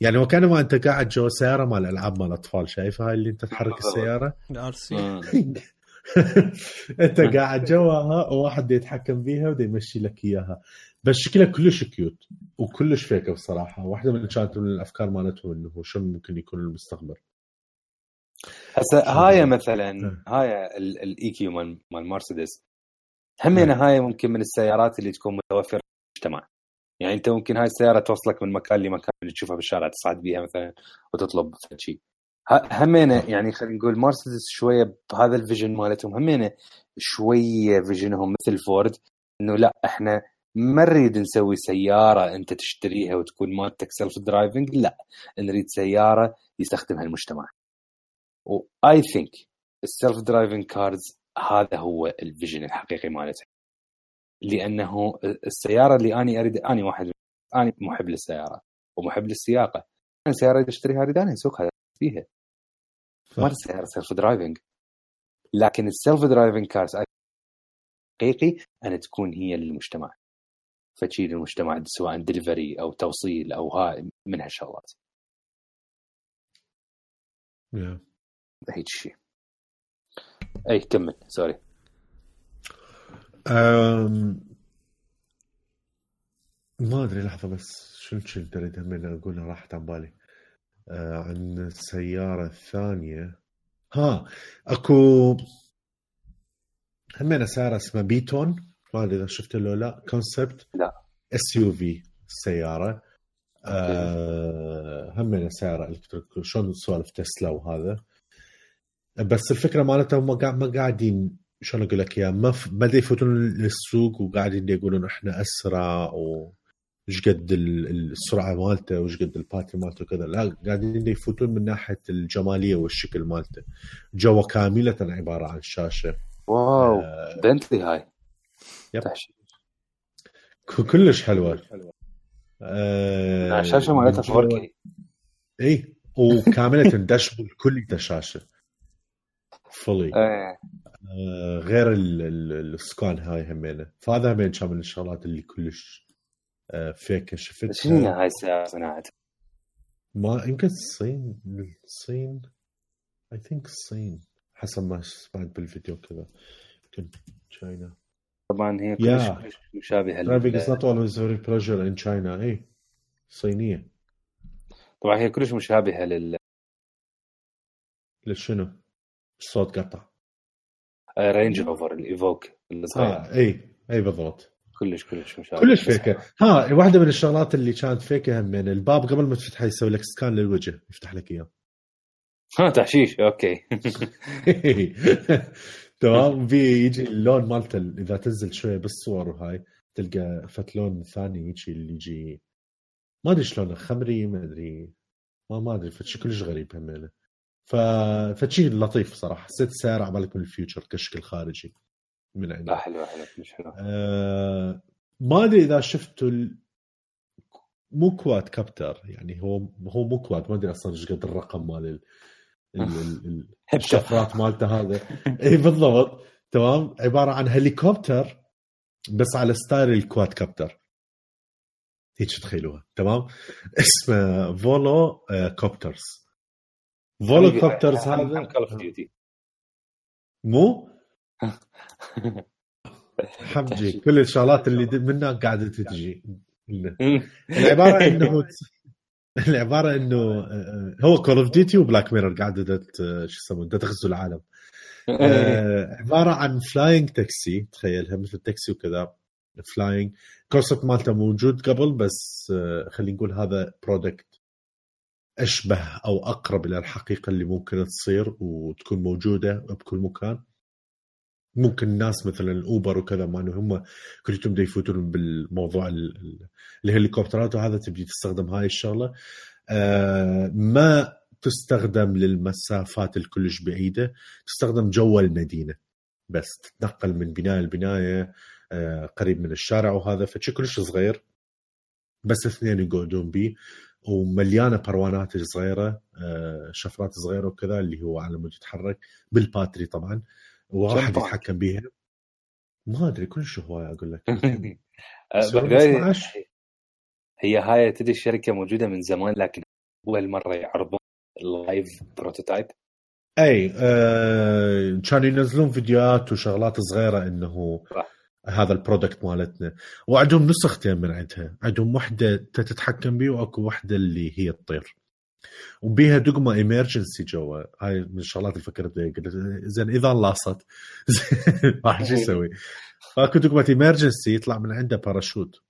يعني وكانما انت قاعد جوا سياره مال العاب مال اطفال. شايف هاي اللي انت تحرك السياره انت قاعد جواها وواحد يتحكم بيها وده يمشي لك اياها. بس شكلها كلش كيوت وكلش فيكه بصراحه. واحده من كانت من الافكار مالتهم انه شو ممكن يكون المستقبل. هسه هاي مثلا هاي الاي كيو مال مرسيدس همينه هاي ممكن من السيارات اللي تكون متوفره في المجتمع. يعني انت ممكن هاي السياره توصلك من مكان لمكان اللي تشوفها بالشارع تصعد بيها مثلا وتطلب شيء. همينه يعني خلينا نقول مرسيدس شويه بهذا الفيجن مالتهم همينه شويه فيجنهم مثل فورد انه لا احنا ما نريد نسوي سياره انت تشتريها وتكون مالتك سيلف درايفنج. لا نريد سياره يستخدمها المجتمع. واي ثينك السيلف درايفنج كارز هذا هو الفيجن الحقيقي مالته. لانه السياره اللي اني اريد اني واحد اني محب للسياره ومحب للسياقه. انا سياره اريد اشتريها اريد انا اسوقها فيها ما السياره سيلف درايفنج. لكن السيلف درايفنج كارز حقيقي أن تكون هي للمجتمع. فتشيل المجتمع سواء دليفري أو توصيل أو هاي من هالشغلات. هيك شيء. أي كمل سوري. ما أدري لحظة بس شو تريد من أقولها راحت عن بالي. عن السيارة الثانية أكو همينة سيارة اسمها بيتون ما أدري إذا شفت له لا كونسبت لا SUV السيارة. همينة سيارة إلكتريك شلون سوالف تسلا وهذا. بس الفكرة مالتها ما قاعدين شلون أقول لك يا ما بدي يفوتون للسوق وقاعدين يقولون إحنا أسرع وش قد السرعة مالته وش قد الباتري مالته كذا. لا قاعدين يفوتون من ناحية الجمالية والشكل مالته. جوا كاملة عبارة عن شاشة. واو بنتلي هاي كلش حلوة. الشاشة مالتها 4K. اي وكاملة داشبورد كل شاشة فولي. غير السكان هاي همينة. فهذا همين كان من الشغلات اللي كلش فيك شفتها. شنو هاي السيارة صناعتها؟ ما يمكن الصين I think الصين حسب ما سمعت بالفيديو كذا. يمكن تشاينا. طبعا هي كلش مشابهة. Driving is not always very pleasure in China. اي صينية. طبعا هي كلش مشابهة للشنو؟ الصوت قطع. رينج روفر الإيفوك الصغير. اي بالضبط. كلش مشابه. كلش فيكه. واحدة من الشغلات اللي كانت فيكه هم من الباب قبل ما تفتحه يسوي لك سكان للوجه يفتح لك اياه. تحشيش اوكي. تمام. يجي اللون مالته اذا تنزل شويه بالصور وهاي تلقى فتلون ثاني يجي اللي يجي ما ادري شلونه خمري ما ادري ما ادري فشي كلش غريب همينه. فشي لطيف صراحه. حسيت السياره عبالك من الفيوتشر كشكل خارجي من عنده. حلو مش حلو. ما ادري اذا شفتوا مو كواد كابتر، يعني هو مو كواد، ما ادري اصلا ايش قد الرقم مال الشفرات مالته هذا. اي بالضبط، تمام. عباره عن هليكوبتر بس على ستايل الكواد كابتر، هيك تخيلوها، تمام. اسمه فولو كوبترز. فولو كوبترز هذا مو حمجي كل الشغلات اللي منها قاعده تجي. العباره انه العباره انه هو كول اوف ديوتي وبلاك ميرور قاعده شو يسمون تغزو العالم. عباره عن فلاينج تاكسي، تخيلها مثل تاكسي وكذا فلاينج. كونسبت مالته موجود قبل، بس خلينا نقول هذا برودكت اشبه او اقرب الى الحقيقه اللي ممكن تصير وتكون موجوده بكل مكان. ممكن الناس مثلا الاوبر وكذا ما هم كلهم دا يفوتون بالموضوع الهليكوبترات وهذا، تبدي تستخدم هاي الشغله. ما تستخدم للمسافات الكلش بعيده، تستخدم جوا المدينه بس، تتنقل من بنايه لبنايه قريب من الشارع وهذا. فشي كلش صغير بس اثنين يقعدون بيه، ومليانه بروانات صغيره شفرات صغيره وكذا، اللي هو على مود يتحرك بالباتري طبعا، وواحد يتحكم بيها. ما ادري كلش هوايه اقول لك. هي هاي تدري الشركه موجوده من زمان، لكن اول مره يعرضون اللايف بروتوتايب. اي كانوا ينزلون فيديوهات وشغلات صغيره انه هذا البرودكت مالتنا، وعندهم نسختين من عندها. عندهم وحده تتحكم بيه، واكو وحده اللي هي تطير وبيها دقمه ايمرجنسي جوا. هاي من الشغلات اللي فكرت بها، قلت زين اذا لاصت راح شو يسوي؟ فاكو دقمه ايمرجنسي يطلع من عنده باراشوت.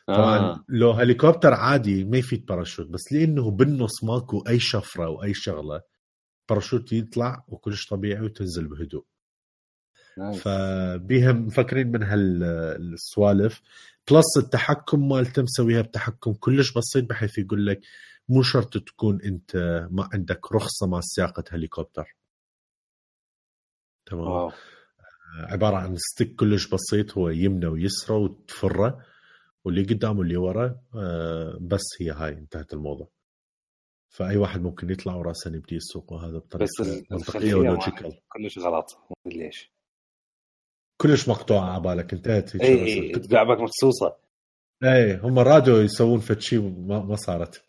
طبعا لو هليكوبتر عادي ما يفيد باراشوت، بس لانه بالنص ماكو اي شفره واي شغله، باراشوت يطلع وكلش طبيعي وتنزل بهدوء. فبيها مفكرين من هالسوالف. بلس التحكم مالته مسويها بتحكم كلش بسيط، بحيث يقول لك مو شرط تكون انت ما عندك رخصة مع سياقة هليكوبتر، تمام. عبارة عن ستيك كلش بسيط، هو يمنى ويسرى وتفره، واللي قدام واللي ورا بس هي هاي انتهت الموضوع. فأي واحد ممكن يطلع وراسا يبدي يسوق، وهذا بطريقة منطقية ولوجيكال. كلش غلط، ليش كلش مقطوعة عبالك انتهت. اي تقعبك مخصوصة. اي هم رادوا يسوون فتشي ما صارت.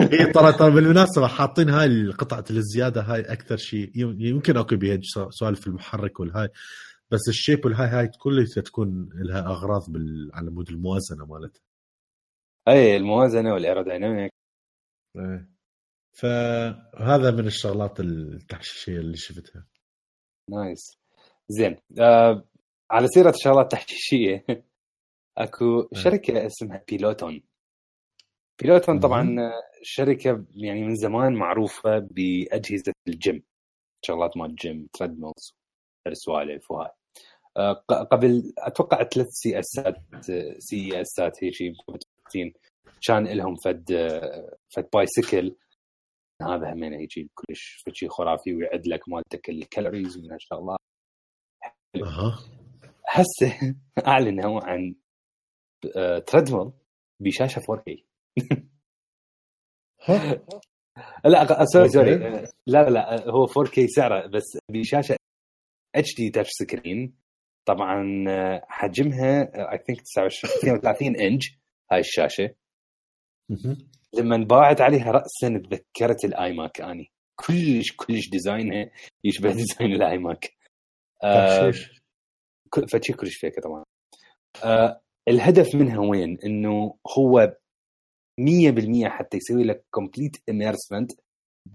هي ترى بالمناسبة حاطين هاي القطعة الزيادة هاي أكثر شيء يمكن أكو بيها سؤال في المحرك والهاي، بس الشيب والهاي كلها تكون لها أغراض على مود الموازنة مالتها. أي الموازنة والإيروديناميك. فهذا من الشغلات التحشيشية اللي شفتها. نايس. زين على سيرة شغلات تحشيشية أكو شركة اسمها بيلوتون. طبعا شركة يعني من زمان معروفة بأجهزة الجيم، شغلات مال الجيم، تريدميلز، السوالف وهاي. قبل أتوقع 3 سي اسات هيك شيء كان لهم فد بايسيكل، هذا همين يجي كلش شيء خرافي ويعد لك مالتك الكالوريز من هالشغلات. هسه أعلنوا عن تريدميل بشاشة 4K. لا سوري لا هو 4K سعره، بس بشاشة HD تاتش سكرين. طبعا حجمها I think 32 إنج هاي الشاشة. لما انباعت عليها رأسا تذكرت الآيماك. أني كلش ديزاينها يشبه ديزاين الآيماك. فشي كلش فيك طبعا. الهدف منها وين؟ إنه هو 100% حتى يسوي لك complete immersement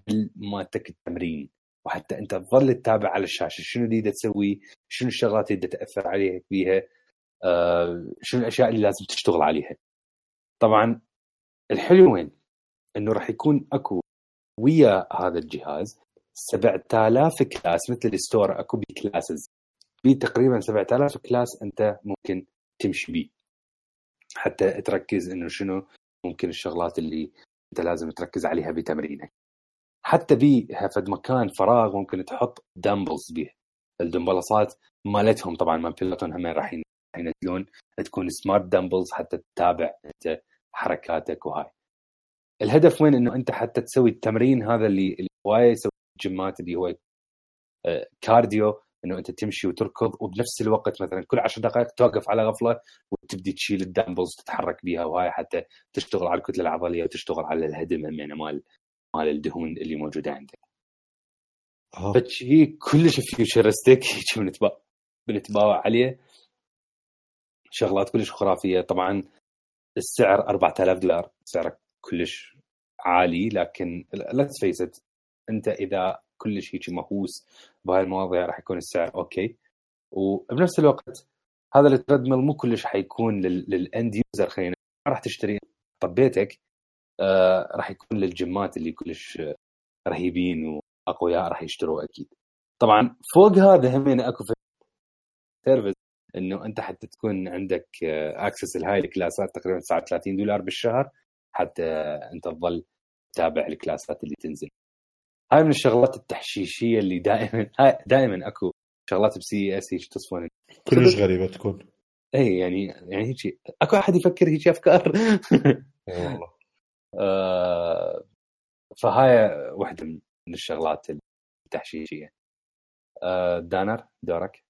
بالماتك التمرين، وحتى أنت تظل تتابع على الشاشة شنو اللي تسوي، شنو الشغلات اللي تأثر عليها فيها، شنو الأشياء اللي لازم تشتغل عليها. طبعا الحلو وين؟ إنه راح يكون أكو ويا هذا الجهاز 7000 كلاس، مثل الستور أكو بكلاسز، تقريبا 7000 كلاس أنت ممكن تمشي بيه حتى تركز إنه شنو ممكن الشغلات اللي أنت لازم تركز عليها بتمرينك. حتى بيها فد مكان فراغ ممكن تحط دمبلز بيه، الدمبلصات مالتهم طبعا ما بيلوتون هم راح ينزلون تكون سمارت دامبلز حتى تتابع انت حركاتك وهاي. الهدف وين؟ انه انت حتى تسوي التمرين هذا اللي هوايه يسوي الجيمات اللي هو كارديو، انه انت تمشي وتركض وبنفس الوقت مثلا كل 10 دقائق توقف على غفله وتبدي تشيل الدامبلز تتحرك بيها وهاي حتى تشتغل على الكتله العضليه وتشتغل على الهدم يعني مال الدهون اللي موجوده عندك. فشي كلش فيوتشرستيك بنتباوع عليه شغلات كلش خرافيه. طبعا السعر $4000 سعره كلش عالي، لكن لا تفيست انت اذا كلش هيك مهووس بهاي المواضيع راح يكون السعر اوكي. وبنفس الوقت هذا التريدميل مو كلش حيكون للاند يوزر، خلينا راح تشتري طبيتك راح يكون للجيمات اللي كلش رهيبين واقوياء راح يشتروا اكيد. طبعا فوق هذا همين اكو سيرفيس انه انت حتى تكون عندك اكسس لهاي الكلاسات تقريبا $39 بالشهر حتى انت تظل تتابع الكلاسات اللي تنزل. هاي من الشغلات التحشيشيه اللي دائما اكو شغلات بسي اس هيك تصفون كلش غريبه تكون. اي يعني هيك اكو احد يفكر هيك افكار والله. فهاي واحده من الشغلات التحشيشيه. دانر دورك.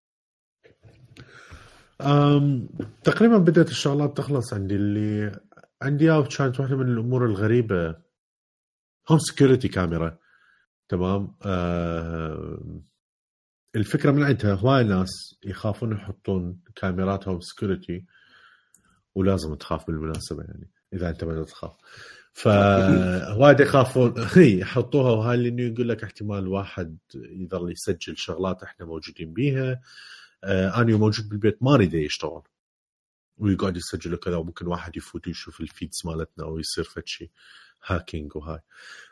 تقريبا بدأت الشغلات تخلص عندي. اللي عندي كانت واحدة من الأمور الغريبة هوم سيكوريتي كاميرا. تمام. الفكرة من عندها هواي ناس يخافون يحطون كاميرات هوم سيكوريتي، ولازم تخاف بالمناسبة يعني إذا أنت ما تخاف. فوايد يخافون يحطوها، وهاي اللي يقول لك احتمال واحد يظل يسجل شغلات احنا موجودين بيها. أنا موجود بالبيت ما أريد يشتغل ويقعد يسجل كذا، وممكن واحد يفوت ويشوف الفيدز مالتنا أو يصير فتشي هاكينج وهاي.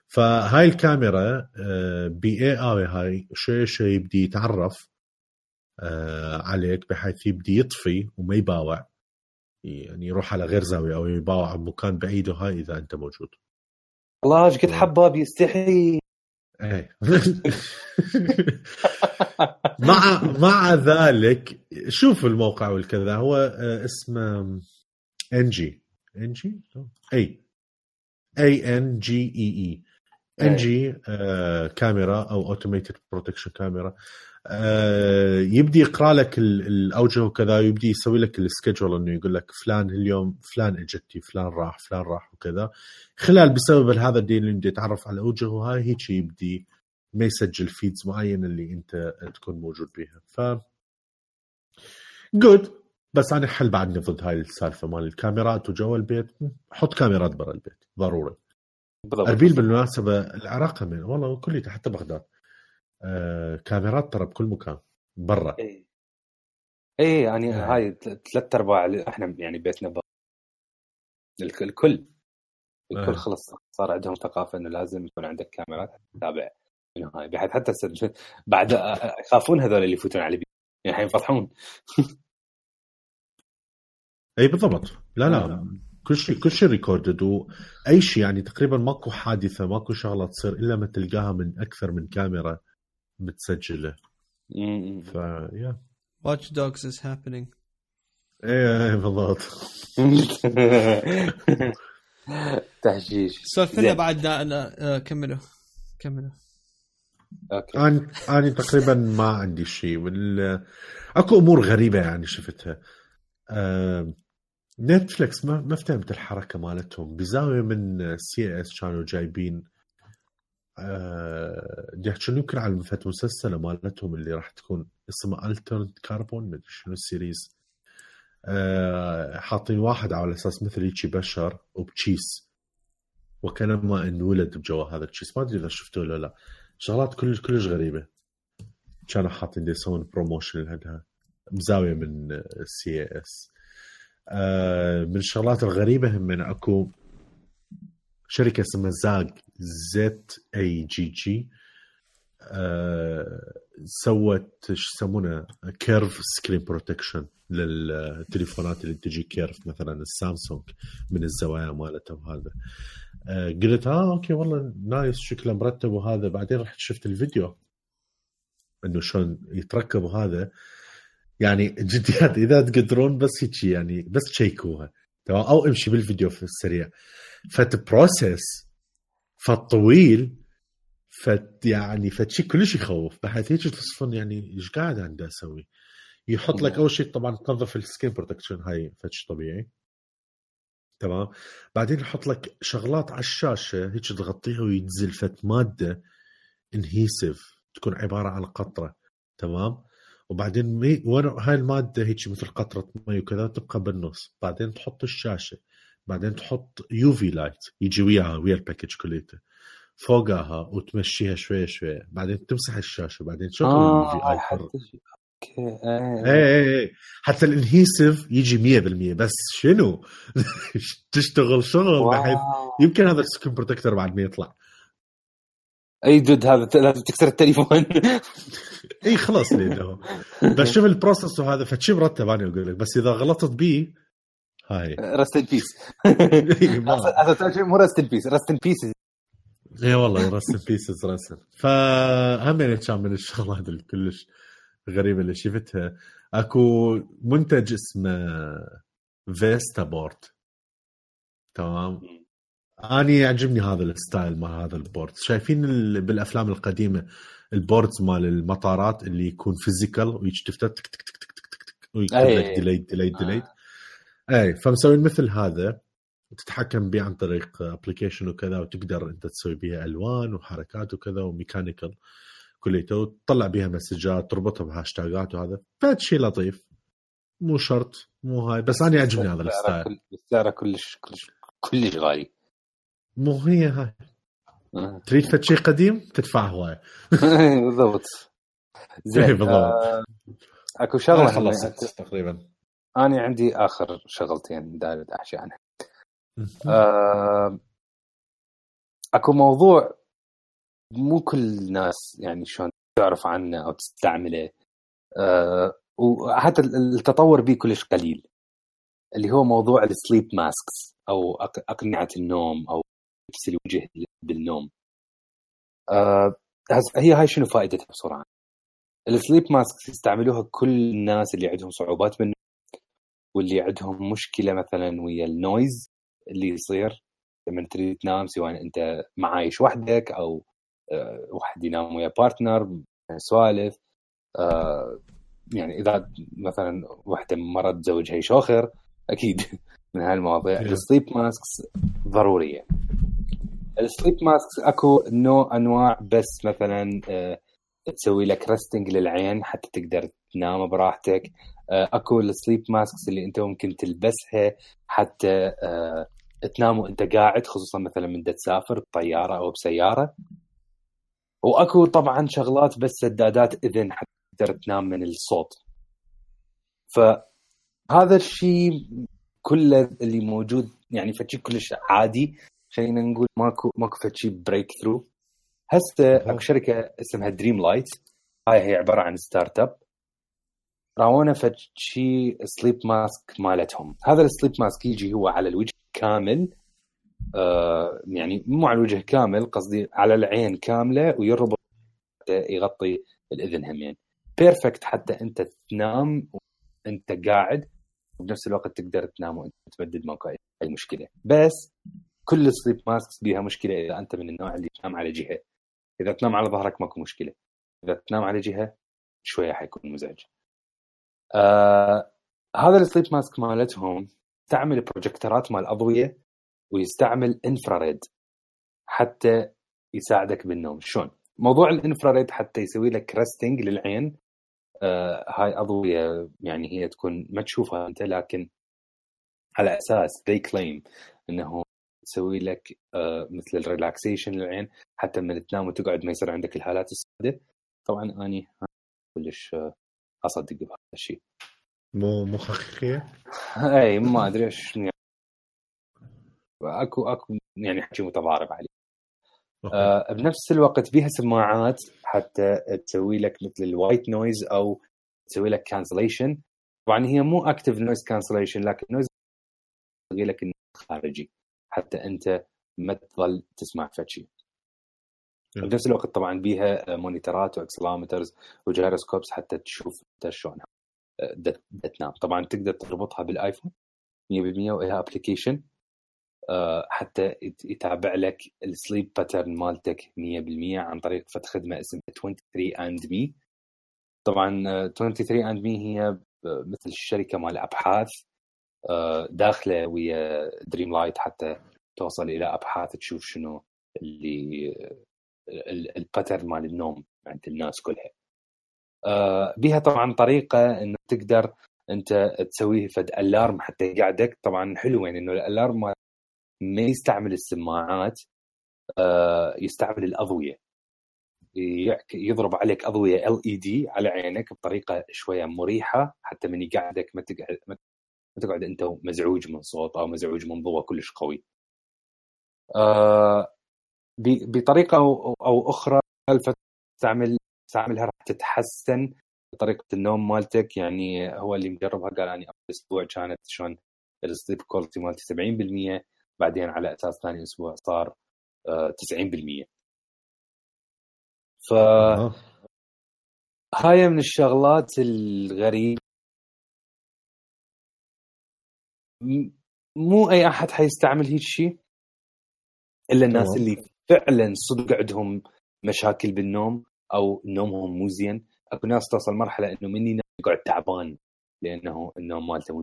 فهاي الكاميرا بي اي هاي شيء يبدي يتعرف عليك بحيث يبدي يطفي وما يباوع، يعني يروح على غير زاوية أو يباوع بمكان بعيد وهاي إذا أنت موجود. الله ايش قد حباب يستحي. ايه مع ذلك شوف الموقع والكذا هو اسمه NG NG كاميرا او اوتوميتد بروتكشن كاميرا. يبدي يقرا لك الاوجه وكذا، يبدي يسوي لك السكيدجول انه يقول لك فلان اليوم فلان اجتي فلان راح وكذا. خلال بسبب هذا الدين اللي بدي يتعرف على الاوجه وهاي هيك يبدي ما يسجل فيدز معين اللي انت تكون موجود بيها. ف جود. بس انا حل بعدني ضد هاي السالفه مال الكاميرات وجو البيت. حط كاميرات برا البيت ضروري. اربيل بالمناسبه العراق من والله كليته حتى بغداد كاميرات ترى بكل مكان برا. اي يعني هاي 3/4 احنا يعني بيتنا برا. الكل خلص صار عندهم ثقافه انه لازم يكون عندك كاميرات تتابع انه هاي، بحيث حتى بعد يخافون هذول اللي يفوتون على البيت يعني يفضحون. اي بالضبط. لا كل شيء ريكوردد واي شيء، يعني تقريبا ماكو حادثه ماكو شغله تصير الا ما تلقاها من اكثر من كاميرا متسجله. يا Watch Dogs is happening. ايه بالضبط. تحشيش. سولفنا بعد أنا كملوا. اوكي. أنا تقريبا ما عندي شيء. اكو امور غريبه يعني شفتها. نتفليكس ما فهمت الحركه مالتهم بزاويه من CIS كانوا جايبين يحكون يمكن على مسلسل مالتهم اللي راح تكون اسمه الترنت كاربون مدري شنو السيريز. حاطين واحد على اساس مثل هيك بشر وبتشيس وكانما انولد بجوا هذا التشيس. ما ادري اذا شفتوه ولا لا. شغلات كلش غريبه كانوا حاطين دي يسوون بروموشن لهذا بزاويه من CIS. من الشغلات الغريبه هم من اكو شركه اسمها ZAGG سوت ايش يسمونه كيرف سكرين بروتكشن للتليفونات اللي تجي كيرف مثلا السامسونج من الزوايا مالته. هذا قلت اوكي والله نايس شكله مرتب وهذا. بعدين رحت شفت الفيديو انه شلون يتركب هذا. يعني جديات اذا تقدرون بس هيك يعني بس تشيكوها تمام او امشي بالفيديو في السريع فتبروسس فالطويل يعني فتشي كلش يخوف بحيث هيك تصفن يعني ايش قاعد عنده اسوي يحط لك اول شيء طبعا تنظف السكين بروتكشن هاي فتش طبيعي تمام بعدين يحط لك شغلات على الشاشه هيك تغطيها وينزل فت ماده انهيسيف تكون عباره عن قطره تمام وبعدين هاي الماده هيك مثل قطره مي وكذا تبقى بالنص بعدين تحط الشاشه بعدين تحط يوفي لايت يجي وياها ويا الباكج كليته فوقها وتمشيها شوي شوي بعدين تمسح الشاشه بعدين تشغل اليوفي اي ايه حتى الانهيسيف يجي 100% بس شنو تشتغل شغل بحيث يمكن هذا السكين بروتكتور بعد ما يطلع اي جد هذا لازم تكسر التليفون اي خلاص ليه بس شوف البروسس وهذا فتشي مرتب انا اقول لك بس اذا غلطت بيه هاي رست البيس هذا مو رست البيس رست البيس اي والله رست بيسز رسم فهم يعني كان من الشغلات اللي كلش غريبه اللي شفتها اكو منتج اسمه فيستا بورد تمام أنا يعجبني هذا الستايل مع هذا البورد شايفين بالأفلام القديمة البوردز مال المطارات اللي يكون فيزيكال ويشتفتها تك تك تك تك تك تك ويكتب لك ديليت أي فمسوين مثل هذا تتحكم به عن طريق أبليكيشن وكذا وتقدر أنت تسوي بها ألوان وحركات وكذا وميكانيكال كليته وتطلع بها مسجات تربطها بهاشتاجات وهذا فهذا شيء لطيف مو شرط مو هاي بس أنا يعجبني هذا الستايل سعره كلش غالي مو هي هاي تريد فد شيء قديم تدفع هواي بالضبط زين اكو شغله خلصت تقريبا انا عندي اخر شغلتين داير احكي عنها اكو موضوع مو كل الناس يعني شلون تعرف عنه او تستعمله وحتى التطور به كلش قليل اللي هو موضوع السليب ماسكس او اقنعه النوم او لبس الوجه بالنوم. هي هاي شنو فائدتها بسرعه؟ السليب ماسكس يستعملوها كل الناس اللي عندهم صعوبات بالنوم واللي عندهم مشكله مثلا ويا النويز اللي يصير لما تريد تنام سواء انت معايش وحدك او واحد ينام ويا بارتنر سوالف يعني اذا مثلا واحده مرض زوجها يشوخر اكيد من هالمواضيع السليب ماسكس ضروريه. السليب ماسكس اكو نوع انواع بس مثلا تسوي لك ريستنج للعين حتى تقدر تنام براحتك. اكو السليب ماسكس اللي انت ممكن تلبسها حتى تنام وانت قاعد خصوصا مثلا من تسافر بطياره او بسياره. واكو طبعا شغلات بس سدادات اذن حتى تقدر تنام من الصوت. فهذا الشيء كله اللي موجود يعني فشي كلش عادي خلينا نقول ماكو فشي بريك ثرو. هسه اكو شركه اسمها دريم لايت هاي هي عباره عن ستارت اب راونا فشي سليب ماسك مالتهم. هذا السليب ماسك يجي هو على الوجه كامل يعني مو على الوجه كامل قصدي على العين كامله ويربط يغطي الاذن همين بيرفكت حتى انت تنام وانت قاعد وبنفس الوقت تقدر تنام وانت تمدد ماكو اي مشكله. بس كل السليب ماسكس بيها مشكله اذا انت من النوع اللي تنام على جهه. اذا تنام على ظهرك ماكو مشكله اذا تنام على جهه شويه حيكون مزعج. هذا السليب ماسك مالتهم تعمل بروجكتورات مال اضويه ويستعمل انفراريد حتى يساعدك بالنوم. شلون موضوع الانفراريد حتى يسوي لك ريستنج للعين. هاي اضويه يعني هي تكون ما تشوفها انت لكن على اساس they claim انه تسوي لك مثل الريلاكسيشن للعين حتى من تنام وتقعد ما يصير عندك الهالات السوداء. طبعا اني كلش اصدق بهذا الشيء مو حقيقيه اي ما ادري ايش يعني اكو يعني حكي متضارب عليه. بنفس الوقت بيها سماعات حتى تسوي لك مثل الوايت نويز او تسوي لك كانسليشن. طبعا هي مو اكتيف نويز كانسليشن لكن نويز تسوي لك خارجي حتى انت ما تظل تسمع فشي. بنفس الوقت طبعا بيها مونيترات واكسلامترز وجيروسكوبس حتى تشوف انت شلونها. تنام. طبعا تقدر تربطها بالايفون 100% وإلها ابلكيشن حتى يتابع لك السليب باترن مالتك 100% عن طريق خدمه اسمها 23andMe. طبعا 23andMe هي مثل الشركه مال ابحاث داخله ويا دريم لايت حتى توصل الى ابحاث تشوف شنو اللي الباترن مال النوم عند الناس كلها. بها طبعا طريقه انه تقدر انت تسويه فد الارم حتى يقعدك. طبعا حلو يعني انه الالارم ما يستعمل السماعات، يستعمل الاضويه، يضرب عليك اضويه LED على عينك بطريقه شويه مريحه حتى من يقعدك ما تقعد انت مزعوج من صوت او مزعوج من ضوء كلش قوي. بطريقه او اخرى تستعملها راح تتحسن طريقه النوم مالتك. يعني هو اللي مجربها قال اني اول اسبوع كانت شلون السليب كواليتي مالتي 70%، بعدين على اساس ثاني اسبوع صار 90%. ف هاي من الشغلات الغريبة، مو اي احد حيستعمل هيك شيء الا الناس اللي فعلا صدق عندهم مشاكل بالنوم او نومهم مو زين. اكو ناس توصل مرحله انه مني يقعد تعبان لانه النوم مالته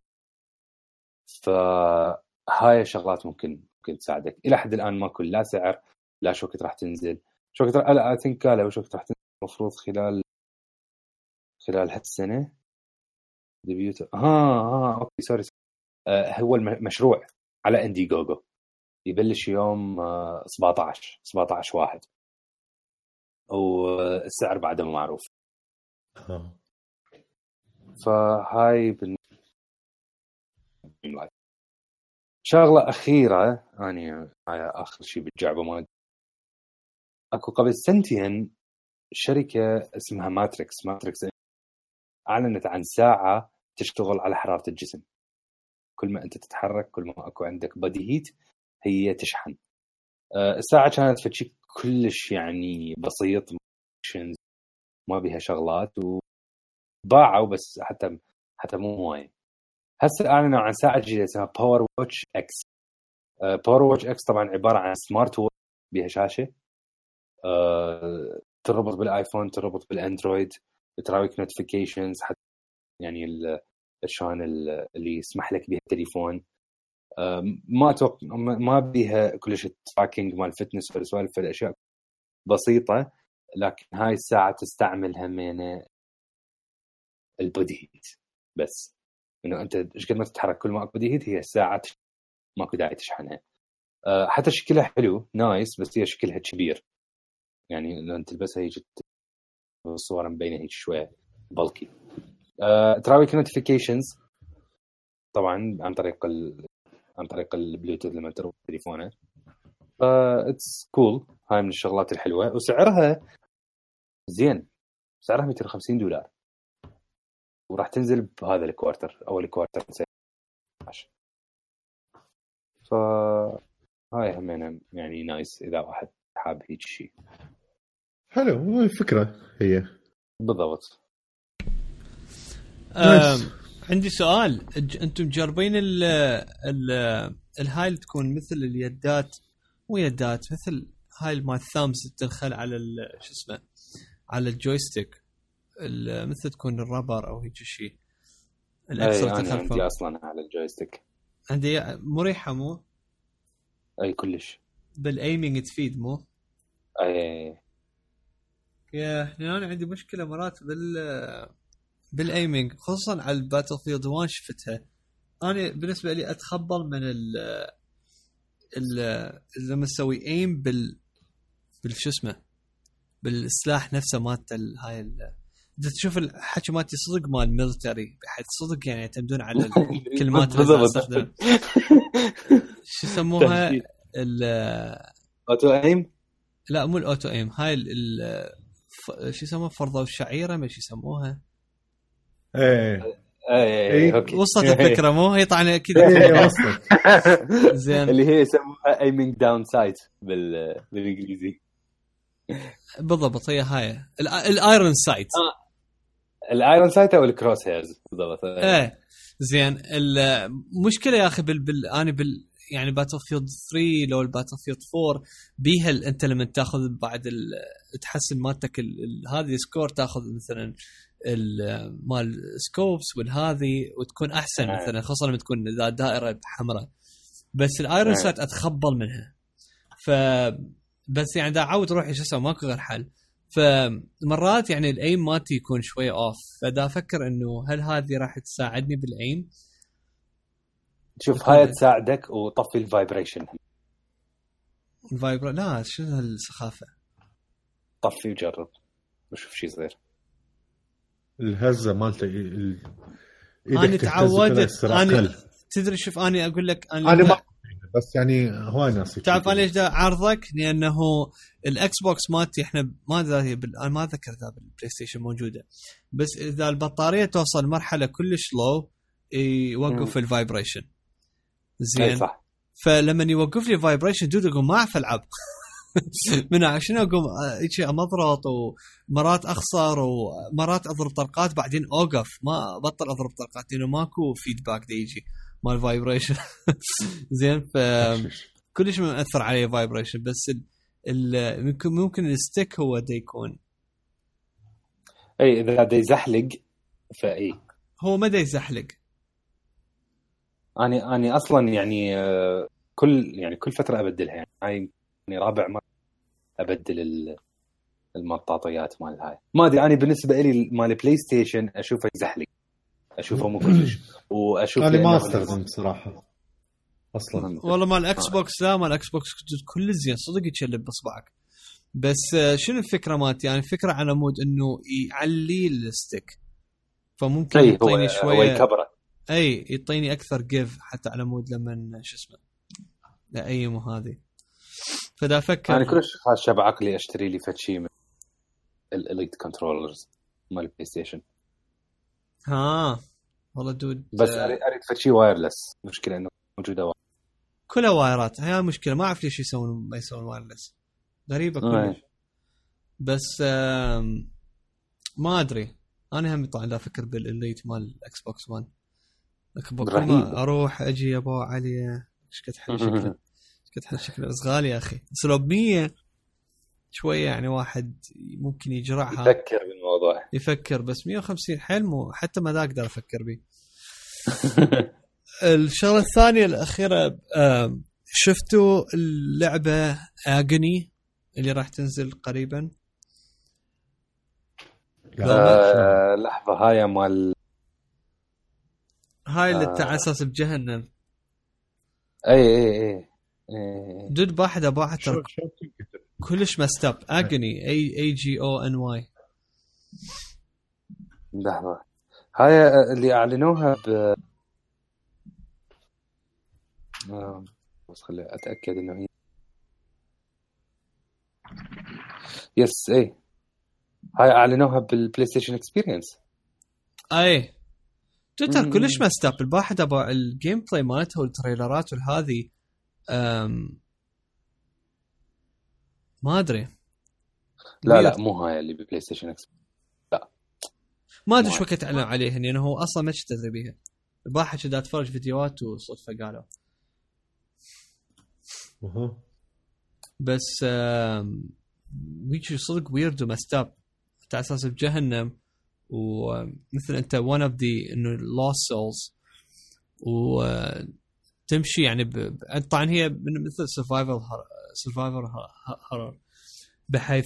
فهاي شغلات ممكن تساعدك. الى حد الان ماكو لا سعر لا شو وقت راح تنزل، شو وقت اي ثينك قالوا شو وقت راح تنزل المفروض خلال هالسنه ديبيوت. اوكي سوري. هو المشروع على اندي جوجو يبلش يوم 17 واحد والسعر بعده ما معروف. فهاي شغلة أخيرة هاي آخر شيء بالجعبة مال أكو قبل سنتين شركة اسمها ماتريكس أعلنت عن ساعة تشتغل على حرارة الجسم. كل ما أنت تتحرك كل ما أكو عندك بادي هيت هي تشحن. الساعة كانت فشي كلش يعني بسيط ما بيها شغلات وباعوا بس حتى مو هواي. هسه أعلنوا عن ساعة جديدة اسمها باور واتش اكس. باور واتش اكس طبعا عبارة عن سمارت واتش بيها شاشة تربط بالايفون تربط بالاندرويد تراويك نوتيفيكيشنز حتى يعني شلون اللي يسمح لك بها التليفون. ما بيها كلش تراكينج مال فتنس ولا سوالف الاشياء بسيطة، لكن هاي الساعة تستعمل همينة البودي هيت بس انه انت ايش قد ما تتحرك كل ما اكو بودي هيت هي الساعة ماكو داعي تشحنها. حتى شكلها حلو نايس بس هي شكلها كبير يعني لو انت تلبسها هيك الصور مبينه هيك شويه بلكي. تراويك نوتيفيكيشنز طبعا عن طريق البلوتوث لما تربط تليفونك. اتس كول. هاي من الشغلات الحلوه وسعرها زين، سعرها $250 وراح تنزل بهذا الكوارتر اول كوارتر 16. فهاي همينه يعني نايس اذا واحد حاب هيك شيء حلو. الفكره هي بالضبط. عندي سؤال. انتم مجربين الهاي اللي تكون مثل اليدات مو يدات مثل هاي مال ثامس تدخل على شو اسمه على الجويستيك مثل تكون الرابر او هيك شيء الاكسل تدخل عندي اصلا على الجويستيك عندي مريحه مو اي كلش بالايمينج تفيد مو اي يا انا عندي مشكله مرات بالايمينج خصوصا على الباتل فيلد 1 شفتها انا بالنسبه لي اتخبل من لما اسوي ايم بالشو اسمه بالسلاح نفسه مالت هاي انت تشوف الحكي مالتي صدق مال ميلتري بحيث صدق يعني يعتمدون على الكلمات اللي استخدمها شو يسموها اوتو ايم. لا مو الاوتو ايم هاي شو يسموها فرضوا الشعيره ما شو يسموها اوكي وصلت الفكره مو هي طبعا اكيد وصلت زين اللي هي يسموها ايمينج داون سايت بالانجليزي بالضبط هي هاي الايرون سايت الايرون سايت او الكروس هيرز بالضبط. ايه زين. المشكله يا اخي انا يعني باتل فيلد 3 لو الباتل فيلد 4 بيها انت لما تاخذ بعد تحسن مالتك هذه سكور، تاخذ مثلا مال سكوبس والهذه وتكون احسن مثلا، خاصه لما تكون ذا دائره حمراء. بس الايرون سايت اتخبل منها، ف بس يعني دا عاود روحي شو اسوي، ماكو غير حل. فمرات يعني الايم مالتي يكون شويه اوف، فدا افكر انه هل هذه راح تساعدني بالايم. شوف هاي تساعدك، وطفي الفايبريشن. لا شنو هالسخافه، طفي وجرب وشوف شي صغير. الهزه مالته انا تعودت. انا تدري شوف انا اقول لك انا ما بس يعني هواي ناس تعرف انا ليش دا عرضك، لانه الاكس بوكس مالتي احنا ما ذكر ذا بالبلاي ستيشن موجوده، بس اذا البطاريه توصل مرحله كلش لو يوقف الفايبريشن. زين صح. فلما يوقف لي فايبريشن دود اقوم ما اعرف العب من عشان اقوم شيء امضرط، ومرات اخسر ومرات اضرب طلقات بعدين اوقف، ما بطل اضرب طلقات لانه ماكو فيدباك دي يجي مال فايبريشن. زين ف كلش مأثر عليه فايبريشن. بس ممكن الستيك هو دا يكون اذا دا يزحلق فاي هو ما دا يزحلق. اني اصلا يعني كل فتره ابدلها، يعني هاي رابع مرة ابدل المطاطيات مال هاي. ما ادري انا بالنسبه لي مال بلاي ستيشن اشوفه يزحلق، اشوفه مو كلش، واشوف انا ما استخدم بصراحه اصلا. والله مال الاكس بوكس لا، مال الاكس بوكس كل زين صدق يتشلب باصبعك. بس شنو الفكره مالتي؟ يعني الفكره على مود انه يعلي الستيك، فممكن يعطيني شويه يعطيني اكثر جيف حتى على مود لما شو اسمه لايم هذه. فدا افكر انا كلش خاش بعقلي اشتري لي فتشي من الاليت كنترولرز مال البلاي ستيشن. والله دود بس اريد فتشي وايرلس. مشكله انه موجوده كلها وايرات، هي المشكله. ما اعرف ليش ما يسوون وايرلس، غريبه كلش. بس ما ادري، انا هم طبعا لا افكر بالاليت مال الاكس بوكس 1 ما اروح اجي يا ابو علي ايش قد حل شكله كنت شكله غالي يا اخي. بس لو ب100 شويه يعني واحد ممكن يجرعها، يفكر بالموضوع، يفكر. بس 150 حلم حتى ما اقدر افكر به. الشغله الثانيه الاخيره، شفتوا اللعبه اغني اللي راح تنزل قريبا؟ لحظه، هاي مال هاي اللي تعسس بجهنم. اي دود باحد كلش مستاب. اغني اي جي او ان واي. لحظه، هاي اللي اعلنوها بس خلي اتاكد انه هي يس. اي هاي اعلنوها بالبلاي ستيشن اكسبيرينس. اي تويتر كلش مستاب. الواحد ابغى الجيم بلاي مالته والتريلرات والهذه ما ادري. لا مو هاي اللي ببلاي ستيشن اكس. لا ما ادري شو وقت اعلن عليها، لانه هو اصلا ما شفت ادري بيها. الباحث كذا اتفرج فيديوهات وصدفه قالوا. بس ويجي صدق ويرد ومستاب على اساس بجهنم، ومثل انت one of the انه lost souls، وتمشي يعني طبعا هي مثل survival horror، بحيث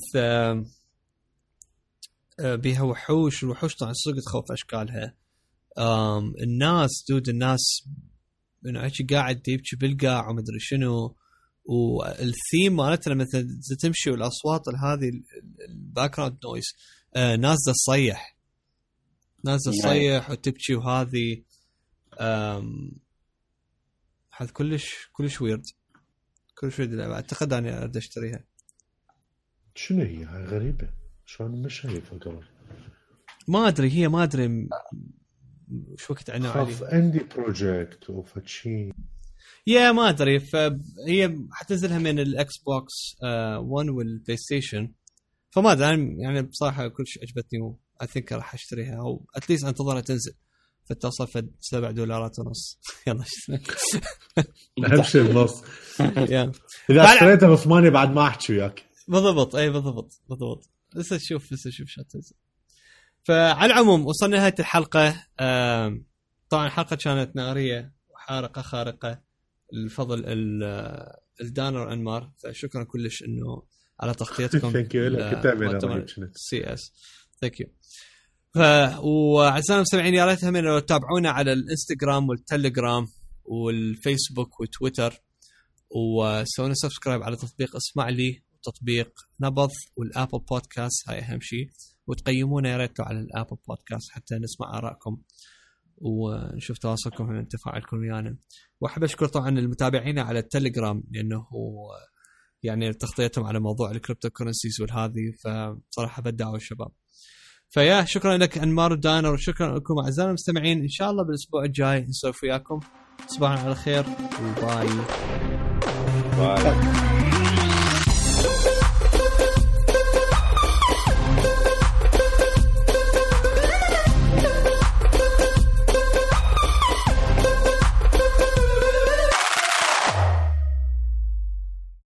بيها وحوش. الوحوش طبعا صدق تخوف اشكالها. الناس انه هيك قاعد يبكي بالقاع ومدري شنو، والثيم مالتنا مثلا تمشي والاصوات هذه الباك جراوند نويز، ناس تصيح وتبكي، وهذه هذا كلش ويرد. اعتقد اني اريد اشتريها. شنو هي هاي غريبه، شلون مش شايفها قبل؟ ما ادري شو وقت عنها عليه. عندي بروجكت وفتشي ما ادري. فهي حتنزلها من الاكس بوكس 1 والبلاي ستيشن. فما ادري يعني بصراحه كلش عجبتني اي ثينك راح اشتريها او اتليست انتظرها تنزل فتوصل في $7.50 يلا اهم شيء النص يا اذا اشتريتها ب8 بعد ما احكي وياك بالضبط. اي بالضبط لسه تشوف شو تنزل. فعلى العموم وصلنا لنهايه الحلقه. طبعا الحلقه كانت ناريه وحارقه خارقه الفضل الدانر انمار، فشكرا كلش انه على تغطيتكم. ثانك يو لك تابعنا سي اس ثانك يو. وأعزائنا المستمعين يا ريت هم انه تتابعونا على الانستغرام والتليجرام والفيسبوك وتويتر، وسوينا سبسكرايب على تطبيق اسمع لي وتطبيق نبض والابل بودكاست، هاي اهم شيء. وتقيمونا يا ريت على الابل بودكاست حتى نسمع آرائكم ونشوف تواصلكم من تفاعلكم ويانا. واحب اشكر طبعا المتابعين على التليجرام لانه يعني تغطيتهم على موضوع الكريبتو كورنسيز والهذه، فصراحه بدعوا الشباب. فيا شكرا لك انمار ودانر، وشكرا لكم اعزائنا المستمعين. ان شاء الله بالاسبوع الجاي نسولف وياكم. تصبحون على خير وباي.